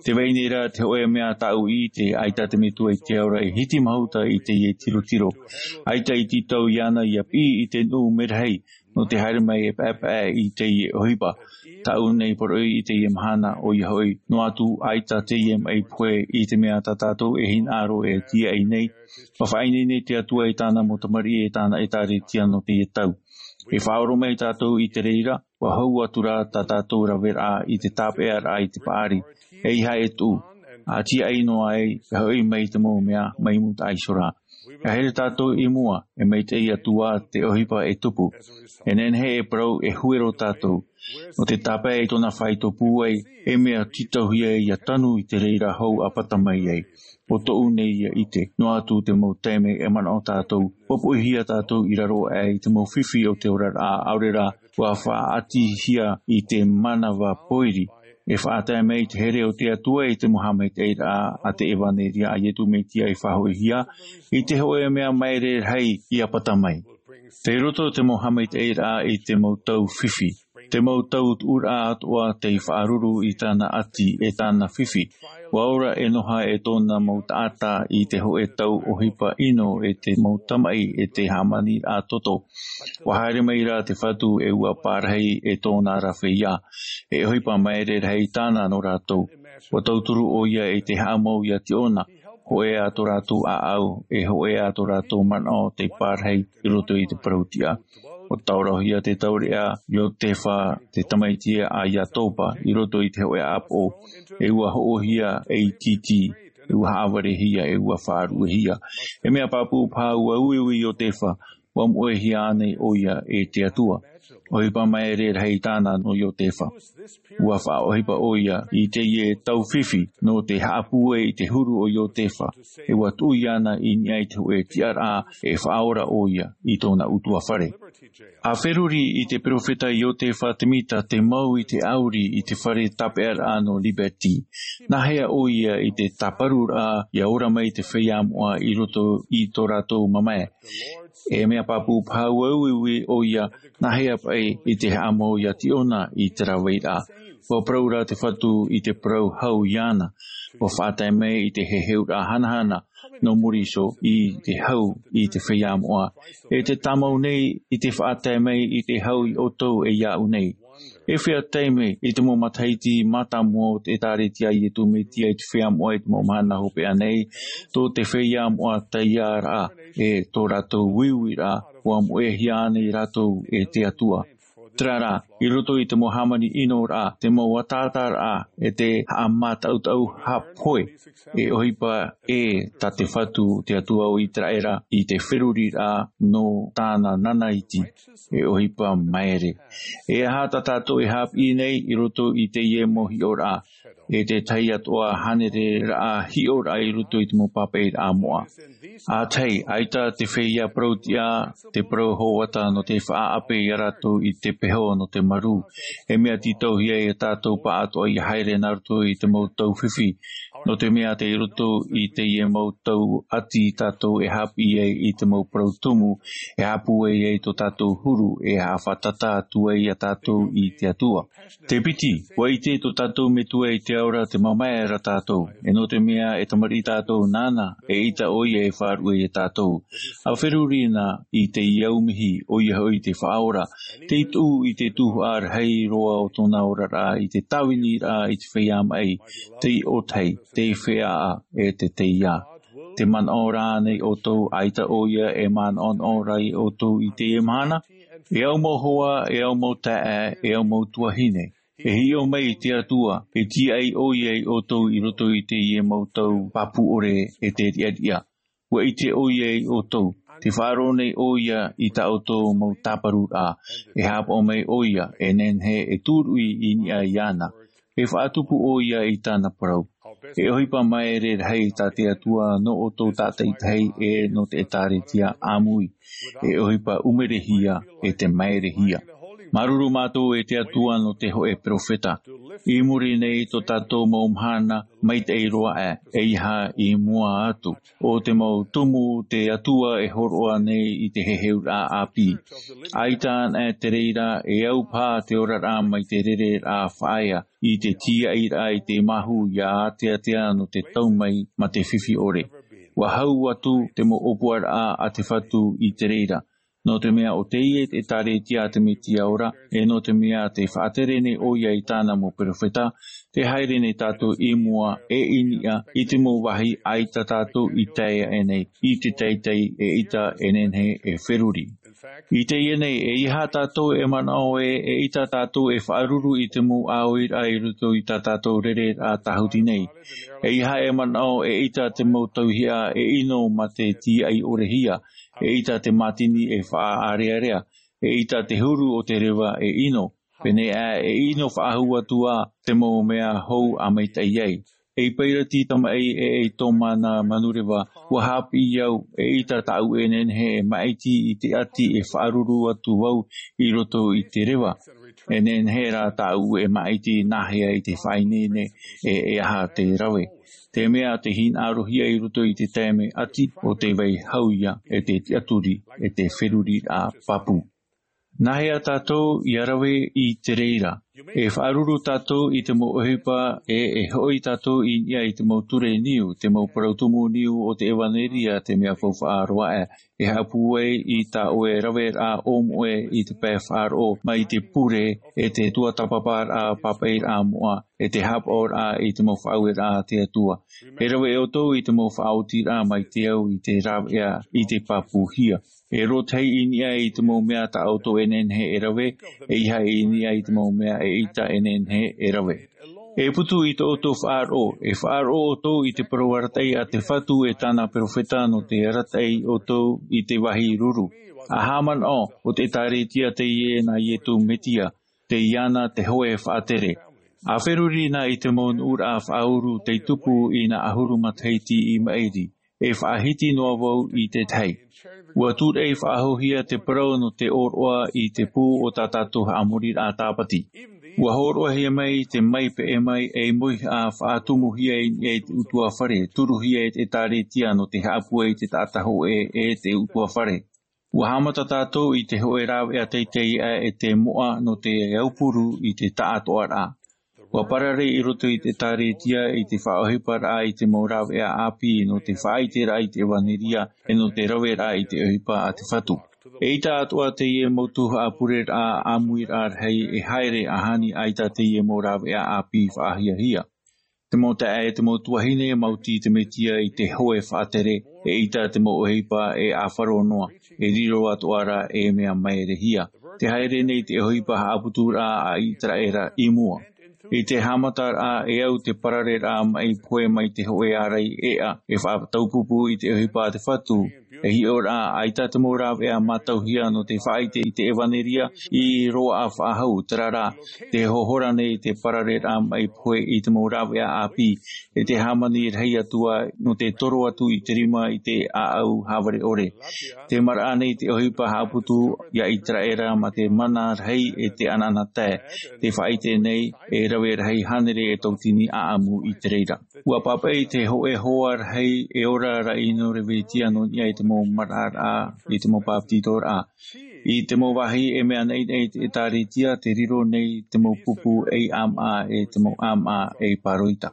Tē vai nei rā te hōʻē mea tāʻu i ʻite, ʻaita te Metua i te ao ra e hiti mahuta i teie tirotiro. ʻAita i tītau iāna ʻia piʻi i te nuʻu merahi, nō te haere mai e paʻepaʻe i teie ʻohipa. Tāʻu nei poroʻi i teie mahana, ʻoia hoʻi, noa atu ʻaita teie maʻi pohe i te mea tā tātou e hinaʻaro e tīaʻi nei, ʻua faʻaineine te Atua i tāna mau tamariʻi e tāna ʻĒkālesia nō teie tau. E faʻaoromaʻi tātou i te reira, ʻua hau atu rā tā tātou raveraʻa i te tāpeʻaraʻa i te paʻari, ʻeiaha e tuʻu, ʻa tīaʻi noa ai, e hoʻi mai te mau mea, mai mūtaʻa iho ra. ʻIa haere tātou i mua, e maitaʻi atu ā te ʻohipa e tupu. E nehenehe e parau e huero tātou. Nō te tāpae i tōna faito pūai, e mea tītauhia ʻia tanu i te reira hou ʻa pata mai ai. ʻO tōʻu nei ia ʻite, noa atu te mau taime e manaʻo tātou, popoʻihia tātou i raro aʻe i te mau fifi o te oraraʻa, ʻaore rā, ʻua faʻaʻatihia i te manava pōiri. E faʻatae mai te here o te Atua i te mau haʻamaitaʻiraʻa a te ʻevanelia a Iesu Mesia i faʻahoʻihia, i te hōʻē mea maere rahi ʻia pata mai. Tei roto te mau haʻamaitaʻiraʻa i te mau tau fifi. Te mau tau tuʻuraʻa atoʻa tei faʻaruru i tāna ʻati e tāna fifi. ʻUa ora e Noha e tōna mau taʻata i te hōʻē tau ʻohipa ʻino e te mau tamaʻi e te hāmani ʻātoto. ʻUa haere mai rā te Fatu e ʻua pārahi e tōna ra feiā. E ʻohipa maere rahi tāna nō rātou. ʻUa tauturu ʻoia i te haʻamau iā Tiʻona, hōʻē ā tō rātou ʻāʻau, e hōʻē ā tō rātou manaʻo tei pārahi i roto i te parau tiʻa. ʻUa taorohia te taureʻa Iotefa, te tamaiti a Iatopa, i roto i te hōʻē ʻāpoʻo, e ʻua hoʻohia ei tītī, e ʻua haʻavarehia, e ʻua faʻaruʻehia. E mea pāpū paha ʻua uiui Iotefa, ʻua moʻehia ānei ʻoia e te Atua? ʻOhipa maere rahi tāna nō Iotefa. ʻUa faʻaʻohipa ʻoia i teie taufifi nō te haʻapūai i te huru o Iotefa, e ʻua tuʻu iāna i niʻa i te hōʻē tiʻaraʻa e faʻaora ʻoia i tōna ʻutuāfare. ʻA feruri i te peropheta Iotefa Temita te mau i te ʻauri i te fare tāpeʻaraʻa nō Liberty. Nāhea ʻoia i te tāparuraʻa ʻia ora mai te feiā moʻa i roto i tō rātou mamae? E mea pāpū paha ʻua uiui ʻoia, nāhea paʻi i te haʻamau iā Tiʻona i te rāveiraʻa? ʻUa parau rā te Fatu i te parau hau iāna. ʻUa faʻatae mai i te heheuraʻa hanahana nō muri iho i te hau i te feiā moʻa. E te tāmau nei i te faʻatae mai i te hau i ʻoutou e iāʻu nei. E fea taime i te mau matahiti mātāmua o te ʻĒtārētia a Iesu Mesia i te feiā moʻa i te mau mahana hopeʻa nei, tō te feiā moʻa taiāraʻa, e tō rātou uiuiraʻa, ʻua moʻehia ānei rātou e te Atua? Terā rā, i roto i te mau hāmani ʻinoraʻa, te mau ataataraʻa, e te haʻamātaʻutaʻu haʻapohe, e ʻohipa ē tā te Fatu, te Atua o Iteraʻera, i te feruriraʻa nō tāna nanaiti, e ʻohipa maere. E aha tā tātou e haʻapiʻi nei i roto i teie mau hiʻoraʻa, e te tahi atoʻa hānereraʻa hiʻoraʻa i roto i te mau pāpaʻiraʻa moʻa? ʻA tahi, ʻaita te feiā parau tiʻa, te parau hōʻē atu nō te faʻaʻape iā rātou i te peho nō te marū. E mea tītauhia iā tātou pāʻatoʻa ʻia haere nā roto i te mau taufifi, nō te mea tei roto i teie mau tau ʻati tātou e haʻapiʻi ai i te mau parau tumu, e haʻapūai ai tō tātou huru, e haʻafātata atu ai iā tātou i te Atua. Te piti, ʻua ʻite tō tātou Metua i te ao ra te mamae ra tātou, e nō te mea e tamariʻi tātou nāna, eʻita ʻoia e faʻaruʻe iā tātou. ʻA feruri na i te aumihi, ʻoia hoʻi te Faʻaora, tei tuʻu i te tuhaʻa rahi roa o tōna oraraʻa i te tāviniraʻa i te feiā maʻi, te iʻotahi, te feiā, e te teiā. Te manaʻo rānei ʻoutou ʻaita ʻoia e manaʻonaʻo ra iā ʻoutou i teie mahana? E au mau hoa, e au mau taeaʻe, e au mau tuahine, e hiʻo mai i te Atua, e tīaʻi ʻoia iā ʻoutou i roto i teie mau tau pāpū ʻore e te riʻariʻa. ʻUa ʻite ʻoia iā ʻoutou, tē faʻaroʻo nei ʻoia i tā ʻoutou mau tāparuraʻa, e haʻapaʻo mai ʻoia, e nehenehe e tūruʻi i niʻa iāna, e faʻatupu ʻoia i tāna parau. E ʻohipa maere rahi tā te Atua nō ʻoutou tātaʻitahi e nō te ʻĒtārētia ʻāmui, e ʻohipa ʻumerehia, e te maerehia. Māuruuru mātou e te Atua nō te hōʻē peropheta. I muri nei tō tātou mau mahana maitaʻi roa aʻe, ʻeiaha i mua atu. ʻO te mau tumu te Atua e hōroʻa nei i te heheuraʻa ʻāpī. ʻAita anaʻe te reira, e au paha te oraraʻa mai te rereraʻa faʻaea, i te tīaʻiraʻa i te māhu ʻia āteatea nō te tau mai ma te fifi ʻore. ʻUa hau atu te mau ʻōpuaraʻa a te Fatu i te reira. Nō te mea ʻo teie te ʻĒtārētia a te Mesia ora, e nō te mea tē faʻatere nei ʻoia i tāna mau peropheta, tē haere nei tātou i mua e i niʻa i te mau vāhi ʻaita tātou i tae aʻe nei, i te teitei eʻita e nehenehe e feruri. I teie nei, ʻeiaha tātou e manaʻo ē, eʻita tātou e faʻaruru i te mau ʻāuiraʻa i roto i tā tātou rereraʻa tāhuti nei. ʻEiaha e manaʻo eʻita te mau tauihaʻa e ʻino ma te tīaʻi ʻorehia, eʻita te mātini e faʻaʻārearea, eʻita te huru o te reva e ʻino. Pēneiaʻe e ʻino faʻahou atu ā te mau mea hou ʻa maitaʻi ai. Ei pairati tamaʻi e ei tōmana manureva, ʻua haʻapiʻi au, eʻita tāʻu e nehenehe e māʻiti i te ʻati e faʻaruru atu vau i roto i te reva. E nehenehe rā tāʻu e māʻiti nāhea i te faʻaineine e, e aha te rave. Te mea tē hinaʻarohia i roto i te taime ʻati, ʻo te vai hau ïa, e te tiʻaturi, e te feruriraʻa pāpū. Nāhea tātou ʻia rave i te reira? E faʻaruru tātou i te mau ʻohipa, e e hoʻi tātou i niʻa i te mau ture niu, te mau parau tumu niu o te ʻevanelia, te mea faufaʻa roa aʻe, e haʻapū ai i tā ʻoe raveraʻa ʻōmoʻe i te pae faʻaroʻo mai te pure, e te tuatāpaparaʻa pāpaʻiraʻa moʻa, e te haʻapaʻoraʻa i te mau faʻaueraʻa a te Atua. E rave ʻoutou i te mau faʻaotiraʻa mai te au i te rāveʻa i te pāpūhia. E rōtahi i niʻa i te mau mea tā ʻoutou e nehenehe e rave, e ʻeiaha i niʻa i te mau mea e ʻeita e nehenehe e rave. E putu i tō ʻoutou faʻaroʻo, e faʻaroʻo ʻoutou i te parau arataʻi a te Fatu e tāna perofeta nō te arataʻi ʻoutou i te vāhi ruru. A haʻamanaʻo, ʻo te ʻĒtārētia teie nā Ietu Metia, tei iāna te hoe faʻatere. A feruri na i te mau nuʻuraʻa faʻauru tei tupu i nā ʻahuru matahiti i maʻiri, e faʻahiti noa vau i te tahi. Ua tūraʻi faʻahouhia te parau nō te ʻōroʻa i te pū o tā tātou haʻamoriraʻa tāpati. Ua hōroʻahia mai te mai peʻe mai ei mauhaʻa faʻatumuhia i niʻa i te ʻutuāfare, turuhia e te ʻĒtārētia nō te haʻapūai i te taʻata hōʻē e te ʻutuāfare. Ua haʻamata tātou i te hōʻē rāveʻa teitei aʻe e te moʻa nō te aupuru i te taʻatoʻaraʻa. Ua parare i roto i te ʻĒtārētia i te faʻaʻohiparaʻa i te mau rāveʻa ʻāpī nō te faʻaʻiteraʻa i te ʻevanelia, e nō te raveraʻa i te ʻohipa a te Fatu. E ʻeita atoʻa teie mau tuhaʻa pureraʻa ʻāmuiraʻa rahi e haere ʻahani ʻaita teie mau rāveʻa ʻāpī faʻahiahia. Te mau taeaʻe, te mau tuahine, maoti te Metia i te hoe faʻatere, e ʻeita te mau ʻohipa e ʻāfaro noa, e riro atoʻa ra e mea maerehia. Te haere nei te ʻohipa haʻaputuraʻa a ʻĪteraʻera i mua. I te haʻamataraʻa e au te parareraʻa maʻi pohe mai te hōʻē ārai ʻēʻa, e faʻataupupū i te ʻohipa a te Fatu, e hiʻoraʻa ʻaita te mau rāveʻa mātauhia nō te faʻaʻite i te ʻevanelia i roaʻa faʻahou, terā rā, te hohora nei te parareraʻa maʻi pohe i te mau rāveʻa ʻāpī, e te hāmani rahi atu ā nō te toro atu i te rima i te ʻāʻau hāvare ʻore. Te maraʻa nei te ʻohipa haʻaputu ia ʻĪteraʻera mā te mana rahi e te anaanatae, te faʻaʻite nei e rave rahi hānere e tautini ʻāʻamu i te reira. Ua pāpaʻi te hōʻē hoa rahi e ora ra i Norevetia nō niʻa i te mau maraʻaraʻa, i te mau pāpetitoraʻa. I te mau vāhi e mea naʻinaʻi te ʻĒtārētia, te riro nei te mau pupu ei ʻāmaʻa, e te mau ʻāmaʻa ei pāroita.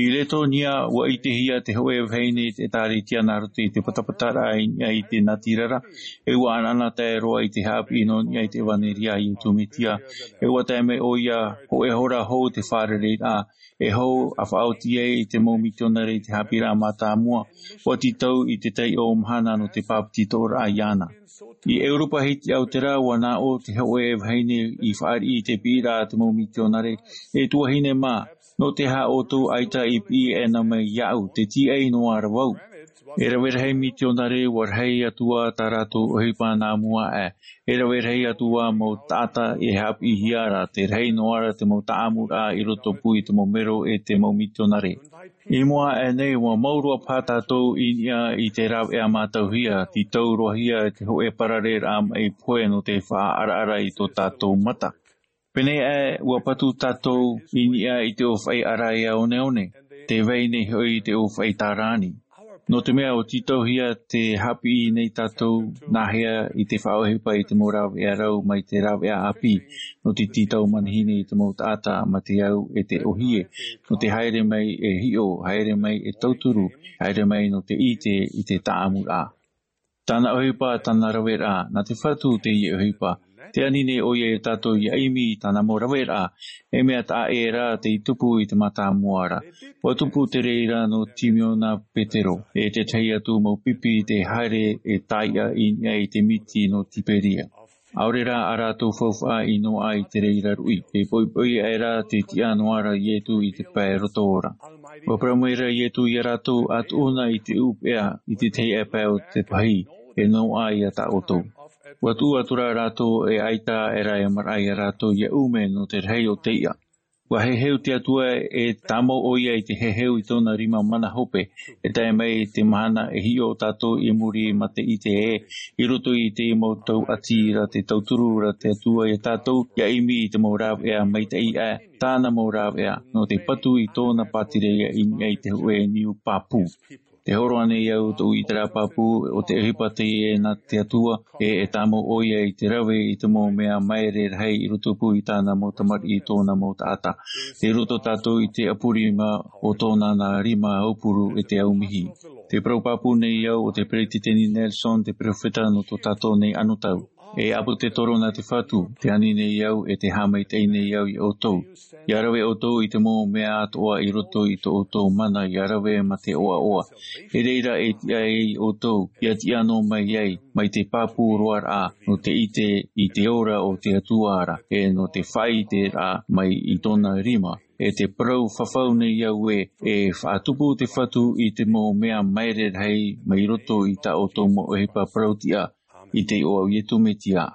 I Letonia, ua ʻitehia te hōʻē vahine i te ʻĒtārētia nā roto i te patapataraʻa i niʻa i te natirara, e ua anaanatae roa i te haʻapiʻi nō niʻa i te ʻevanelia a Ietu Metia, e ua tae mai ʻoia, hōʻē hora hou te fārereiraʻa, e hou a faʻaoti ai i te mau mitionare i te haʻapiʻiraʻa mātāmua, ua tītau i te taiʻo mahana nō te pāpetitoraʻa iāna. I ʻEuropa Hitiʻa o te rā, ua nā ʻō te hōʻē vahine i fāriʻi i te piʻiraʻa a te mau mitionare, e tuahine mā, nō te aha ʻoutou ʻaita i piʻi ʻē na mai iāʻu, te tīaʻi noa ra vau. E rave rahi mitionare, ua rahi atu ā tā rātou ʻohipa nā mua aʻe. E rave rahi atu ā mau taʻata e haʻapiʻihia ra, te rahi noa ra te mau taʻamuraʻa i rotopū i te mau mero e te mau mitionare. I mua aʻe nei, ua mau roa paha tātou i niʻa i te rāveʻa mātauhia, tītau roa hia te hōʻē parareraʻa maʻi pohe nō te faʻaʻaraʻara i tō tātou mata. Pēnei aʻe, ua patu tātou i niʻa i te ʻōfaʻi ʻaraʻia oneone, tē vai nei hoʻi te ʻōfaʻi tārāni. Nō te mea ʻua tītauhia te haʻapiʻi nei tātou, nā hea i te faʻaʻohipa i te mau rāveʻa rau mai te rāveʻa ʻāpī, nō te tītau manihini i te mau taʻata mā te au e te ʻōhie, nō te haere mai e hiʻo, haere mai e tauturu, haere mai nō te ʻite i te taʻamuraʻa. Tāna ʻohipa, tāna raveraʻa, nā te Fatu teie ʻohipa. Tē ani nei ʻoia ia tātou ʻia ʻimi i tāna mau raveraʻa, e mea taʻa ʻē rā tei tupu i te mātāmua ra. ʻUa tupu te reira nō Timiona Petero, e tētahi atu mau pipi tē haere e taiʻa i niʻa i te miti nō Tiberia. ʻAore rā ā rātou faufaʻa i noaʻa i te reira ruʻi, e poʻipoʻi aʻe rā te tiʻa noa ra Ietu i te pae roto ora. ʻUa parau mai ra Ietu ia rātou, ʻa tuʻu na i te ʻūpeʻa, i te tahi aʻe pae o te pahī, e noaʻa ia tā ʻoutou. ʻUa tuʻu atu rā rātou e ʻaita aʻe ra e maraʻa ia rātou ʻia ʻume nō te rahi o te iʻa. ʻUa heheu te Atua, e tāmau ʻoia i te heheu i tōna rima mana hope, e tae mai te mahana e hiʻo tātou i muri mā te ʻite ē, i roto i te mau tau ʻati ra te tauturu ra te Atua ia tātou, ʻia ʻimi i te mau rāveʻa maitaʻi aʻe, tāna mau rāveʻa, nō te patu i tōna pātireia i niʻa i te hōʻē niu pāpū. Te hōroʻa nei au tōʻu ʻiteraʻa pāpū, ʻo te ʻohipa teie nā te Atua, e, e tāmau ʻoia i te rave i te mau mea maere rahi i rotopū i tāna mau tamariʻi, tōna mau taʻata. Tei roto tātou i te ʻapu rima o tōna nā rima aupuru e te aumihi. Te parau pāpū nei au o te Peretiteni Nelson, te peropheta nō tō tātou nei anotau. E ʻApotetoro nā te Fatu, tē ani nei au e tē haʻamaitaʻi nei au iā ʻoutou. ʻIa rave ʻoutou i te mau mea atoʻa i roto i tō ʻoutou mana ʻia rave mā te ʻoaʻoa. E reira e tiʻa ai ʻoutou, ʻia tiʻa noa mai ai, mai te pāpū roa ra, nō te ʻite i te ora o te Atua ra, e nō te faʻaʻiteraʻa mai i tōna rima. E te parau fafau nei au ē, e faʻatupu te Fatu i te mau mea maere rahi mai roto i tā ʻoutou mau ʻohipa parau-tiʻa, i te iʻoa o Iesu Mesia.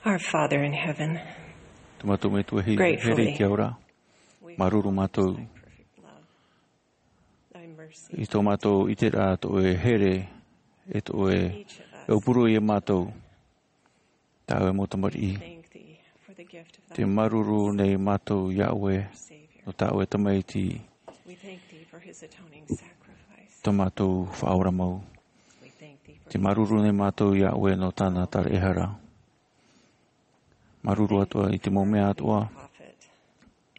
Our Father in heaven, tō mātou Metua here i te ao ra, māuruuru mātou i tō mātou ʻiteraʻa, tō ʻoe here, e tō ʻoe e ʻōpū roa ia mātou, tā ʻoe mau tamariʻi. Te māuruuru nei mātou iā ʻoe nō tā ʻoe Tamaiti, tō mātou Faʻaora mau. Te māuruuru nei mātou iā ʻoe nō tāna taraehara. Māuruuru atoʻa i te mau mea atoʻa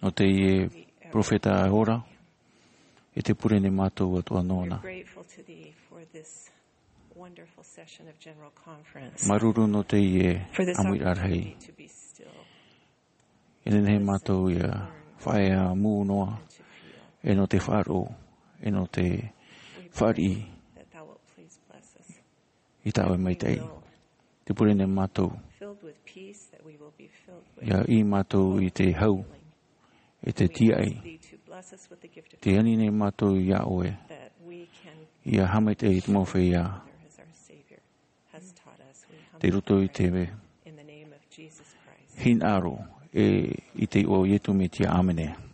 nō teie perofeta ora, e te pure nei mātou atoʻa nōna. Māuruuru nō teie ʻāmuiraʻa rahi. E nehenehe mātou ia faʻaea mū noa, e nō te faʻaroʻo, e nō te fāriʻi i tā ʻoe maitaʻi. Te pure nei mātou ia ʻī mātou i te hau, e te tiaʻi. Te ani nei mātou iā ʻoe ia haʻamaitaʻi i te mau feiā. Tei roto i te hinaʻaro, e i te iʻoa o Iesu Mesia, ʻāmene.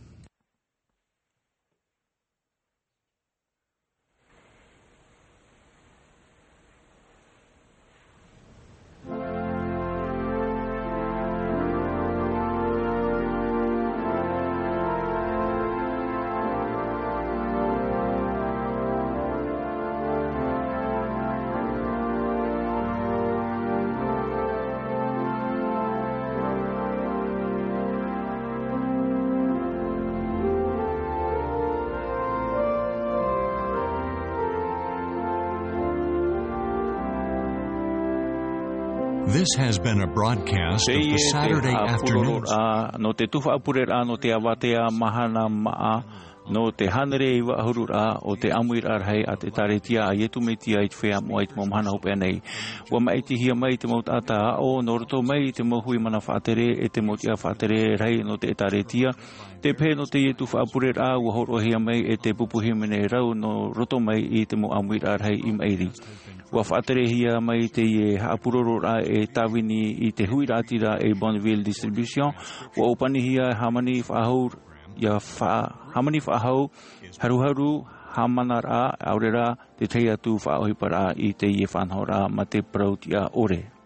This has been a broadcast of the Saturday afternoon. Nō te tuhaʻa pureraʻa nō te avatea mahana maʻa, nō te hānere iva ʻahururaʻa o te ʻāmuiraʻa rahi a te ʻĒtārētia a Iesu Mesia i te feiā moʻa i te mau mahana hopeʻa nei. ʻUa māʻitihia mai te mau taʻata aʻo nō roto mai i te mau hui mana faʻatere e te mau tiʻa faʻatere rahi nō te ʻĒtārētia, te pehe nō teie tuhaʻa pureraʻa, ʻua hōroʻahia mai e te pupu hīmene rau nō roto mai i te mau ʻāmuiraʻa rahi i maʻiri. ʻUa faʻaterehia mai teie haʻapurororaʻa e tāvini i te huiraʻatira e Bonneville Distribution. ʻUa ʻōpanihia hāmani faʻahou, ia fa-, hāmani faʻahou, haruharu, hāmanaraʻa, ʻaore rā te tahi atu faʻaʻohiparaʻa i teie faʻanahoraʻa mā te parau tiʻa ʻore.